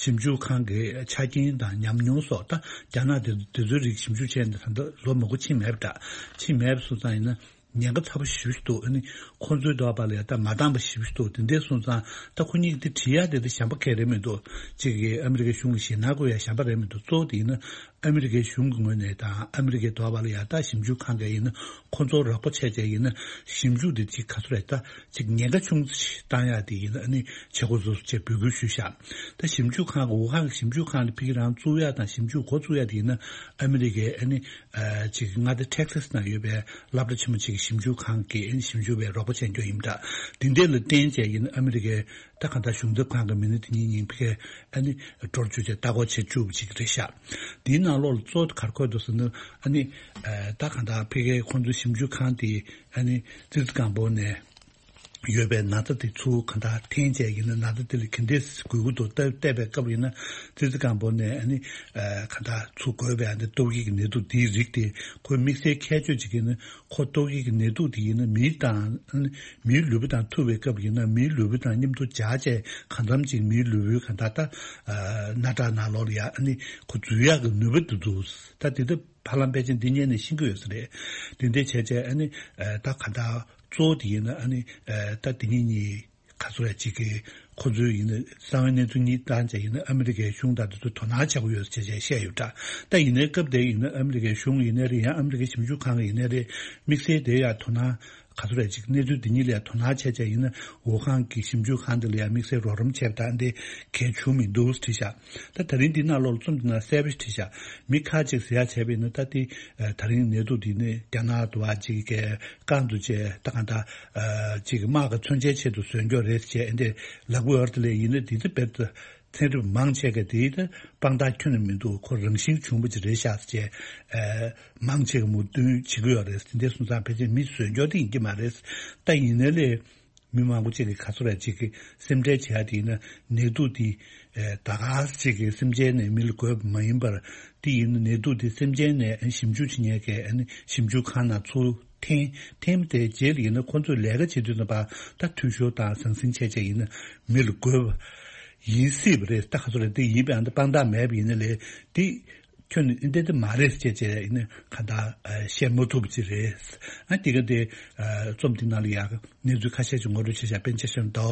ཞིབ་འཇུག་ཁང་གི་ཆ་རྐྱེན་དང་ཉམས་མྱོང་སོགས་ད་རྒྱ་ནག་དེ་དེ་ཚོའི་རིགས་ཞིབ་འཇུག་བྱས་ནས་ད་ལྟ་ལོ་མང་པོ་ཕྱིན་མེད་པ་འདྲ། ཕྱིན་མེད་པ་སོང་ཙང་ཡིན་ན་ཉེན་ཁ་ཚ་པོ་ཞེ་པོ་ཞིག་འདུག་ཨ་ནི་ཁོང་ཚོའི་འདོད་པ་ལ་ཡ་ད་མ་འདང་པ་ཞེ་པོ་ཞིག་འདུག་དེ་འདྲས་སོང་ཙང་ད་ཁོ་གཉིས་ཀྱི་དེ་བྲིས་ཡ་དེ་ད་གཞན་པ་གང་རེད་མི་འདུག་གཅིག་གིས་ཨ་མི་རི་ཀའི་གཞུང་ལ་ཞེད་སྣང་དགོས་ཡ་གཞན་པ་རེད་མི་འདུག་གཙོ་བོ་དེ་ཡིན་ན། ཨ་མི་རི་ཀའི་གཞུང་གི་ངོས་ནས་དང་ཨ་མི་རི་ཀའི་འདོད་པ་ལ་ཡ་ད་ཞིབ་འཇུག་ཁང་གིས་ཡིན་ན་ཁོ་ཚོར་རོགས་པ་བྱས་བྱས་ཡིན་ན་ཞིབ་འཇུག་འདི་ཅིག་ག་ཚོད་རེད་ད་ཅིག་ཉེན་ཁ་ཆུང་ཙམ་ཞིག་བཏང་ཡག་དེ་ཡིན་ན་ཨ་ནི་བྱེད་དགོས་སོ་སོ་ཅེས་འབོད་སྐུལ་ཞུས་ཤག་ད་ཞིབ་འཇུག་ཁང་གི་ཝུ་ཧན་གྱི་ཞིབ་འཇུག་ཁང་དེ་ཕ་གི་རང་བཙུགས་ཡག་དང་ཞིབ་འཇུག་འགོ་བཙུགས་ཡག་དེ་ཡིན་ན་ཨ་མི་རི་ཀའི་ཨ་ནི་ཅིག་མངའ་སྡེ་ཊེག་སཱས་ནང་ཡོད་པའི་སློབ་གྲྭ་ཆེན་མོ་ཅིག་གི་ཞིབ་འཇུག་ཁང་གིས་ཨ་ནི་ཞིབ་འཇུག་པའི་རོགས་པ་བྱས་རྒྱུ་ཡིན་པ་འདྲ། དེ་འདྲས་ལ་བརྟེན་བྱས་ཡིན་ན་ཨ་མི་རི་ཀའི་ད་གང་ལྟར་གཞུང་ཚབ་ཁང་གི་མི་སྣ་དེ་གཉིས་གཉིས་ཕ་གིར་ཨ་ནི་འགྲོ་བཅུག་བྱས་ལྟ་སྐོར་བྱེད་བཅུག་པ་ཅིག་རེད་ཤག་དེའི་ནང་ལོགས་ལ་གཙོ་བོ་ག་རེ་འཁོད་འདུག་ཟེར་ན་ཨ་ནི་ད་གང་ལྟར་ཕ་གིའི་ཁོང་ཚོའི་ཞིབ་འཇུག་ཁང་དེ་ཨ་ནི་ཙི་ཙི་སྒང་པོ་ནས་ཡོད་པའི་ན་ཚ་དེ་ཚུར་གང་ལྟར་འཐེན་བྱས་ཡིན་ན་ན་ཚ་དེ་ལ་ག་འདྲས་འགོས་ཀྱི་འདུག་ལྟ་བལྟས་པའི་སྐབས་ཡིན་ན་ཙི་ཙི་སྒང་པོ་ནས་ཨ་ནི་གང་ལྟར་ཚུར་འགོས་པའི་ཨ་ནི་ཏོག་དབྱིབས་ཀྱི་ནད་དུག་དེའི་རིགས་དེ་ཁོའི་དམིགས་བསལ་ཁྱད་ཆོས་ཅིག་ཡིན་ན། ཁོ་ཏོག་དབྱིབས་ཀྱི་ནད་དུག་དེ་ཡིན་ན་མི་དང་། མིའི་ལུས་པོ་དང་ཐུག་པའི་སྐབས་ཡིན་ན་མིའི་ལུས་པོ་དང་མཉམ་དུ་སྦྱར་བྱས་གང་འཚམ་ཅིག་མིའི་ལུས་པོའི་གང་ལྟར་ད། སྣ་ཁྲག་ནང་ལོགས་ལ་ཡ་ཨ་ནི་ཁོ་འཛུལ་ཡག་གི་ནུས་པ་འདུག་འདུག་ད་དེ་ལྟ་ཧ་ལམ་ཕལ་ཆེར་འདི་ཉིད་ནས་ཤེས་ཀྱི་ཡོད་ས་རེད། དེ་འདྲ་བྱས་བྱས་ཨ་ནི་ད་གང་ལྟར་གཙོ་བོ་དེ་ཡིན་ན་ཨ་ནི་ད་དེ་ཉིད་གཉིས། ག་ཚོད་ཅིག་གིས་ཁོ་ཚོས་ཡིན་ན་གསང་བའི་གནས་ཚུལ་གཉིས་བཏང་བྱས་ཡིན་ན་ཨ་མི་རི་ཀའི་གཞུང་དང་དེ་ཚོ་དོ་སྣང་བྱེད་དགོས་ཡོད་ཅེས་བཤད་ཡོད་འདྲ། ད་ཡིན་ནའི་སྐབས་དེ་ཡིན་ན་ཨ་མི་རི་ཀའི་གཞུང་ཡིན་ནའི་རེད། ཡང་ཨ་མི་རི་ཀའི་ཞིབ་འཇུག་ཁང་གི་ཡིན་ནའི་རེད། དམིགས་བསལ་དེ་ཡང་དོ་སྣང་ག་ཚོད་ཅིག་གནས་ཚུལ་འདི་གཉིས་ལ་ཡང་དོ་སྣང་བྱས་བྱས་ཡིན་ན་ཝུ་ཧན་གྱི་ཞིབ་འཇུག་ཁང་དེ་ལ་ཡང་དམིགས་བསལ་རོགས་རམ་བྱས་པ་དང་དེ་གལ་བྱུང་མི་འདུག་བྲིས་ཤག་ད་ད་རིང་འདི་ནང་ལོགས་ལ་རྩོམ་འདི་ནང་གསལ་པོ་ཞིག་བྲིས་ཤག་མི་ཁ་ཅིག་ཟེར་ཡག་བྱས་པ་ཡིན་ན་ད་དེ་ད་རིང་ནད་དུག་འདི་ནི་རྒྱ་ནག་ཏུ་བ་ཅིག་གི་རྐང་དུ་བཅད་ད་གང་ལྟར་ཅིག་དམག་གི་མཚོན་ཆའི་ཆེད་དུ་བཟོས་འགྱོ་རེད་ཅེས་འདི་ལབ་ཀྱི་ཡོད་རེད། དེ་ལས་ཡིན་ན་འདི་ཚོ་དཔེ་ཚན་རིག་མང་ཆེ་ག་དེའི་ད་དཔང་རྟགས་ཁྱོན་ནས་མི་འདུག་ཁོ་རང་བཞིན་བྱུང་བ་ཅིག་རེད་ཤག་ཅེས་མང་ཆེ་ག་མོས་མཐུན་བྱེད་ཀྱི་ཡོད་རེད། དེ་འདྲ་སོང་ཙང་ཕལ་ཆེར་མི་བཟོས་འགྱོ་དེ་ཡིན་གྱི་མ་རེད། ད་ཡིན་ནའི་ལས། མི་མང་པོ་ཅིག་གིས་ག་ཚོད་རེ་ཅིག་གི་སེམས་ཁྲལ་བྱེད་ཡ་དེ་ཡིན་ན་ནད་དུག་དེ་ད་ག་ཅིག་གི་སེམས་ཅན་ནས་མི་ལ་འགོས་པ་མ་ཡིན་པར་དེ་ཡིན་ན་ནད་དུག་དེ་སེམས་ཅན་ནས་ཞིབ་འཇུག་བྱེད་མཁན་གྱི་ཞིབ་འཇུག་ཁང་ནང་ཚུར་འཐེན་འཐེན་པ་དེའི་རྗེས་ལ་ཡིན་ན་ཁོང་ཚོས་ལས་ཀ་བྱེད་དུས་ཙམ་པ་ད་འཐུས་ཤོར་དང་ཟང་ཟིང་བྱས་བྱས་ཡིན་ན་མི་ལ་འགོས་པ། ཡིན་སྲིད་པ་རེད། ད་ག་ཚོད་རེད། དེ་ཡིན་པའང་དེ་དཔང་རྟགས་མེད་པ་ཡིན་ན་ལས་དེ་ཁྱོད་ནི་འདི་འདི་མ་རེད་ཅེས་བྱས་ཡིན་ན་གང་ལྟར་ཨ་བཤད་མ་ཐུབ་ཅིག་རེད། ཨ་དེ་ག་དེ་ཨ་རྩོམ་དེ་ནང་ལ་ཡང་གནས་ཚུལ་ཁ་ཤས་ཅིག་ངོ་སྤྲོད་བྱས་བཞག་པཎ་ཆེན་བཤད་མདོ།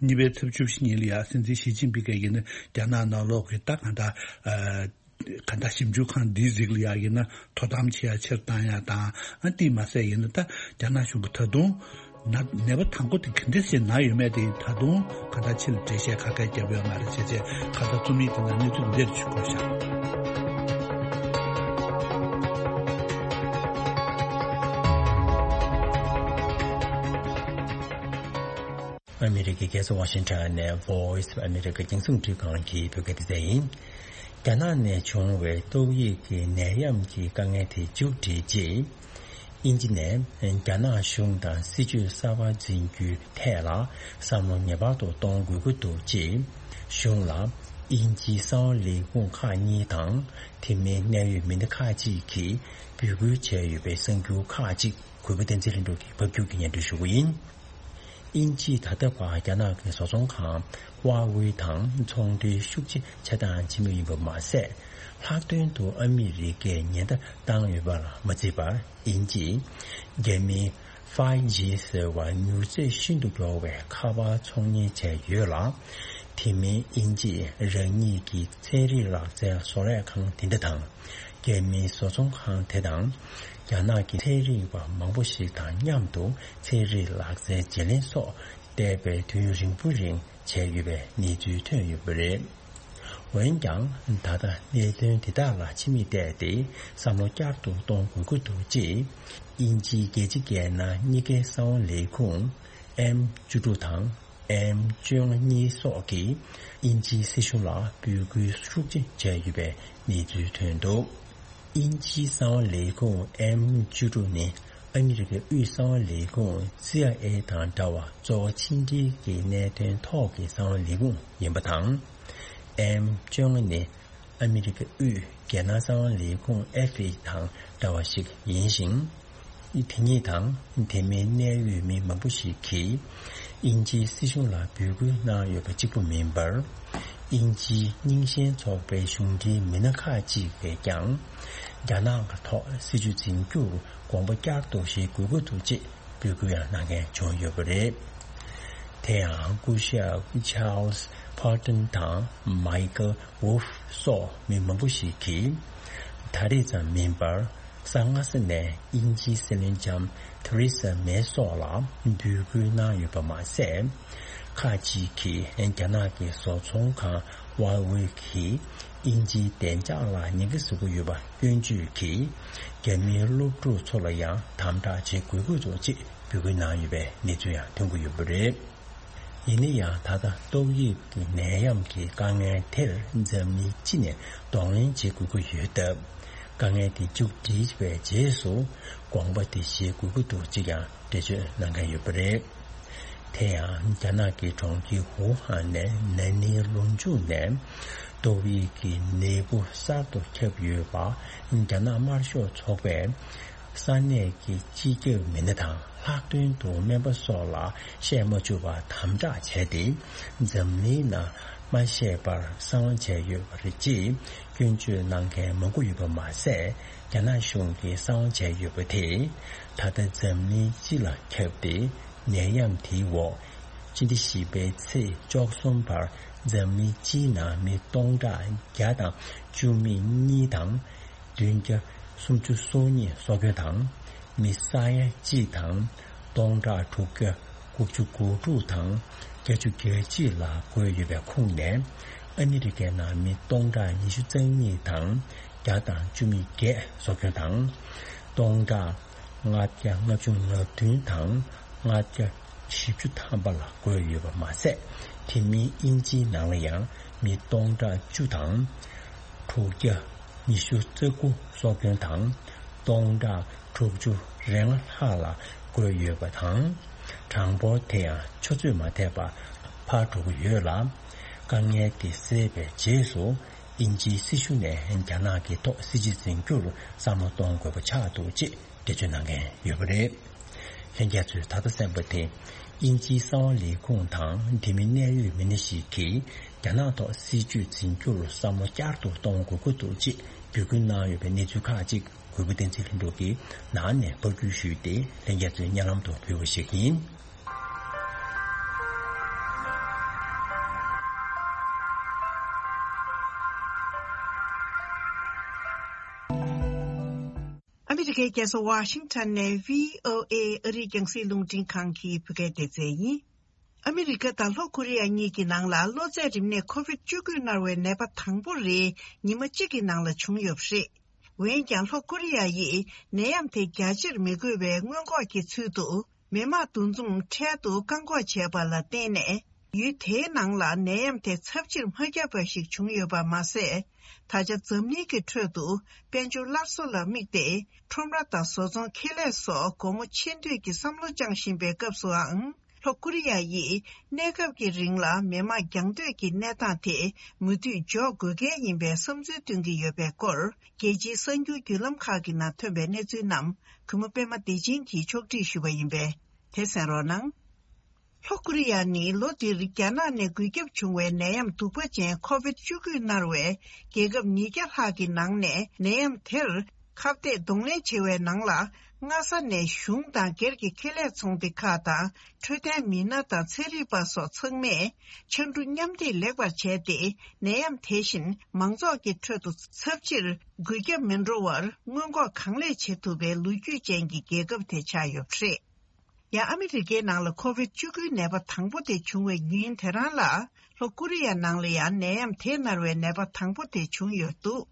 གཉིས་པའི་ཚེས་བཅུ་བཞི་ཉིན་ལ་ཡང་སྲིད་འཛིན་ཞི་ཅིན་ཕིང་གིས་ཡིན་ན་རྒྱ་ནག་ནང་ལོགས་ཀྱི་ད་གང་ལྟར་ཨ་གང་ལྟར་ཞིབ་འཇུག་ཁང་འདིའི་རིགས་ལ་ཡང་ཡིན་ན་དོ་དམ་བྱེད་ཡ་ཆེར་བཏང་ཡ་དང་། ཨ་དེ་མ་ཟད་ཡིན་ན་ད་རྒྱ་ནག་གཞུང་གི་ད་དུང་ན་ནད་པ་དང་པོ་དེ་ག་འདྲ་ཞིག་ན་ཡོད་མེད་དེ་ད་དུང་གང་ལྟར་ཕྱི་ལ་འགྲེལ་བཤད་ཁ་ཁ་བརྒྱབ་ཡོད་མ་རེད་བྱས་བྱས། གང་ལྟར་རྩོམ་ཡིག་དེ་ནང་གནས་ཚུལ་འདིར་ཆུད་དགོས་ཤག་ཨ་མི་རི་ཀའི་རྒྱལ་ས་ཝ་ཤིང་ཊོན་ནས་Voice of America རྒྱང་སྲིང་འཕྲིན་ཁང་གི་བོད་སྐད་སྡེ་ཚན་ཡིན། རྒྱ་ནག་ནས་བྱུང་བའི་ཏོག་དབྱིབས་ཀྱི་ནད་ཡམས་ཀྱི་དཀའ་ངལ་དེ་མཇུག་བསྒྲིལ་རྗེས། དབྱིན་ཇི་ནས་རྒྱ་ནག་གཞུང་དང་སྲིད་ཇུས་གསར་པ་འཛིན་རྒྱུའི་ཐད་ལ་བསམ་བློ་ངེས་པར་དུ་གཏོང་དགོས་ཀྱི་འདུག་ཅེས་གཞུང་ལ་དབྱིན་ཇིའི་གསང་བ་ལས་ཁུངས་ཁག་གཉིས་དང་། དེ་མིན་གནད་ཡོད་མི་སྣ་ཁག་ཅིག་གིས་འབོད་སྐུལ་བྱས་ཡོད་པའི་གསར་འགྱུར་ཁག་ཅིག་གུས་པ་བསྟན་འཛིན་ལྷུན་གྲུབ་ཀྱིས་ཕབ་སྒྱུར་གྱིས་སྙན་སྒྲོན་ཞུ་གི་ཡིན། དབྱིན་ཇིས་ད་ལྟ་བར་རྒྱ་ནག་གི་བཟོ་ཚོང་ཁང་ཧྭ་ཝེ་དང་ཚོང་འབྲེལ་ཤུགས་ཆེ་བྱེད་སྟངས་ཕྱིན་པ་ཡིན་པ་མ་ཟད། ལྷག་དོན་དུ་ཨ་མི་རི་ཀས་ཉེན་བརྡ་བཏང་ཡོད་པ་ལ་མ་བརྩིས་པར། དབྱིན་ཇིས་རྒྱ་མིའི་ཕའི་ཇི་ཟེར་བ་མྱུར་ཚད་ཤིན་ཏུ་མགྱོགས་པའི་ཁ་པར་ཚོང་གཉེར་བྱས་ཡོད་ལ། དེ་མིན་དབྱིན་ཇིས་རང་ཉིད་ཀྱི་ཚན་རིག་ལག་རྩལ་བཟོ་ལས་ཁང་དེ་འདྲ་དང་། རྒྱ་མིའི་བཟོ་ཚོང་ཁང་དེ་དང་། རྒྱ་ནག་གི་ཚན་རིག་པ་མང་པོ་ཞིག་དང་མཉམ་དུ་ཚན་རིག་ལག་རྩལ་བརྗེ་ལེན་སོགས་འདས་པའི་དུས་ཡུན་རིང་པོ་རིང་བྱས་ཡོད་པའི་གནས་ཚུལ་ཐོན་ཡོད་པ་རེད། འོན་ཀྱང་། ད་ལྟ་གནད་དོན་དེ་དག་ལ་ཕྱི་མིག་བལྟས་ཏེ་བསམ་བློ་བསྐྱར་དུ་གཏོང་དགོས་ཀྱི་འདུག་ཅེས་དབྱིན་ཇིའི་རྒྱལ་སྤྱི་སྒེར་ནང་གཉིས་ཀའི་གསང་བ་ལས་ཁུངས་ཨེམ་བཅུ་དྲུག་དང་། ཨེམ་བཅོ་ལྔ་གཉིས་སོགས་ཀྱིས་དབྱིན་ཇིའི་སྲིད་གཞུང་ལ་འབོད་སྐུལ་ཤུགས་ཆེ་བྱས་ཡོད་པའི་གནས་ཚུལ་ཐོན་འདུག་དབྱིན་ཇིའི་གསང་བ་ལས་ཁུངས་ཨེམ་བཅུ་དྲུག་ནི་ཨ་མི་རི་ཀའི་དབུས་གསང་བ་ལས་ཁུངས་སི་ཨའི་ཨེ་དང་འདྲ་བར་གཙོ་བོ་ཕྱི་འབྲེལ་གྱི་གནད་དོན་ཐོག་གི་གསང་བ་ལས་ཁུངས་ཡིན་པ་དང་། ཨེམ་བཅོ་ལྔ་ནི་ཨ་མི་རི་ཀའི་དབུས་རྒྱལ་ནང་གསང་བ་ལས་ཁུངས་ཨེཕ་ཨེ་དང་འདྲ་བ་ཞིག་ཡིན་ཞིང་། དེ་ཉིད་དང་དེ་མིན་གནད་ཡོད་མི་མང་པོ་ཞིག་གིས་དབྱིན་ཇིའི་སྲིད་གཞུང་ལ་འབོད་སྐུལ་གནང་ཡོད་པ་གཅིག་པུ་མིན་པར། དབྱིན་ཇིའི་རྙིང་ཞེན་ཚོགས་པའི་གཞུང་འབྲེལ་མི་སྣ་ཁག་ཅིག་གིས་ཀྱང་རྒྱ་ནག་གི་ཐོག་སྲིད་ཇུས་འཛིན་རྒྱུར་དགོངས་པ་བསྐྱར་དུ་བཞེས་དགོས་ཀྱི་འདུག་ཅེས་འབོད་སྐུལ་ཡང་གནང་མཁན་བྱུང་ཡོད་པ་རེད། དེ་ཡང་སྐུ་ཞབས་ཆཱལ་སི་པར་ཏོན་དང་མའི་ཀལ་ཝུལ་ཧྥ་སོགས་མི་མང་པོ་ཞིག་གིས། ད་རེས་ཙམ་མིན་པར་ས་སྔ་ས་ནས་དབྱིན་ཇིའི་སྲིད་བློན་ལྕམ་ཐེ་རེ་ས་མེ་སོགས་ལ་འབོད་སྐུལ་གནང་ཡོད་པ་མ་ཟད། ཁག་ཅིག་གིས་རྒྱ་ནག་གི་བཟོ་ཚོང་ཁང་ཧྭ་ཝེ་གིས་དབྱིན་ཇིའི་བདེ་འཇགས་ལ་ཉེན་ཁ་བཟོ་གི་ཡོད་པ་སྐྱོན་བརྗོད་ཀྱིས། རྒྱ་མིའི་སློབ་ཕྲུག་ཚོ་ལ་ཡང་དམ་དྲག་བྱེད་དགོས་ཀྱི་འདུག་ཅེས་འབོད་སྐུལ་གནང་ཡོད་པའི་གནས་ཚུལ་ཡང་ཐོན་གྱི་ཡོད་པ་རེད། ཡིན་ན་ཡང་། ད་ལྟ་ཏོག་དབྱིབས་ཀྱི་ནད་ཡམས་ཀྱི་དཀའ་ངལ་དེར་འཛམ་གླིང་སྤྱི་ནས་གདོང་ལེན་བྱེད་དགོས་ཀྱི་ཡོད་སྟབས། དཀའ་ངལ་དེ་མཇུག་སྒྲིལ་བའི་རྗེས་སུ་དགོངས་པ་དེ་བཞེས་དགོས་ཀྱི་འདུག་ཅེས་ཀྱང་འགྲེལ་བརྗོད་གནང་མཁན་ཡོད་པ་རེད། དེ་ཡང་། རྒྱ་ནག་གི་གྲོང་ཁྱེར་ཝུ་ཧན་ནས་ན་ནིང་ལོ་མཇུག་ནས་ཏོག་དབྱིབས་ཀྱི་ནད་འབུ་གསར་དུ་ཁྱབ་ཡོད་པ། རྒྱ་ནག་དམར་ཤོག་ཚོགས་པས། ས་གནས་ཀྱི་སྤྱི་ཁྱབ་མི་སྣ་དང་ལྷག་དོན་དུ་སྨན་པ་སོགས་ལ་བཤད་མ་བཅུག་པར་དམ་དྲག་བྱས་ཏེ། འཛམ་གླིང་ནང་མ་བཤད་པར་གསང་བ་བྱས་ཡོད་པ་རེད་ཅེས་སྐྱོན་བརྗོད་གནང་མཁན་མང་པོ་ཡོད་པ་མ་ཟད། རྒྱ་ནག་གཞུང་གིས་གསང་བ་བྱས་ཡོད་པ་དེས་ད་ལྟ་འཛམ་གླིང་སྤྱི་ལ་ཁྱབ་སྟེ། ནད་ཡམས་དེའི་འོག་སྤྱི་ཟླ་བཞི་པའི་ཚེས་བཅུ་གསུམ་བར་འཛམ་གླིང་སྤྱིའི་ནང་མི་སྟོང་ཕྲག་བརྒྱ་དང་བཅུ་མེད་གཉིས་དང་། བདུན་བརྒྱ་སུམ་ཅུ་སོ་གཉིས་སྲོག་སྐྱོན་དང་། མི་ས་ཡ་གཅིག་དང་། སྟོང་ཕྲག་དྲུག་བརྒྱ་དགུ་བཅུ་གོ་དྲུག་དང་། བརྒྱད་ཅུ་གྱ་གཅིག་ལ་འགོས་ཡོད་པའི་ཁོངས་ནས། ཨ་མི་རི་ཀའི་ནང་མི་སྟོང་ཕྲག་ཉི་ཤུ་རྩ་གཉིས་དང་། བརྒྱ་དང་བཅུ་མེད་བརྒྱད་སྲོག་སྐྱོན་དང་། སྟོང་ཕྲག་ལྔ་བརྒྱ་ལྔ་བཅུ་ང་བདུན་དང་། ལྔ་བརྒྱ་བཞི་བཅུ་ཐམ་པ་ལ་འགོས་ཡོད་པ་མ་ཟད། དེ་མིན་དབྱིན་ཇིའི་ནང་ལ་ཡང་མི་སྟོང་ཕྲག་བཅུ་དང་། དྲུག་བརྒྱ་ཉི་ཤུ་རྩ་དགུ་སྲོག་སྐྱོན་དང་། སྟོང་ཕྲག་དྲུག་ཅུ་རེ་ལྔ་ལྷག་ལ་འགོས་ཡོད་པ་དང་། གྲངས་འབོར་དེ་ཡང་ཆུ་ཚོད་མ་ཐེག་པར་འཕར་འགྲོ་གི་ཡོད་ལ། དཀའ་ངལ་དེ་སེལ་བའི་རྗེས་སུ། དབྱིན་ཇིའི་སྲིད་གཞུང་ནས་རྒྱ་ནག་གི་ཐོག་སྲིད་ཇུས་འཛིན་རྒྱུར་བསམ་བློ་གཏོང་དགོས་པ་ཆགས་འདུག་ཅེས་འགྲེལ་བརྗོད་གནང་མཁན་ཡོད་པ་རེད། ལྷན་རྒྱས་ཚོས་ད་ལྟ་གསན་པ་དེ། དབྱིན་ཇིའི་གསང་བ་ལས་ཁུངས་དང་དེ་མིན་གནད་ཡོད་མི་སྣ་ཞིག་གིས། རྒྱ་ནག་ཐོག་སྲིད་བྱུས་འཛིན་རྒྱུར་བསམ་བློ་བསྐྱར་དུ་གཏོང་དགོས་ཀྱི་འདུག་ཅེས་འབོད་སྐུལ་གནང་ཡོད་པའི་གནས་ཚུལ་ཁག་ཅིག་གུས་པ་བསྟན་འཛིན་ལྷུན་གྲུབ་ཀྱིས་ནང་ནས་ཕབ་སྒྱུར་ཞུས་ཏེ། ལྷན་རྒྱས་ཚོས་སྙན་ལམ་དུ་ཕུལ་བ་ཞིག་ཡིན། ཨ་མི་རི་ཀའི་རྒྱལ་ས་ཝ་ཤིང་ཊོན་ནས་བྷི་ཨོ་ཨེ་ཨ་རིའི་རྒྱང་སྲིང་རླུང་འཕྲིན་ཁང་གི་བོད་སྐད་སྡེ་ཚན་ཡིན། ཨ་མི་རི་ཀ་དང་ལྷོ་ཀོ་རི་ཡ་གཉིས་ཀྱི་ནང་ལ་གློ་ཚད་རིམས་ནད་ཁོ་བིད་བཅུ་དགུ་མནར་བའི་ནད་པ་དང་པོ་རེ་ཉི་མ་གཅིག་གི་ནང་ལ་བྱུང་ཡོད་པ་རེད། འོན་ཀྱང་ལྷོ་ཀོ་རི་ཡ་ཡིས་ནད་ཡམས་དེ་རྒྱ་ཆེར་མི་འགོས་པའི་སྔོན་འགོག་གི་ཚུལ་དུ། མི་མང་འདུ་འཛོམས་འཕྲལ་དུ་བཀག་འགོག་བྱས་པ་ལ་བརྟེན་ནས། ཡུལ་དེའི་ནང་ལ་ནད་ཡམས་དེ་ཚབས་ཆེར་མ་ཁྱབ་པ་ཞིག་བྱུང་ཡོད་པ་མ་ཟད། ད་ཆ་འཛམ་གླིང་གི་ཁྲོད་དུ་དཔལ་འབྱོར་སླར་གསོ་ལ་དམིགས་ཏེ། ཁྲོམ་ར་དང་བཟོ་ཚོང་ཁེ་ལས་སོགས་སྒོ་མོ་ཕྱེ་འདོད་ཀྱི་བསམ་བློ་བཅངས་བཞིན་པའི་སྐབས་སུའང་། ལྷོ་ཀོ་རི་ཡ་ཡིས་གནས་སྐབས་ཀྱི་རིང་ལ་མི་མང་རྒྱང་སྡོད་ཀྱི་གནས་སྟངས་དེ་མུ་མཐུད་འཇོག་དགོས་གལ་ཡིན་པའི་བསམ་ཚུལ་བཏོན་གྱི་ཡོད་པའི་སྐོར། རྒྱལ་སྤྱིའི་གསར་འགྱུར་བརྒྱུད་ལམ་ཁག་གི་ནང་ཐོན་པའི་གནས་ཚུལ་རྣམས་གུས་མོ་པད་མ་བདེ་ཆེན་གྱིས་ཕྱོགས་སྒྲིག་ཞུས་པ་ཡིན་པས། དེ་གསན་རོགས་གནང་། ལྷོ་ཀོ་རི་ཡ་ནི་ལོ་འདིར་རྒྱ་ནག་ནས་འགོས་ཁྱབ་བྱུང་བའི་ནད་ཡམས་གདུག་པ་ཅན་ཁོ་བིད་བཅུ་དགུས་མནར་བའི་རྒྱལ་ཁབ་ཉིས་བརྒྱ་ལྷག་གི་ནང་ནས་ནད་ཡམས་དེར་ཁ་གཏད་གདོང་ལེན་བྱེད་པའི་ནང་ལ། སྔ་ས་ནས་གཞུང་དང་སྒེར་གྱི་ཁེ་ལས་ཚོང་སྡེ་ཁག་དང་། འཕྲོད་བསྟེན་མི་སྣ་དང་ཚན་རིག་པ་སོགས་ཚང་མས་ཕྱར་གྲུ་མཉམ་འདེགས་ལེགས་པར་བྱས་ཏེ། ནད་ཡམས་དེ་བཞིན་མང་ཚོགས་ཀྱི་ཁྲོད་དུ་ཚབས་ཆེར་འགོས་ཁྱབ་མི་འགྲོ་བར་སྔོན་འགོག་གང་ལེགས་བྱེད་ཐུབ་པའི་ལོ་རྒྱུས་ཅན་གྱི་རྒྱལ་ཁབ་དེ་ཆགས་ཡོད་པ་རེད། ཡང་ཨ་མི་རི་ཀའི་ནང་ལ་ཁོ་བིད་བཅུ་དགུའི་ནད་པ་དང་པོ་དེ་བྱུང་བའི་ཉིན་དེ་རང་ལ། ལྷོ་ཀོ་རི་ཡ་ནང་ལ་ཡང་ནད་ཡམས་དེ་མནར་བའི་ནད་པ་དང་པོ་དེ་བྱུང་ཡོད་འདུག་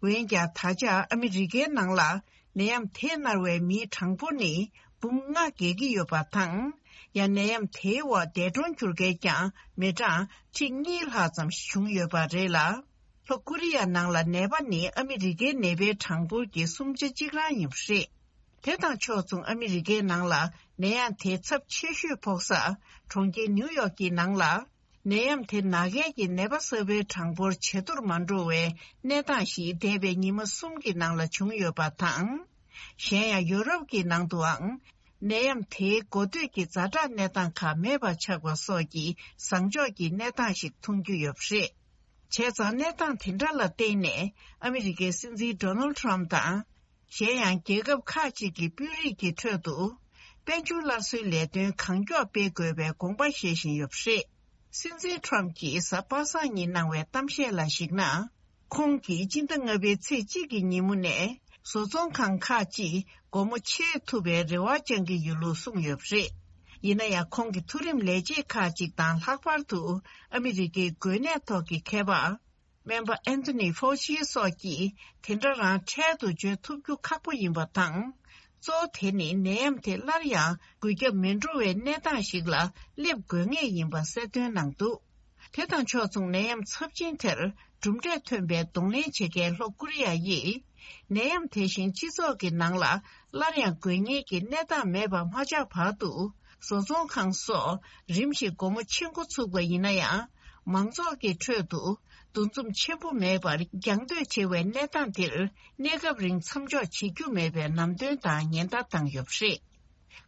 འོན་ཀྱང་། ད་ཆ་ཨ་མི་རི་ཀའི་ནང་ལ་ནད་ཡམས་དེ་མནར་བའི་མིའི་གྲངས་འབོར་ནི་འབུམ་ལྔ་བརྒལ་གྱི་ཡོད་པ་དང་། ཡང་ནད་ཡམས་དེའི་འོག་འདས་གྲོངས་གྱུར་མཁན་ཀྱང་མི་གྲངས་ཁྲི་གཉིས་ལྷག་ཙམ་བྱུང་ཡོད་པ་རེད་ལ། ལྷོ་ཀོ་རི་ཡ་ནང་ལ་ནད་པ་ནི་ཨ་མི་རི་ཀའི་ནད་པའི་གྲངས་འབོར་གྱི་གསུམ་ཆ་གཅིག་རང་ཡིན་པ་རེད། དེ་དང་ཕྱོགས་མཚུངས། ཨ་མི་རི་ཀའི་ནང་ལ་ནད་ཡམས་དེ་ཚབས་ཆེ་ཤོས་ཕོག་ས་གྲོང་ཁྱེར་ནིའུ་ཡོག་གི་ནང་ལ། ནད་ཡམས་དེ་ན་མཁན་གྱི་ནད་པ་གསར་པའི་གྲངས་འབོར་ཇེ་མཐོར་མ་འགྲོ་བའི་གནས་སྟངས་ཤིག་འདས་པའི་ཉི་མ་གསུམ་གྱི་ནང་ལ་བྱུང་ཡོད་པ་དང་། གཞན་ཡང་ཡོ་རོབ་ཀྱི་ནང་དུའང་ནད་ཡམས་དེའི་འགོ་སྟོད་ཀྱི་ཛ་དྲག་གནས་སྟངས་ཁག་མེད་པ་ཆགས་པ་སོགས་ཀྱི་བཟང་ཕྱོགས་ཀྱི་གནས་སྟངས་ཤིག་མཐོང་རྒྱུ་ཡོད་པ་རེད། བྱས་ཙང་། གནས་སྟངས་དེ་འདྲ་ལ་བརྟེན་ནས་ཨ་མི་རི་ཀའི་སྲིད་འཛིན་ཌོ་ནལ་ཊམ་དང་། གཞན་ཡང་། རྒྱལ་ཁབ་ཁག་ཅིག་གི་དཔོན་རིགས་ཀྱི་ཁྲོད་དུ། དཔལ་འབྱོར་སླར་གསོའི་ལས་དོན་གང་མགྱོགས་སྤེལ་དགོས་པའི་དགོངས་པ་བཞེས་བཞིན་ཡོད་པ་རེད། སྲིད་འཛིན་ཊམ་གྱིས་གཟའ་པ་སངས་ཉིན་གནང་བའི་གཏམ་བཤད་ལ་གཞིགས་ན། ཁོང་གིས་སྤྱི་ཟླ་ལྔ་པའི་ཚེས་གཅིག་གི་ཉིན་མོ་ནས་བཟོ་ཚོང་ཁང་ཁག་ཅིག་སྒོ་མོ་ཕྱེ་ཐུབ་པའི་རེ་བ་བཅང་གི་ཡོད་ལུགས་གསུངས་ཡོད་པ་རེད། ཡིན་ན་ཡང་། ཁོང་གི་མཐོ་རིམ་ལས་བྱེད་ཁག་ཅིག་དང་། ལྷག་པར་དུ་ཨ་མི་རི་ཀའི་འགོས་ནད་ཐོག་གི་མཁས་པ། སྨན་པ་ཨན་ཐོ་ནི་ཕོ་ཆི་སོགས་ཀྱིས་དེ་འདྲ་རང་འཕྲལ་དུ་བརྗོད་ཐུབ་རྒྱུ་ཁག་པོ་ཡིན་པ་དང་། གཙོ་བོ་དེ་ནི་ནད་ཡམས་དེ་སླར་ཡང་འགོས་ཁྱབ་མི་འགྲོ་བའི་གནས་སྟངས་ཤིག་ལ་སླེབས་དགོས་ངེས་ཡིན་པ་གསལ་སྟོན་གནང་འདུག་དེ་དང་ཕྱོགས་མཚུངས། ནད་ཡམས་ཚབས་ཆེན་དེར་གྲུབ་འབྲས་ཐོན་པའི་གདོང་ལེན་བྱེད་མཁན་ལྷོ་ཀོ་རི་ཡ་ཡིས། ནད་ཡམས་དེ་བཞིན་སྤྱི་ཚོགས་ཀྱི་ནང་ལ་སླར་ཡང་འགོས་ཉེན་གྱི་གནས་སྟངས་མེད་པ་མ་ཆགས་བར་དུ། བཟོ་ཚོང་ཁང་སོགས་རིམ་བཞིན་སྒོ་མོ་ཕྱེ་འགོ་ཚུགས་པ་ཡིན་ན་ཡང་། མང་ཚོགས་ཀྱི་ཁྲོད་དུ་འདུ་འཛོམས་ཆེན་པོ་མེད་པར་རྒྱང་སྡོད་བྱེད་པའི་གནས་སྟངས་འདིར། གནས་སྐབས་རིང་མཚམས་འཇོག་བྱེད་རྒྱུ་མེད་པའི་ལམ་སྟོན་དང་ཉེན་བརྡ་བཏང་ཡོད་པ་རེད།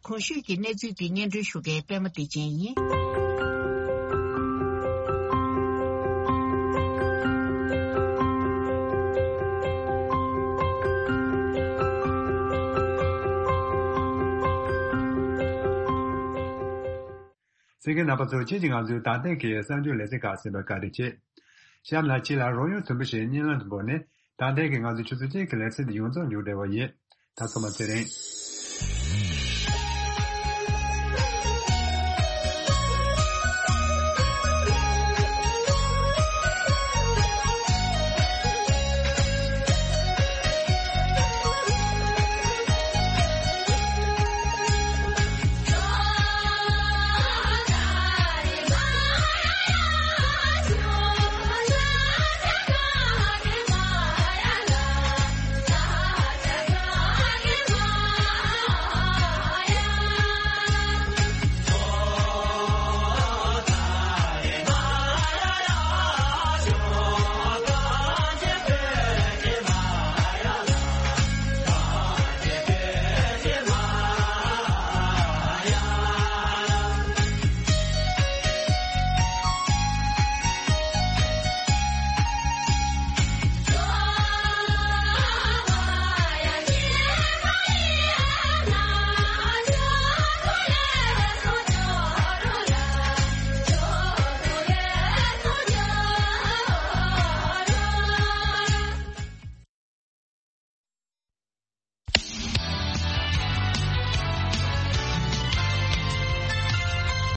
གོང་ཞུས་ཀྱི་གནས་ཚུལ་འདི་སྙན་སྒྲོན་ཞུ་མཁན་པད་མ་བདེ་ཆེན་ཡིན། གསན་མཁན་རྣམ་པ་ཚོ། ཁྱེད་ཀྱིས་ང་ཚོའི་ད་ལྟའི་གི་གསར་འགྱུར་ལེ་ཚན་ཁག་གསན་པར་བཀའ་དྲིན་ཆེ། གཤམ་ལ་ཁྱེད་ལ་རོགས་ཡོང་དུམ་བུ་ཞིག་བརྙན་ལམ་དུ་འབོར་ནས། ད་ལྟའི་གི་ང་ཚོའི་ཆུ་ཚོད་གཅིག་གི་ལེ་ཚན་འདི་ཡོངས་རྫོགས་མཇུག་སྒྲིལ་བ་ཡིན། ད་ཚང་མ་ཚེ་རིང་།